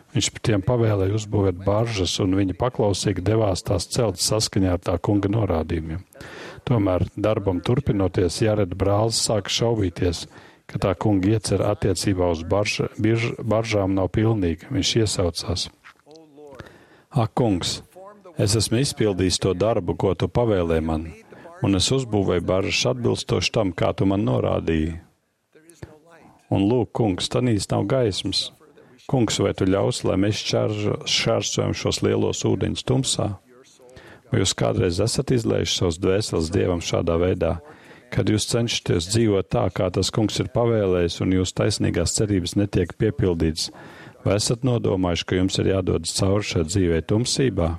Viņš tiem pavēlēja uzbūvēt baržas, un viņi paklausīgi devās tās celt saskaņā ar tā kunga norādījumiem. Tomēr darbam turpinoties, Jareda brālis sāka šaubīties, ka tā kunga iecer attiecībā uz barža, birž, baržām nav pilnīga. Viņš iesaucās. Ak, kungs, es esmu izpildījis to darbu, ko tu pavēlēji man, un es uzbūvēju baržas atbilstoši tam, kā tu man norādīji. Un lūk, kungs, tanīs nav gaismas. Kungs, vai tu ļaus, lai mēs šķērsojam šos lielos ūdeņus tumsā? Vai jūs kādreiz esat izlējuši savus dvēseles Dievam šādā veidā, kad jūs cenšaties dzīvot tā, kā tas kungs ir pavēlējis, un jūsu taisnīgās cerības netiek piepildītas? Vai esat nodomājuši, ka jums ir jādodas cauri šai dzīvei tumsībā?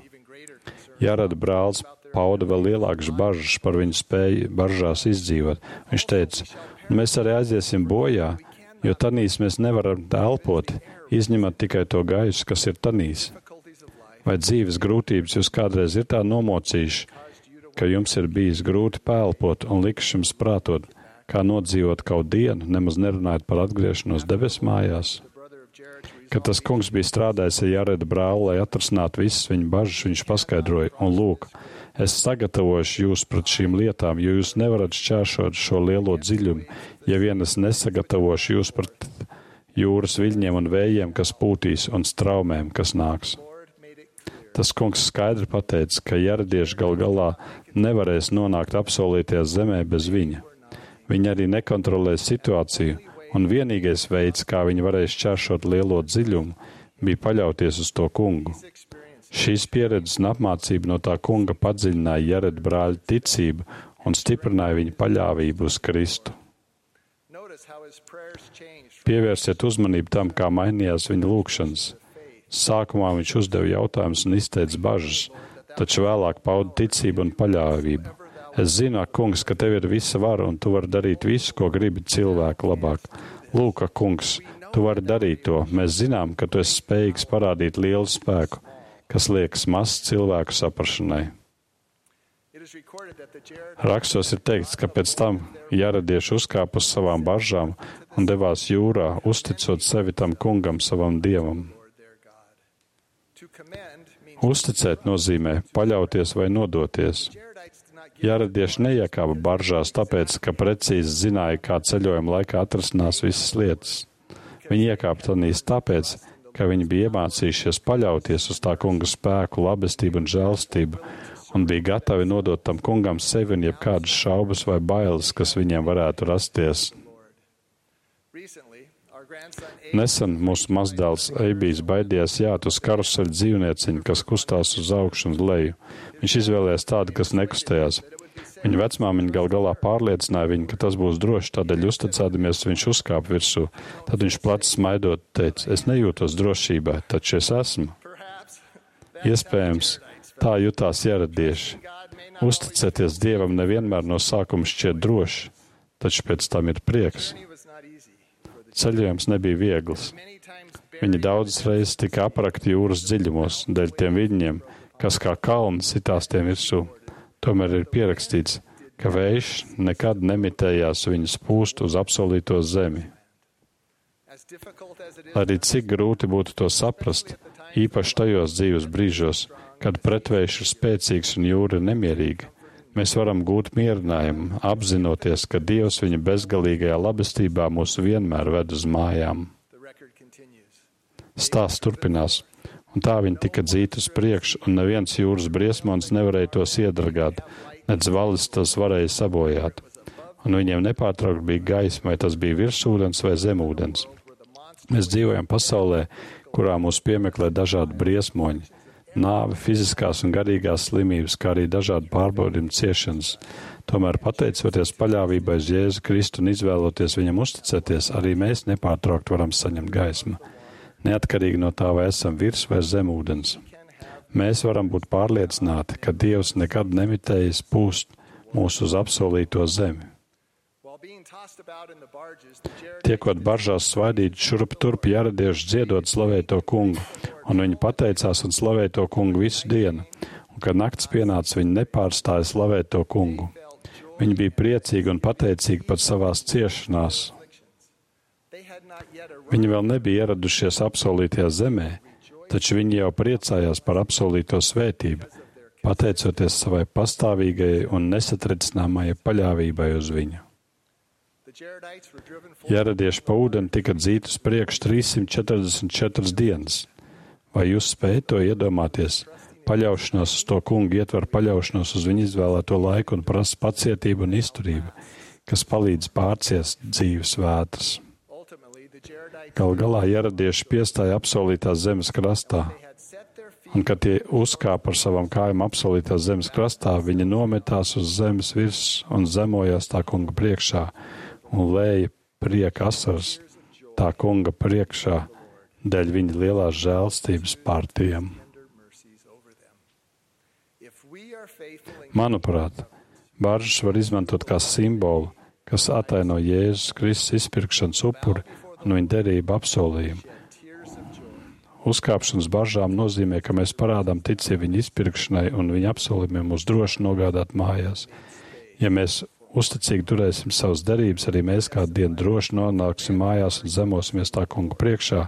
Jareda brālis pauda vēl lielākas bažas par viņu spēju baržās izdzīvot. Viņš teica, mēs arī aiziesim bojā, jo tanīs mēs nevaram elpot, izņemot tikai to gaisu, kas ir tanīs. Vai dzīves grūtības jūs kādreiz ir tā nomocījuši, ka jums ir bijis grūti pēlpot un likš jums prātot, kā nodzīvot kaut dienu, nemaz nerunājot par atgriešanos debes mājās. Kad tas kungs bija strādājis ar Jareda brāli, lai atrasinātu visas viņa bažas, viņš paskaidroja, un lūk, es sagatavošu jūs pret šīm lietām, jo jūs nevarat šķēršot šo lielo dziļumu, ja vien es nesagatavošu jūs pret jūras viļņiem un vējiem, kas pūtīs, un straumēm, kas nāks. Tas kungs skaidri pateica, ka jaredieši gal galā nevarēs nonākt apsolītajā zemē bez viņa. Viņi arī nekontrolēs situāciju, un vienīgais veids, kā viņi varēs šķēršot lielo dziļumu, bija paļauties uz to kungu. Šīs pieredzes un apmācība no tā kunga padziļināja Jareda brāļa ticību un stiprināja viņa paļāvību uz Kristu. Pievērsiet uzmanību tam, kā mainījās viņa lūgšanas. Sākumā viņš uzdeva jautājumus un izteica bažas, taču vēlāk pauda ticību un paļāvību. Es zinu, ak, kungs, ka tev ir visa vara un tu vari darīt visu, ko gribi cilvēku labāk. Lūk, ak, kungs, tu vari darīt to. Mēs zinām, ka tu esi spējīgs parādīt lielu spēku, kas liekas mazs cilvēku saprašanai. Rakstos ir teikts, ka pēc tam jaredieši uzkāpa uz savām baržām un devās jūrā, uzticot sevi tam kungam, savam dievam. Uzticēt nozīmē paļauties vai nodoties. Jaredieši neiekāpa baržās tāpēc, ka precīzi zināja, kā ceļojuma laikā atrasinās visas lietas. Viņi iekāpa tanīs tāpēc, ka viņi bija iemācījušies paļauties uz tā kunga spēku, labestību un žēlstību, un bija gatavi nodot tam kungam sevi un jebkādas šaubas vai bailes, kas viņiem varētu rasties. Nesen mūsu mazdēls Eibijs baidījās jāt uz karuseļa dzīvnieciņu, kas kustās uz augšu un leju. Viņš izvēlējās tādu, kas nekustējās. Viņa vecmāmiņa gal galā pārliecināja viņu, ka tas būs droši, tādēļ uzticēdamies viņš uzkāpa virsū. Tad viņš plecs smaidot teica, es nejūtos drošībā, taču es esmu. Iespējams, tā jutās jaredieši. Uzticēties Dievam nevienmēr no sākuma šķiet droši, taču pēc tam ir prieks. Ceļojums nebija viegls. Viņi daudzas reizes tika aprakti jūras dziļumos, dēļ tiem viļņiem, kas kā kalni sitās tiem virsū. Tomēr ir pierakstīts, ka vējš nekad nemitējās viņus pūst uz apsolīto zemi. Arī cik grūti būtu to saprast, īpaši tajos dzīves brīžos, kad pretvējš ir spēcīgs un jūra ir nemierīga. Mēs varam gūt mierinājumu, apzinoties, ka Dievs viņa bezgalīgajā labestībā mūs vienmēr ved uz mājām. Stāsts turpinās, un tā viņi tika dzīti uz priekšu, un neviens jūras briesmons nevarēja tos iedragāt, nedz valis tos varēja sabojāt. Un viņiem nepārtraukt bija gaisma, vai tas bija virsūdens vai zemūdens. Mēs dzīvojam pasaulē, kurā mūs piemeklē dažādi briesmoņi, nāve, fiziskās un garīgās slimības, kā arī dažādi pārbaudījumi ciešanas. Tomēr, pateicoties paļāvībai uz Jēzu Kristu un izvēloties viņam uzticēties, arī mēs nepārtraukt varam saņemt gaismu, neatkarīgi no tā, vai esam virs vai zem ūdens. Mēs varam būt pārliecināti, ka Dievs nekad nemitējas pūst mūs uz apsolīto zemi. Tiekot baržās svaidīt šurp turp jaredieši dziedot slavēto kungu, un viņi pateicās un slavēto kungu visu dienu, un kad nakts pienāca, viņi nepārstāja slavēto kungu. Viņi bija priecīgi un pateicīgi par savās ciešanās. Viņi vēl nebija ieradušies apsolītajā zemē, taču viņi jau priecājās par apsolīto svētību, pateicoties savai pastāvīgai un nesatricināmajai paļāvībai uz viņu. Jaredieši pa ūdeni tika dzīti uz priekšu trīssimt četrdesmit četras dienas. Vai jūs spējat to iedomāties? Paļaušanos uz to kungu ietver paļaušanos uz viņu izvēlēto laiku un prasa pacietību un izturību, kas palīdz pārciest dzīves vētras. Gal galā jaredieši piestāja apsolītās zemes krastā, un kad tie uzkāpa ar savām kājām apsolītās zemes krastā, viņi nometās uz zemes virs un zemojās tā kunga priekšā un lēja prieka asaras tā kunga priekšā dēļ viņa lielās žēlstības pār tiem. Manuprāt, baržas var izmantot kā simbolu, kas ataino Jēzus Kristus izpirkšanas upuri un viņa derību apsolījumu. uzkāpšanas bažām nozīmē, ka mēs parādām ticību viņa izpirkšanai un viņa apsolījumiem mūs droši nogādāt mājās. Ja mēs uzticīgi turēsim savas derības, arī mēs kādu dienu droši nonāksim mājās un zemosimies tā kunga priekšā,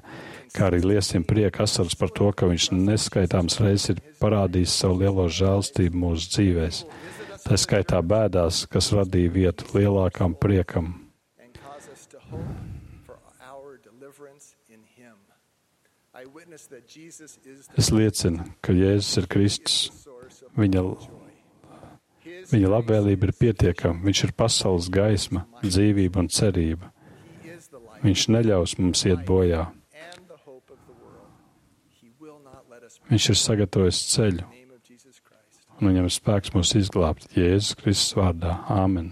kā arī liesim prieku asaras par to, ka viņš neskaitāms reizes ir parādījis savu lielo žēlstību mūsu dzīvēs. Tā skaitā bēdās, kas radīja vietu lielākam priekam. Es liecinu, ka Jēzus ir Kristus. Viņa, viņa labvēlība ir pietiekama. Viņš ir pasaules gaisma, dzīvība un cerība. Viņš neļaus mums iet bojā. Viņš ir sagatavojis ceļu, un viņam ir spēks mūs izglābt. Jēzus Kristus vārdā. Āmen.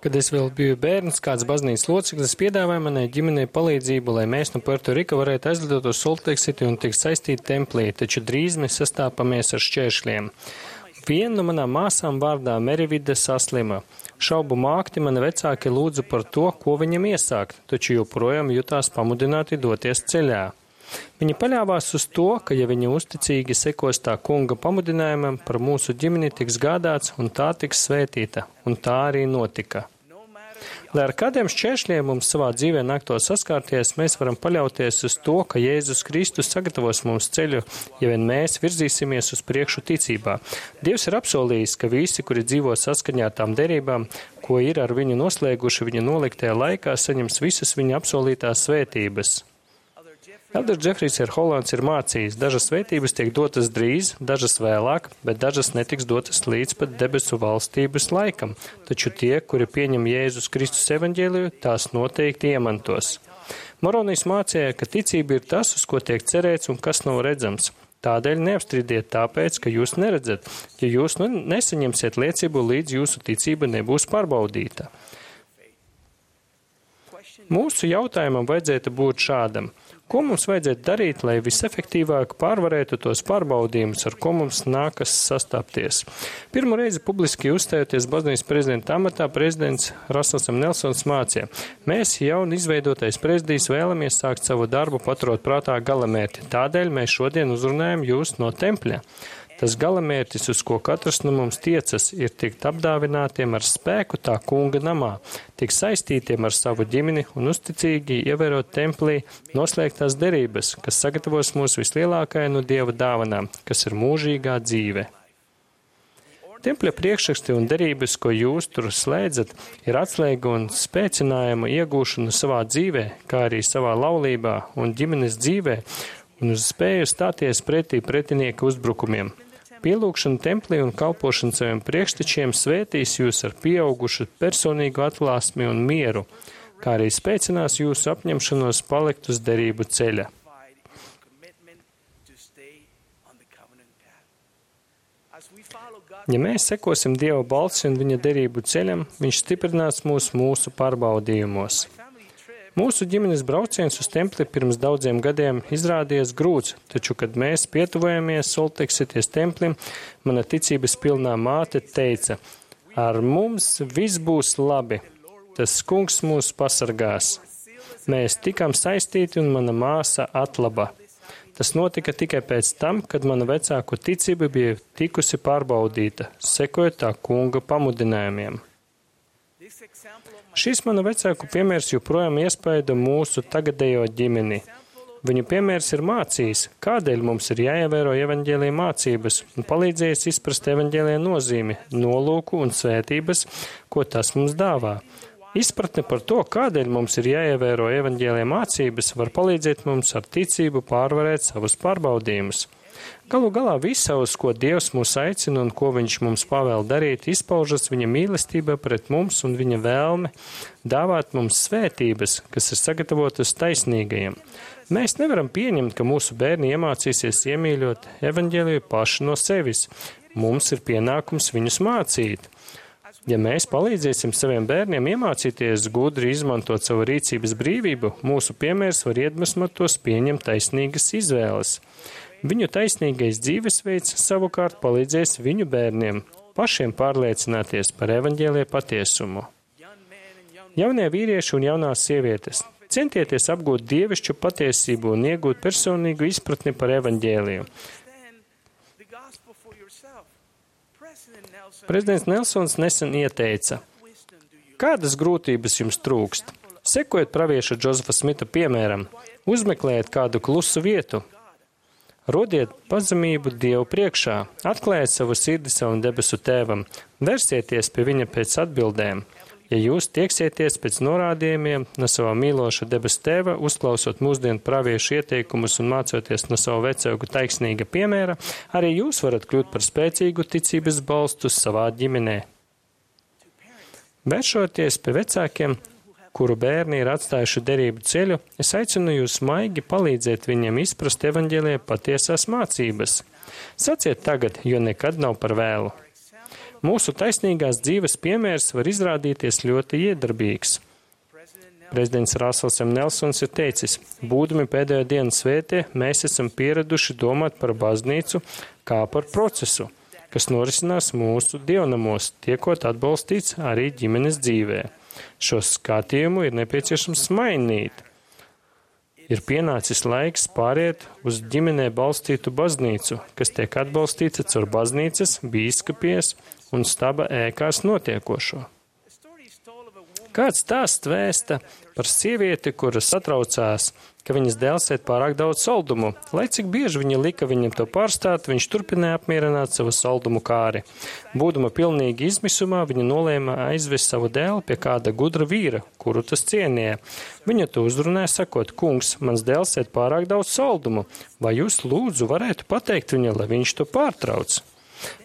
Kad es vēl biju bērns, kāds baznīcas loceklis piedāvāja manai ģimenei palīdzību, lai mēs no Puerto Rika varētu aizlidot uz Salt Lake City un tikt saistīti templī, taču drīz mēs sastāpamies ar šķēršļiem. Viena no manām māsām vārdā Merivide saslima. Šaubu mākti mani vecāki lūdzu par to, ko viņam iesākt, taču joprojām jutās pamudināti doties ceļā. Viņi paļāvās uz to, ka, ja viņi uzticīgi sekos tā kunga pamudinājumam, par mūsu ģimeni tiks gādāts un tā tiks svētīta, un tā arī notika. Lai ar kādiem šķēršļiem mums savā dzīvē nāktos saskārties, mēs varam paļauties uz to, ka Jēzus Kristus sagatavos mums ceļu, ja vien mēs virzīsimies uz priekšu ticībā. Dievs ir apsolījis, ka visi, kuri dzīvo saskaņā tām derībām, ko ir ar viņu noslēguši viņa noliktajā laikā, saņems visas viņa apsolītās svētības. Elders Džefrijs R. Hollands ir mācījis, dažas svētības tiek dotas drīz, dažas vēlāk, bet dažas netiks dotas līdz pat debesu valstības laikam, taču tie, kuri pieņem Jēzus Kristus evaņģēliju, tās noteikti iemantos. Moronijs mācīja, ka ticība ir tas, uz ko tiek cerēts un kas nav redzams. Tādēļ neapstrīdiet tāpēc, ka jūs neredzat, ja jūs nu nesaņemsiet liecību, līdz jūsu ticība nebūs pārbaudīta. Mūsu jautājumam vajadzētu būt šādam. Ko mums vajadzētu darīt, lai visefektīvāk pārvarētu tos pārbaudījumus, ar ko mums nākas sastapties? Pirmo reizi publiski uzstājoties baznīcas prezidenta amatā, prezidents Rasels M. Nelsons mācīja: mēs jauni izveidotais prezidijs vēlamies sākt savu darbu paturot prātā galamērķi. Tādēļ mēs šodien uzrunājam jūs no tempļa. Tas galamērķis, uz ko katrs no mums tiecas, ir tikt apdāvinātiem ar spēku tā kunga namā, tikt saistītiem ar savu ģimeni un uzticīgi ievērot templī noslēgtās derības, kas sagatavos mūs vislielākajai no Dieva dāvanām, kas ir mūžīgā dzīve. Tempļa priekšraksti un derības, ko jūs tur slēdzat, ir atslēga un spēcinājuma iegūšana savā dzīvē, kā arī savā laulībā un ģimenes dzīvē, un uz spēju stāties pretī pretinieka uzbrukumiem. Pielūgšana templī un kalpošana saviem priekštečiem svētīs jūs ar pieaugušu personīgu atklāsmi un mieru, kā arī spēcinās jūsu apņemšanos palikt uz derību ceļa. Ja mēs sekosim Dieva balsi un viņa derību ceļam, viņš stiprinās mūs mūsu pārbaudījumos. Mūsu ģimenes brauciens uz templi pirms daudziem gadiem izrādījās grūts, taču, kad mēs pietuvojamies Salt Lake City templim, mana ticības pilnā māte teica: ar mums viss būs labi, tas kungs mūs pasargās. Mēs tikām saistīti un mana māsa atlaba. Tas notika tikai pēc tam, kad mana vecāku ticība bija tikusi pārbaudīta, sekojot tā kunga pamudinājumiem. Šis mana vecāku piemērs joprojām iespaido mūsu tagadējo ģimeni. Viņu piemērs ir mācījis, kādēļ mums ir jāievēro evaņģēlija mācības un palīdzējis izprast evaņģēlija nozīmi, nolūku un svētības, ko tas mums dāvā. Izpratne par to, kādēļ mums ir jāievēro evaņģēlija mācības, var palīdzēt mums ar ticību pārvarēt savus pārbaudījumus. Galu galā visa, uz ko Dievs mūs aicina un ko viņš mums pavēl darīt, izpaužas viņa mīlestība pret mums un viņa vēlme dāvāt mums svētības, kas ir sagatavotas taisnīgajiem. Mēs nevaram pieņemt, ka mūsu bērni iemācīsies iemīļot evaņģēliju paši no sevis. Mums ir pienākums viņus mācīt. Ja mēs palīdzēsim saviem bērniem iemācīties gudri izmantot savu rīcības brīvību, mūsu piemērs var iedvesmot tos pieņemt taisnīgas izvēles. Viņu taisnīgais dzīvesveids savukārt palīdzēs viņu bērniem pašiem pārliecināties par evaņģēlija patiesumu. Jaunie vīrieši un jaunās sievietes, centieties apgūt dievišķu patiesību un iegūt personīgu izpratni par evaņģēliju. Prezidents Nelsons nesen ieteica, kādas grūtības jums trūkst? Sekojiet pravieša Džozefa Smita piemēram, uzmeklējiet kādu klusu vietu, rodiet pazemību Dievu priekšā, atklājiet savu sirdi savam debesu tēvam, versieties pie viņa pēc atbildēm. Ja jūs tieksieties pēc norādījumiem no savā mīloša debesu tēva, uzklausot mūsdienu praviešu ieteikumus un mācoties no savu vecāku taiksnīga piemēra, arī jūs varat kļūt par spēcīgu ticības balstu savā ģimenē. Vēršoties pie vecākiem, kuru bērni ir atstājuši derību ceļu, es aicinu jūs maigi palīdzēt viņiem izprast evaņģēlijā patiesās mācības. Saciet tagad, jo nekad nav par vēlu. Mūsu taisnīgās dzīves piemērs var izrādīties ļoti iedarbīgs. Prezidents Rasels M. Nelsons ir teicis, būdami pēdējo dienu svētie, mēs esam pieraduši domāt par baznīcu kā par procesu, kas norisinās mūsu dievnamos, tiekot atbalstīts arī ģimenes dzīvē. Šo skatījumu ir nepieciešams mainīt. Ir pienācis laiks pāriet uz ģimenē balstītu baznīcu, kas tiek atbalstīta caur baznīcas, bīskapies un staba ēkās notiekošo. Kāds stāsts vēsta par sievieti, kura satraucās, ka viņas dēls ēd pārāk daudz saldumu. Lai cik bieži viņa lika viņam to pārstāt, viņš turpināja apmierināt savu saldumu kāri. Būdama pilnīgi izmisumā, viņa nolēma aizvest savu dēlu pie kāda gudra vīra, kuru tas cienīja. Viņa to uzrunāja sakot, kungs, mans dēls ēd pārāk daudz saldumu, vai jūs lūdzu varētu pateikt viņa, lai viņš to pārtrauc?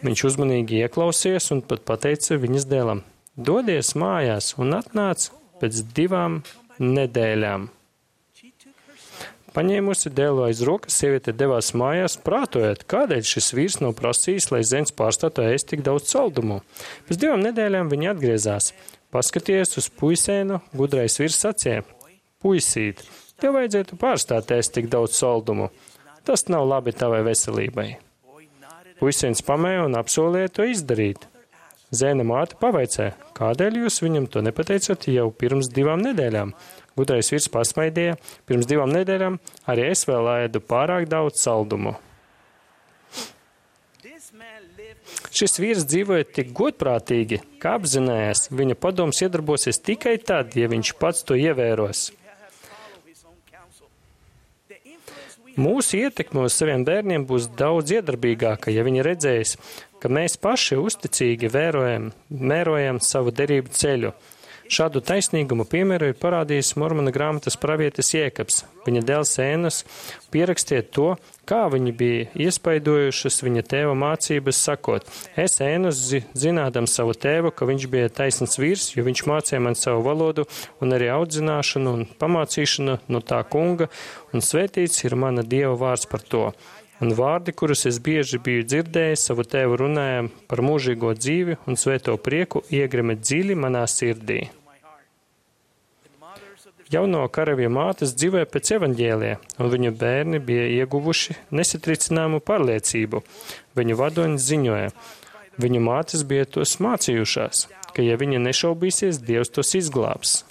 Viņš uzmanīgi ieklausījās un pat pateica viņas dēlam, dodies mājās un atnāc pēc divām nedēļām. Paņēmusi dēlu aiz rokas, sieviete devās mājās, prātojot, kādēļ šis vīrs nav prasījis, lai zēns pārstātu ēst tik daudz saldumu. Pēc divām nedēļām viņa atgriezās. Paskaties uz puisēnu, gudrais vīrs sacīja, puisīt, tev vajadzētu pārstāt ēst tik daudz saldumu. Tas nav labi tavai veselībai. Puisēns pamēja un apsolīja to izdarīt. Zēna māte pavaicāja, kādēļ jūs viņam to nepateicat jau pirms divām nedēļām? Gudrais vīrs pasmaidīja, pirms divām nedēļām arī es vēl ēdu pārāk daudz saldumu. Šis vīrs dzīvoja tik godprātīgi, ka apzinājās, viņa padoms iedarbosies tikai tad, ja viņš pats to ievēros. Mūsu ietekme uz saviem bērniem būs daudz iedarbīgāka, ja viņi redzēs, ka mēs paši uzticīgi vērojam, mērojam savu derību ceļu. Šādu taisnīgumu piemēru ir parādījis Mormona grāmatas pravietis Jēkabs. Viņa dēls Ēnas pierakstīja to, kā viņi bija iespaidojušas viņa tēva mācības, sakot, es Ēnas zinādam savu tēvu, ka viņš bija taisns vīrs, jo viņš mācīja man savu valodu un arī audzināšanu un pamācīšanu no tā kunga, un svētīts ir mana Dieva vārds par to. Un vārdi, kurus es bieži biju dzirdējis, savu tēvu runājām par mūžīgo dzīvi un svēto prieku iegrime dziļi manā sirdī. Jauno karavīru mātes dzīvoja pēc evaņģēlijā, un viņu bērni bija ieguvuši nesatricināmu pārliecību. Viņu vadoņi ziņoja. Viņu mātes bija tos mācījušās, ka ja viņa nešaubīsies, Dievs tos izglābs.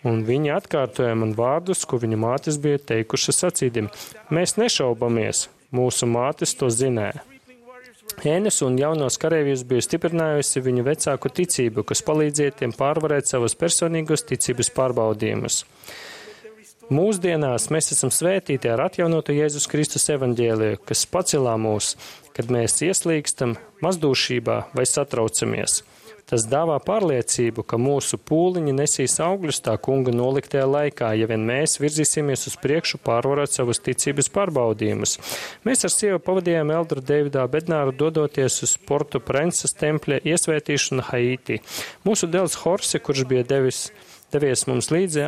Un viņi atkārtoja man vārdus, ko viņu mātes bija teikušas sacīdim. Mēs nešaubamies. Mūsu mātes to zināja. Ēnas un jaunos kareivjus bija stiprinājusi viņu vecāku ticību, kas palīdzēja tiem pārvarēt savus personīgos ticības pārbaudījumus. Mūsdienās mēs esam svētīti ar atjaunotu Jēzus Kristus evaņģēliju, kas pacelā mūs, kad mēs ieslīgstam mazdūšībā vai satraucamies. Tas dāvā pārliecību, ka mūsu pūliņi nesīs augļus tā kunga noliktajā laikā, ja vien mēs virzīsimies uz priekšu pārvarot savus ticības pārbaudījumus. Mēs ar sievu pavadījām Eldru Deividā Bednāru dodoties uz Portu Prenses tempļa iesvētīšanu Haiti. Mūsu dēls Horse, kurš bija devis, devies mums līdzi,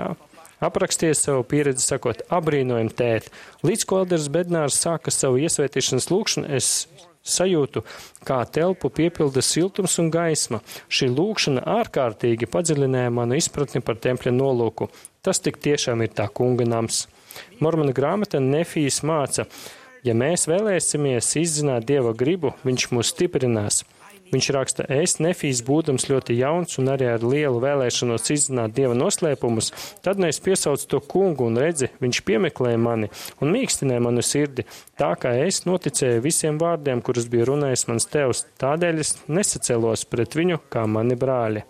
aprakstīja savu pieredzi sakot, abrīnojam tēt. Līdz ko Elders Bednārs sāka savu iesvētīšanas lūkšanu, es sajūtu, kā telpu piepilda siltums un gaisma. Šī lūkšana ārkārtīgi padziļināja manu izpratni par tempļa nolūku. Tas tik tiešām ir tā kunga nams. Mormona grāmata Nefijas māca, ja mēs vēlēsimies izzināt Dieva gribu, viņš mūs stiprinās. Viņš raksta, es, Nefijs, būdams ļoti jauns un arī ar lielu vēlēšanos izzināt Dieva noslēpumus, tad nu es piesaucu to kungu un redzi, viņš piemeklēja mani un mīkstināja manu sirdi, tā kā es noticēju visiem vārdiem, kurus bija runājis mans tevs, tādēļ es nesacēlos pret viņu kā mani brāļi.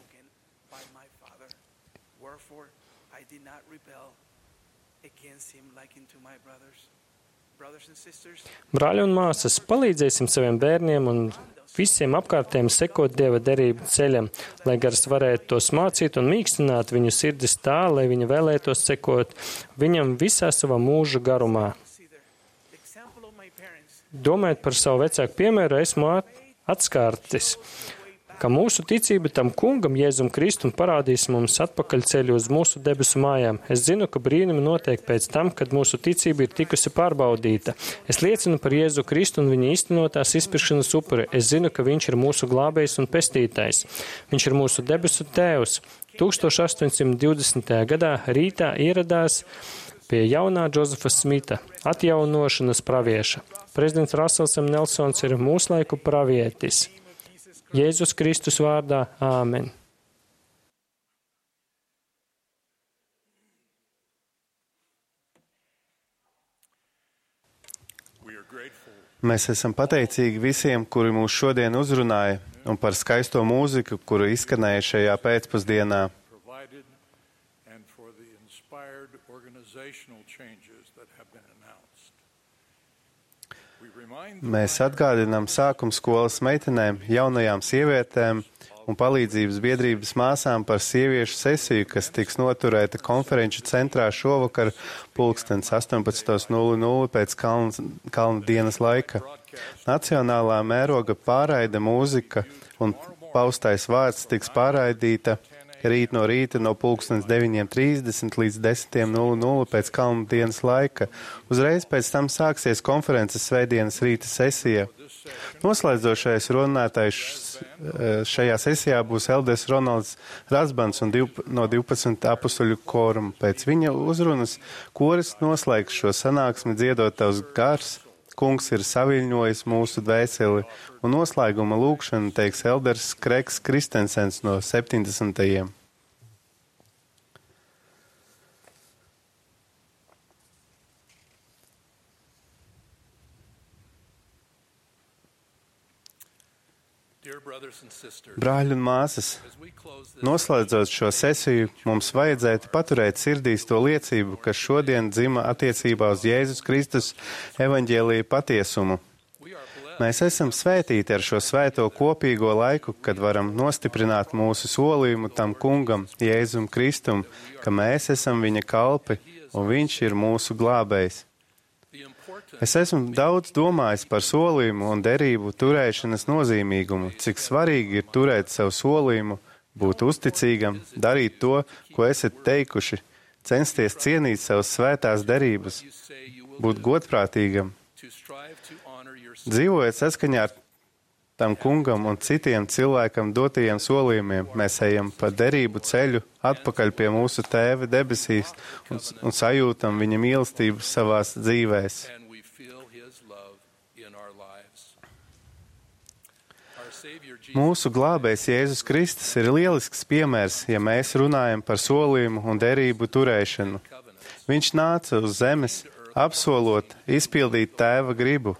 Brāļi un māsas, palīdzēsim saviem bērniem un visiem apkārtējiem sekot Dieva derību ceļam, lai gars varētu tos mācīt un mīkstināt viņu sirdis tā, lai viņi vēlētos sekot viņam visā savā mūža garumā. Domājot par savu vecāku piemēru, esmu atskārtis, ka mūsu ticība tam kungam, Jēzum Kristum, parādīs mums atpakaļ ceļu uz mūsu debesu mājām. Es zinu, ka brīnumi notiek pēc tam, kad mūsu ticība ir tikusi pārbaudīta. Es liecinu par Jēzu Kristu un viņa īstenotās izpirkšanas upuri. Es zinu, ka viņš ir mūsu glābējs un pestītājs. Viņš ir mūsu debesu tēvs. tūkstoš astoņsimt divdesmitajā gadā rītā ieradās pie jaunā Džozefa Smita, atjaunošanas pravieša. Prezidents Rasels M. Nelsons ir mūsu laiku pravietis. Jēzus Kristus vārdā. Āmen. Mēs esam pateicīgi visiem, kuri mūs šodien uzrunāja, un par skaisto mūziku, kuru izskanēja šajā pēcpusdienā. Mēs atgādinām sākuma skolas meitenēm, jaunajām sievietēm un palīdzības biedrības māsām par sieviešu sesiju, kas tiks noturēta konferenču centrā šovakar pulkstens astoņpadsmit nulle nulle pēc kalna, kalna dienas laika. Nacionālā mēroga pārraide mūzika un paustais vārds tiks pārraidīta rīt no rīta no pulkstens deviņiem trīsdesmit līdz desmit nulle nulle pēc kalna dienas laika. Uzreiz pēc tam sāksies konferences svētdienas rīta sesija. Noslēdzošais runātājs šajā sesijā būs Elders Ronalds Rasbans un div, no divpadsmit apustuļu koruma. Pēc viņa uzrunas koris noslēgs šo sanāksmi dziedot tavs gars. Kungs ir saviļņojis mūsu dvēseli, un noslēguma lūkšanu teiks Elders Kreks Kristensens no septiņdesmitajiem. Brāļi un māsas, noslēdzot šo sesiju, mums vajadzētu paturēt sirdīs to liecību, kas šodien dzima attiecībā uz Jēzus Kristus evaņģēlija patiesumu. Mēs esam svētīti ar šo svēto kopīgo laiku, kad varam nostiprināt mūsu solījumu tam kungam, Jēzum Kristum, ka mēs esam viņa kalpi un viņš ir mūsu glābējs. Es esmu daudz domājis par solījumu un derību turēšanas nozīmīgumu, cik svarīgi ir turēt savu solījumu, būt uzticīgam, darīt to, ko esat teikuši, censties cienīt savas svētās derības, būt godprātīgam. Dzīvojot saskaņā ar tam kungam un citiem cilvēkam dotajiem solījumiem, mēs ejam pa derību ceļu atpakaļ pie mūsu tēva debesīs un, un sajūtam viņa mīlestību savās dzīvēs. Mūsu glābējs Jēzus Kristus ir lielisks piemērs, ja mēs runājam par solījumu un derību turēšanu. Viņš nāca uz zemes, apsolot, izpildīt tēva gribu.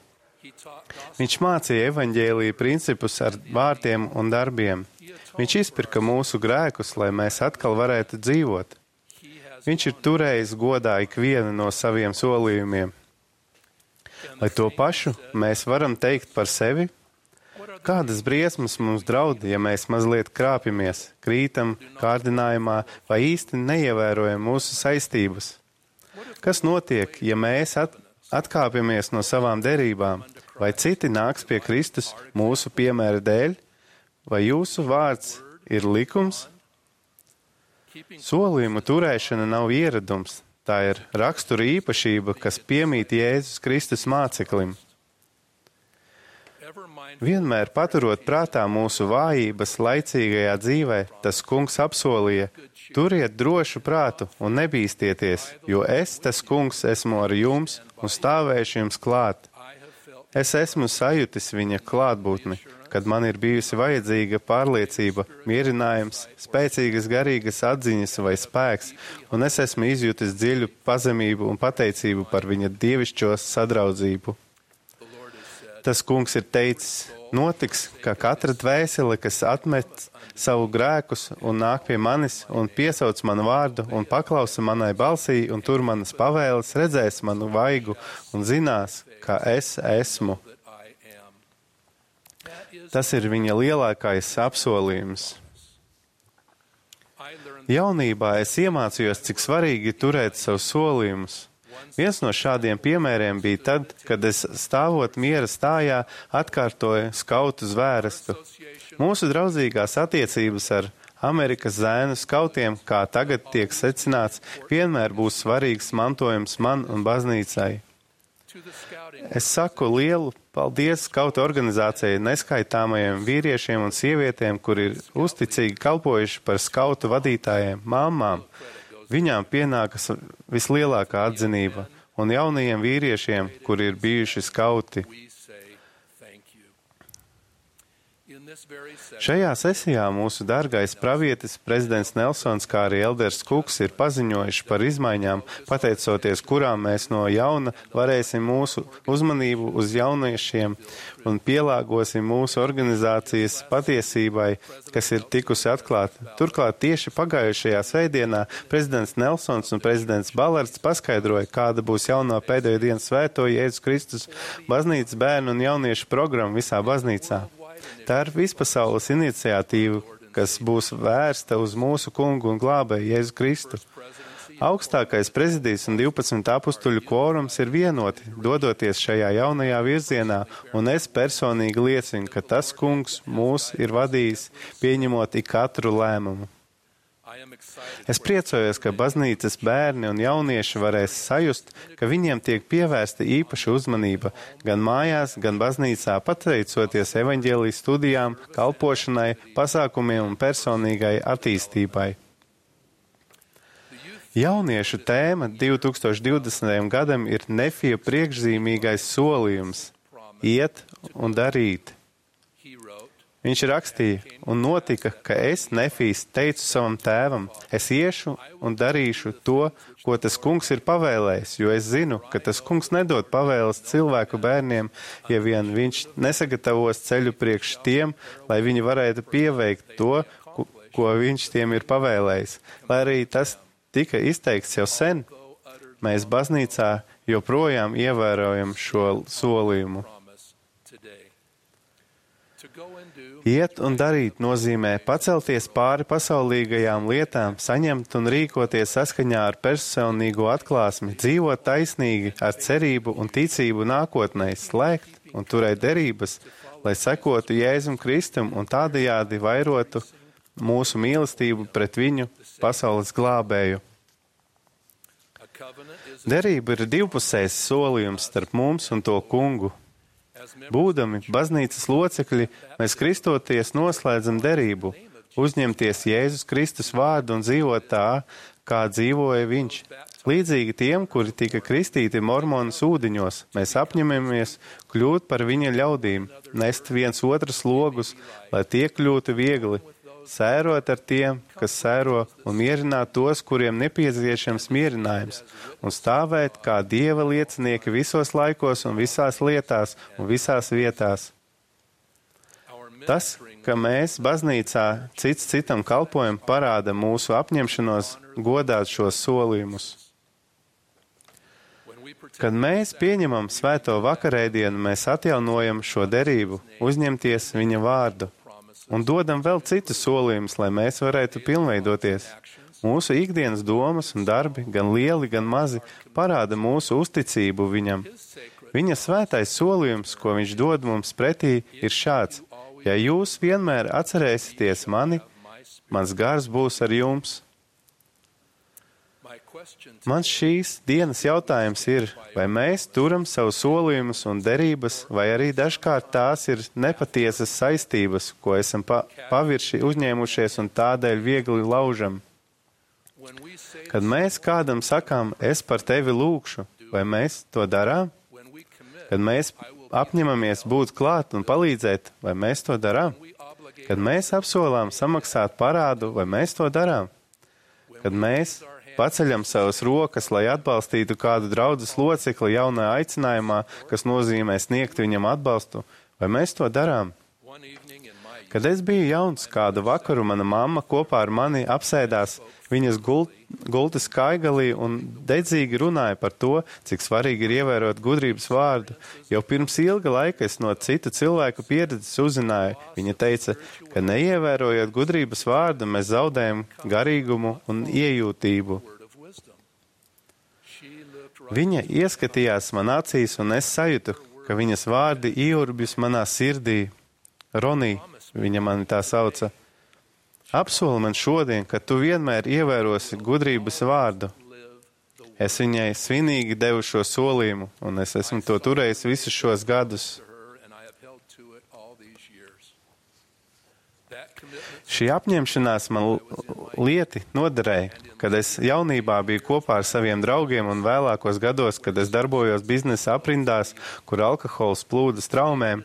Viņš mācīja evaņģēlija principus ar vārtiem un darbiem. Viņš izpirka mūsu grēkus, lai mēs atkal varētu dzīvot. Viņš ir turējis godā ikvienu no saviem solījumiem. Vai to pašu mēs varam teikt par sevi? Kādas briesmas mums draud, ja mēs mazliet krāpjamies, krītam, kārdinājumā vai īsti neievērojam mūsu saistības? Kas notiek, ja mēs at, atkāpjamies no savām derībām? Vai citi nāks pie Kristus mūsu piemēra dēļ? Vai jūsu vārds ir likums? Solījumu turēšana nav ieradums. Tā ir rakstura īpašība, kas piemīt Jēzus Kristus māceklim. Vienmēr paturot prātā mūsu vājības laicīgajā dzīvē, tas kungs apsolīja, turiet drošu prātu un nebīstieties, jo es, tas kungs, esmu ar jums un stāvēšu jums klāt. Es esmu sajutis viņa klātbūtni, kad man ir bijusi vajadzīga pārliecība, mierinājums, spēcīgas garīgas atziņas vai spēks, un es esmu izjutis dziļu pazemību un pateicību par viņa dievišķo sadraudzību. Tas kungs ir teicis, notiks, ka katra dvēsele, kas atmet savu grēkus un nāk pie manis un piesauc manu vārdu un paklausa manai balsī un tur manas pavēles, redzēs manu vaigu un zinās, ka es esmu. Tas ir viņa lielākais apsolījums. Jaunībā es iemācījos, cik svarīgi turēt savus solījumus. Viens no šādiem piemēriem bija tad, kad es stāvot miera stājā atkārtoju skautu zvērestu. Mūsu draudzīgās attiecības ar Amerikas zēnu skautiem, kā tagad tiek secināts, vienmēr būs svarīgs mantojums man un baznīcai. Es saku lielu paldies skautu organizācijai neskaitāmajiem vīriešiem un sievietēm, kur ir uzticīgi kalpojuši par skautu vadītājiem, māmām. Viņām pienākas vislielākā atzinība, un jaunajiem vīriešiem, kur ir bijuši skauti. Šajā sesijā mūsu dārgais pravietis, prezidents Nelsons, kā arī elders Kuks ir paziņojuši par izmaiņām, pateicoties kurām mēs no jauna varēsim mūsu uzmanību uz jauniešiem un pielāgosim mūsu organizācijas patiesībai, kas ir tikusi atklāta. Turklāt tieši pagājušajā svētdienā prezidents Nelsons un prezidents Balards paskaidroja, kāda būs jauno pēdējo dienu svēto Jēzus Kristus baznīcas bērnu un jauniešu programma visā baznīcā. Tā ir vispasaules iniciatīva, kas būs vērsta uz mūsu kungu un glābēju Jēzu Kristu. Augstākais prezidijs un divpadsmit apustuļu kvorums ir vienoti, dodoties šajā jaunajā virzienā, un es personīgi liecinu, ka tas kungs mūs ir vadījis, pieņemot ik katru lēmumu. Es priecājos, ka baznīcas bērni un jaunieši varēs sajust, ka viņiem tiek pievērsta īpaša uzmanība gan mājās, gan baznīcā, pateicoties evaņģēlijas studijām, kalpošanai, pasākumiem un personīgai attīstībai. Jauniešu tēma divi tūkstoši divdesmitajam gadam ir Nefija priekšzīmīgais solījums – iet un darīt. Viņš rakstīja, un notika, ka es, Nefijs, teicu savam tēvam, es iešu un darīšu to, ko tas kungs ir pavēlējis, jo es zinu, ka tas kungs nedod pavēles cilvēku bērniem, ja vien viņš nesagatavos ceļu priekš tiem, lai viņi varētu pieveikt to, ko, ko viņš tiem ir pavēlējis. Lai arī tas tika izteikts jau sen, mēs baznīcā joprojām ievērojam šo solījumu. Iet un darīt nozīmē pacelties pāri pasaulīgajām lietām, saņemt un rīkoties saskaņā ar personīgo atklāsmi, dzīvot taisnīgi, ar cerību un ticību nākotnē, slēgt un turēt derības, lai sekotu Jēzum Kristum un tādējādi vairotu mūsu mīlestību pret viņu pasaules glābēju. Derība ir divpusējs solījums starp mums un to kungu. Būdami baznīcas locekļi, mēs kristoties noslēdzam derību, uzņemties Jēzus Kristus vārdu un dzīvot tā, kā dzīvoja viņš. Līdzīgi tiem, kuri tika kristīti mormonas ūdeņos, mēs apņemamies kļūt par viņa ļaudīm, nest viens otras logus, lai tie kļūtu viegli, sērot ar tiem, kas sēro, un mierināt tos, kuriem nepieciešams mierinājums, un stāvēt kā Dieva liecinieki visos laikos un visās lietās un visās vietās. Tas, ka mēs baznīcā cits citam kalpojam, parāda mūsu apņemšanos godāt šos solījumus. Kad mēs pieņemam svēto vakarēdienu, mēs atjaunojam šo derību, uzņemties viņa vārdu. Un dodam vēl citus solījumus, lai mēs varētu pilnveidoties. Mūsu ikdienas domas un darbi, gan lieli, gan mazi, parāda mūsu uzticību viņam. Viņa svētais solījums, ko viņš dod mums pretī, ir šāds. Ja jūs vienmēr atcerēsieties mani, mans gars būs ar jums. Mans šīs dienas jautājums ir, vai mēs turam savu solījumus un derības, vai arī dažkārt tās ir nepatiesas saistības, ko esam pa pavirši uzņēmušies un tādēļ viegli laužam. Kad mēs kādam sakām, es par tevi lūgšu, vai mēs to darām? Kad mēs apņemamies būt klāt un palīdzēt, vai mēs to darām? Kad mēs apsolām samaksāt parādu, vai mēs to darām? Kad mēs paceļam savas rokas, lai atbalstītu kādu draudzes locekli jaunajā aicinājumā, kas nozīmē sniegt viņam atbalstu, vai mēs to darām? Kad es biju jauns, kādu vakaru mana mamma kopā ar mani apsēdās viņas gult, gultas kaigalī un dedzīgi runāja par to, cik svarīgi ir ievērot gudrības vārdu. Jau pirms ilga laika es no citu cilvēku pieredzes uzzināju. Viņa teica, ka neievērojot gudrības vārdu, mēs zaudējam garīgumu un iejūtību. Viņa ieskatījās man acīs, un es sajūtu, ka viņas vārdi ieurbjus manā sirdī. Ronī, viņa mani tā sauca. Apsoli man šodien, ka tu vienmēr ievērosi gudrības vārdu. Es viņai svinīgi devu šo solījumu, un es esmu to turējis visus šos gadus. Šī apņemšanās man lieti noderēja, kad es jaunībā biju kopā ar saviem draugiem un vēlākos gados, kad es darbojos biznesa aprindās, kur alkohols plūda straumēm.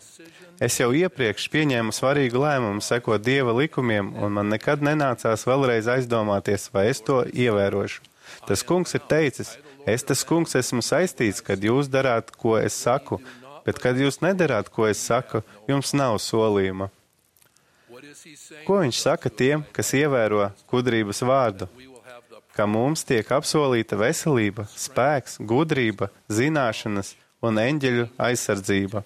Es jau iepriekš pieņēmu svarīgu lēmumu sekot Dieva likumiem, un man nekad nenācās vēlreiz aizdomāties, vai es to ievērošu. Tas kungs ir teicis, es tas kungs esmu saistīts, kad jūs darāt, ko es saku, bet kad jūs nedarāt, ko es saku, jums nav solījuma. Ko viņš saka tiem, kas ievēro gudrības vārdu? Ka mums tiek apsolīta veselība, spēks, gudrība, zināšanas un eņģeļu aizsardzība.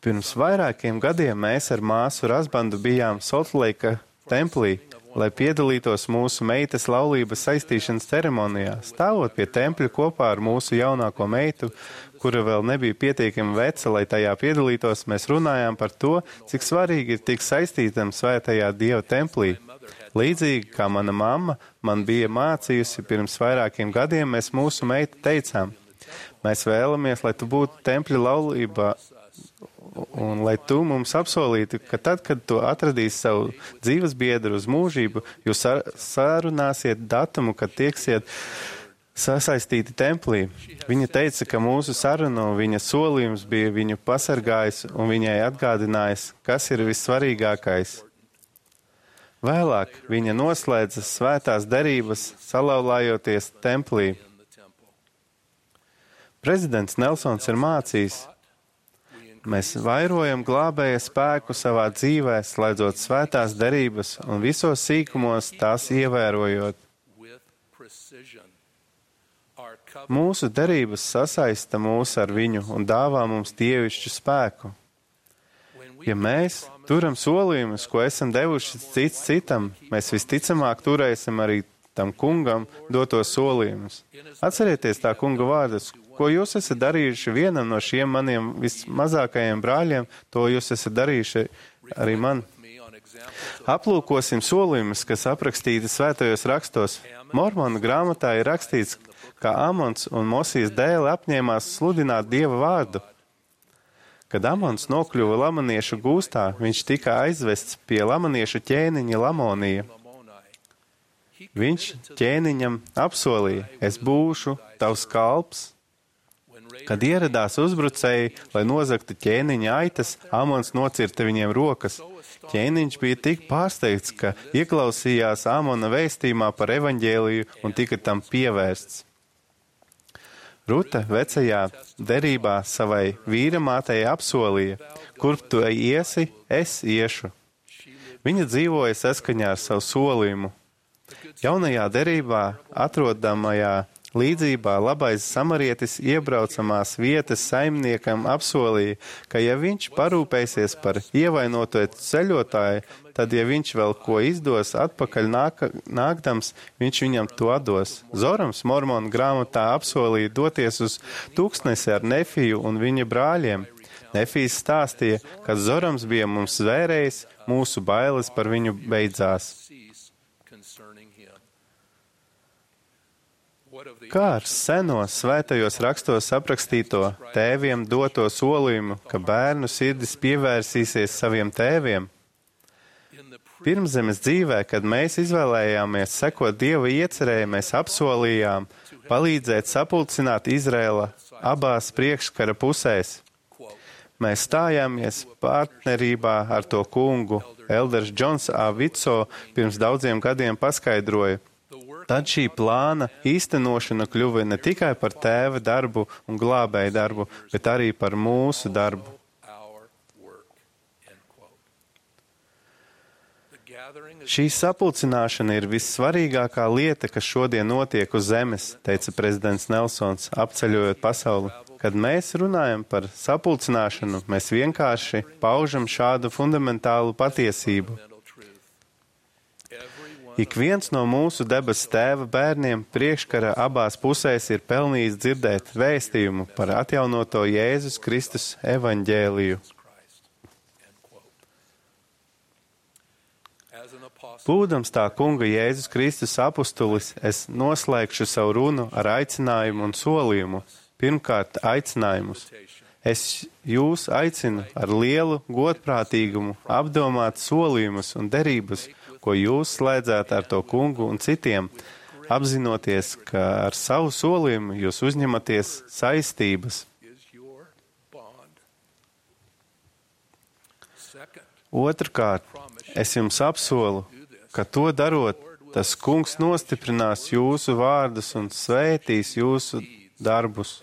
Pirms vairākiem gadiem mēs ar māsu Razbandu bijām Soltleika templī, lai piedalītos mūsu meitas laulības saistīšanas ceremonijā. Stāvot pie tempļa kopā ar mūsu jaunāko meitu, kura vēl nebija pietiekami veca, lai tajā piedalītos, mēs runājām par to, cik svarīgi ir tikt saistītam svētajā Dieva templī. Līdzīgi kā mana mamma man bija mācījusi pirms vairākiem gadiem, mēs mūsu meitu teicām, mēs vēlamies, lai tu būtu tempļa laulībā, un lai tu mums apsolītu, ka tad, kad tu atradīsi savu dzīves biedru uz mūžību, jūs sarunāsiet datumu, kad tieksiet sasaistīti templī. Viņa teica, ka mūsu sarunu viņa solījums bija viņu pasargājis un viņai atgādinājis, kas ir vissvarīgākais. Vēlāk viņa noslēdza svētās derības, salauzājoties templī. Prezidents Nelsons ir mācījis, mēs vairojam glābēja spēku savā dzīvē, slēdzot svētās derības un visos sīkumos tās ievērojot. Mūsu derības sasaista mūs ar viņu un dāvā mums dievišķu spēku. Ja mēs turam solījumus, ko esam devuši cits citam, mēs visticamāk turēsim arī tam kungam dotos solījumus. Atcerieties tā kunga vārdus. Ko jūs esat darījuši vienam no šiem maniem vismazākajiem brāļiem, to jūs esat darījuši arī man. Aplūkosim solījumus, kas aprakstīti svētajos rakstos. Mormonu grāmatā ir rakstīts, ka Amons un Mosijas dēli apņēmās sludināt Dieva vārdu. Kad Amons nokļuva lamoniešu gūstā, viņš tika aizvests pie lamoniešu ķēniņa Lamonija. Viņš ķēniņam apsolīja, es būšu tavs kalps. Kad ieradās uzbrucēji, lai nozagtu ķēniņa aitas, Amons nocirta viņiem rokas. Ķēniņš bija tik pārsteigts, ka ieklausījās Amona vēstījumā par evaņģēliju un tika tam pievērsts. Ruta vecajā derībā savai vīramātei apsolīja, kurp tu iesi, es iešu. Viņa dzīvoja saskaņā ar savu solījumu. Jaunajā derībā atrodamajā līdzībā labais samarietis iebraucamās vietas saimniekam apsolīja, ka ja viņš parūpēsies par ievainoto ceļotāju, tad, ja viņš vēl ko izdos atpakaļ nāk, nākdams, viņš viņam to atdos. Zorams Mormonu grāmatā apsolīja doties uz tūkstnesi ar Nefiju un viņa brāļiem. Nefijs stāstīja, ka Zorams bija mums zvērējis, mūsu bailes par viņu beidzās. Kā ar seno svētajos rakstos aprakstīto tēviem doto solījumu, ka bērnu sirdis pievērsīsies saviem tēviem? Pirmzemes dzīvē, kad mēs izvēlējāmies sekot Dieva iecerēji, mēs apsolījām palīdzēt sapulcināt Izraēla abās priekškara pusēs. Mēs stājāmies partnerībā ar to kungu. Elders Džons A. Vitso pirms daudziem gadiem paskaidroja. Tad šī plāna īstenošana kļuva ne tikai par tēva darbu un glābēju darbu, bet arī par mūsu darbu. Šī sapulcināšana ir vissvarīgākā lieta, kas šodien notiek uz zemes, teica prezidents Nelsons, apceļojot pasauli. Kad mēs runājam par sapulcināšanu, mēs vienkārši paužam šādu fundamentālu patiesību. Ik viens no mūsu debes tēva bērniem priekškara abās pusēs ir pelnījis dzirdēt vēstījumu par atjaunoto Jēzus Kristus evaņģēliju. Būdams tā kunga Jēzus Kristus apustulis, es noslēgšu savu runu ar aicinājumu un solījumu. Pirmkārt, aicinājumus. Es jūs aicinu ar lielu godprātīgumu apdomāt solījumus un derības, ko jūs slēdzāt ar to kungu un citiem, apzinoties, ka ar savu solījumu jūs uzņematies saistības. Otrkārt, es jums apsolu, ka to darot, tas kungs nostiprinās jūsu vārdus un svētīs jūsu darbus.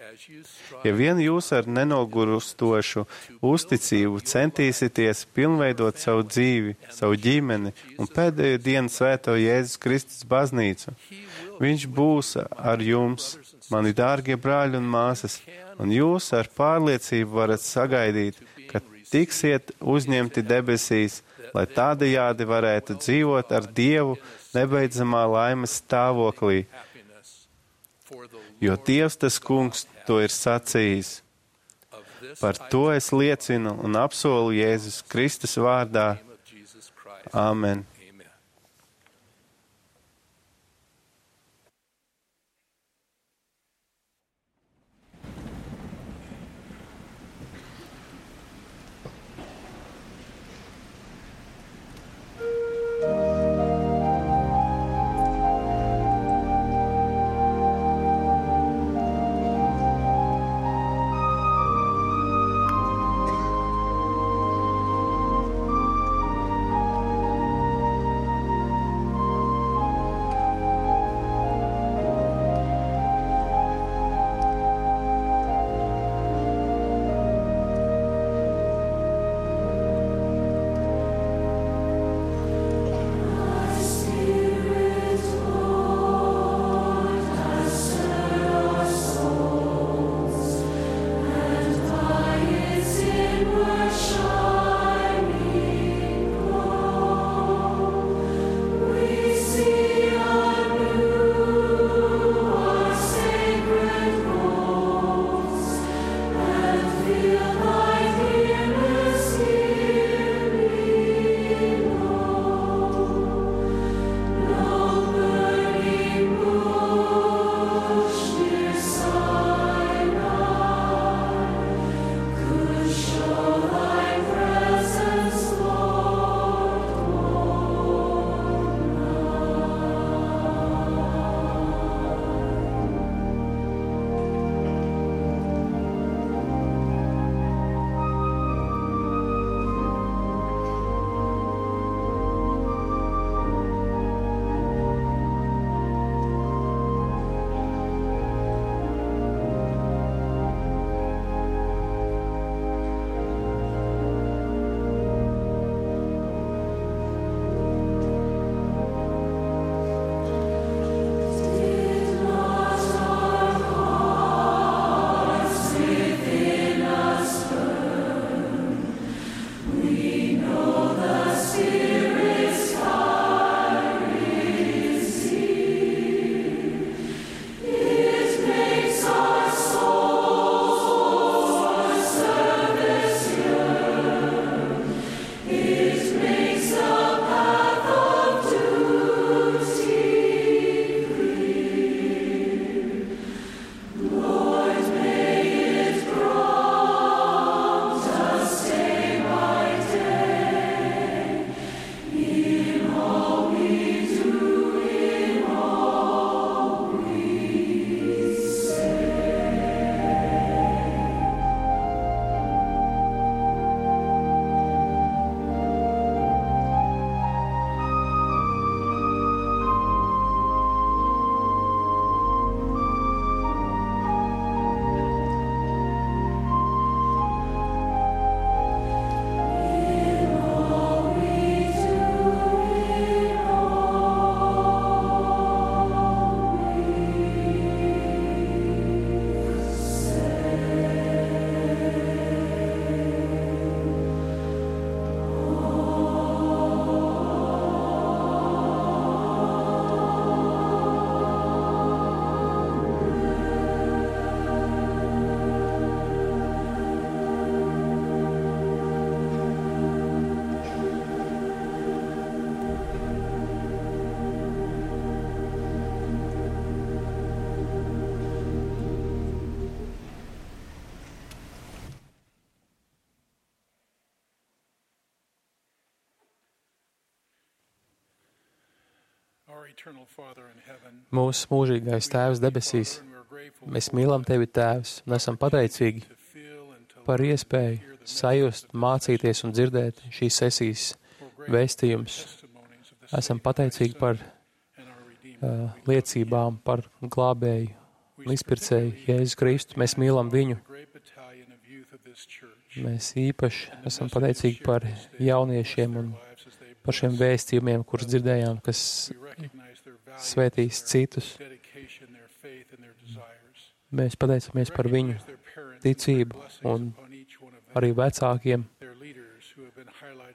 Ja vien jūs ar nenogurustošu uzticību centīsieties pilnveidot savu dzīvi, savu ģimeni un pēdējo dienu svēto Jēzus Kristus baznīcu, viņš būs ar jums, mani dārgie brāļi un māsas, un jūs ar pārliecību varat sagaidīt, ka tiksiet uzņemti debesīs, lai tādējādi varētu dzīvot ar Dievu nebeidzamā laimes stāvoklī. Jo Dievs tas kungs to ir sacījis. Par to es liecinu un apsolu Jēzus Kristus vārdā. Āmen. Mūsu mūžīgais Tēvs debesīs, mēs mīlam Tevi, Tēvs, un esam pateicīgi par iespēju sajust, mācīties un dzirdēt šīs sesijas vēstījumus. Esam pateicīgi par uh, liecībām, par glābēju un izpircēju Jēzus Kristu. Mēs mīlam viņu. Mēs īpaši esam pateicīgi par jauniešiem un par šiem vēstījumiem, kurus dzirdējām, kas svētīs citus. Mēs pateicamies par viņu ticību un arī vecākiem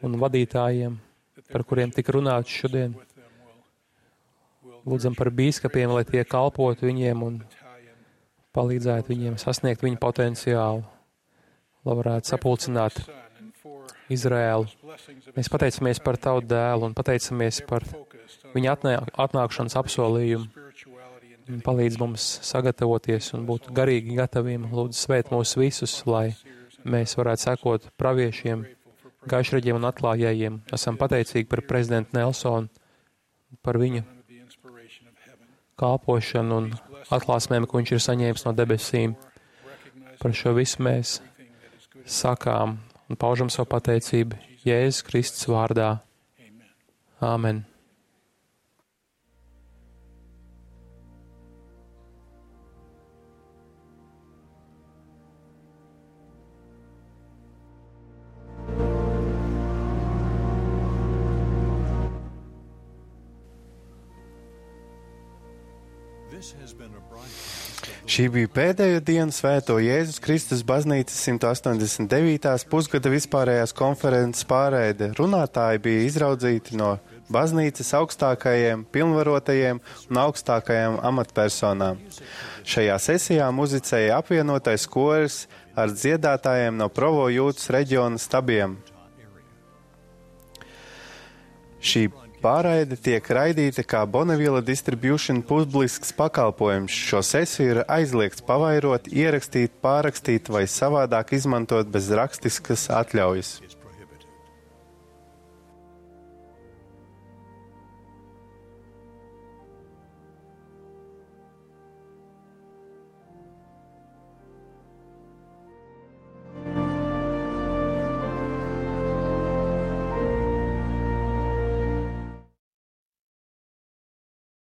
un vadītājiem, par kuriem tika runāts šodien. Lūdzam par bīskapiem, lai tie kalpotu viņiem un palīdzētu viņiem sasniegt viņu potenciālu, lai varētu sapulcināt Izraēlu. Mēs pateicamies par Tavu dēlu un pateicamies par viņa atnāk, atnākšanas apsolījumu. Un palīdz mums sagatavoties un būt garīgi gataviem. Lūdzu, svēt mūs visus, lai mēs varētu sekot praviešiem, gaišreģiem un atklājējiem. Esam pateicīgi par prezidentu Nelsonu, par viņa kalpošanu un atklāsmēm, ko viņš ir saņēmis no debesīm. Par šo visu mēs sakām un paužam savu pateicību Jēzus Kristus vārdā. Āmen. Šī bija pēdējo dienu Svēto Jēzus Kristus baznīcas simt astoņdesmit devītās pusgada vispārējās konferences pārēde. Runātāji bija izraudzīti no baznīcas augstākajiem, pilnvarotajiem un augstākajām amatpersonām. Šajā sesijā muzicēja apvienotais koris ar dziedātājiem no Provo Jūtas reģiona stabiem. Šī pārraide tiek raidīta kā Bonneville Distribution publisks pakalpojums. Šo sesiju ir aizliegts pavairot, ierakstīt, pārrakstīt vai savādāk izmantot bez rakstiskas atļaujas.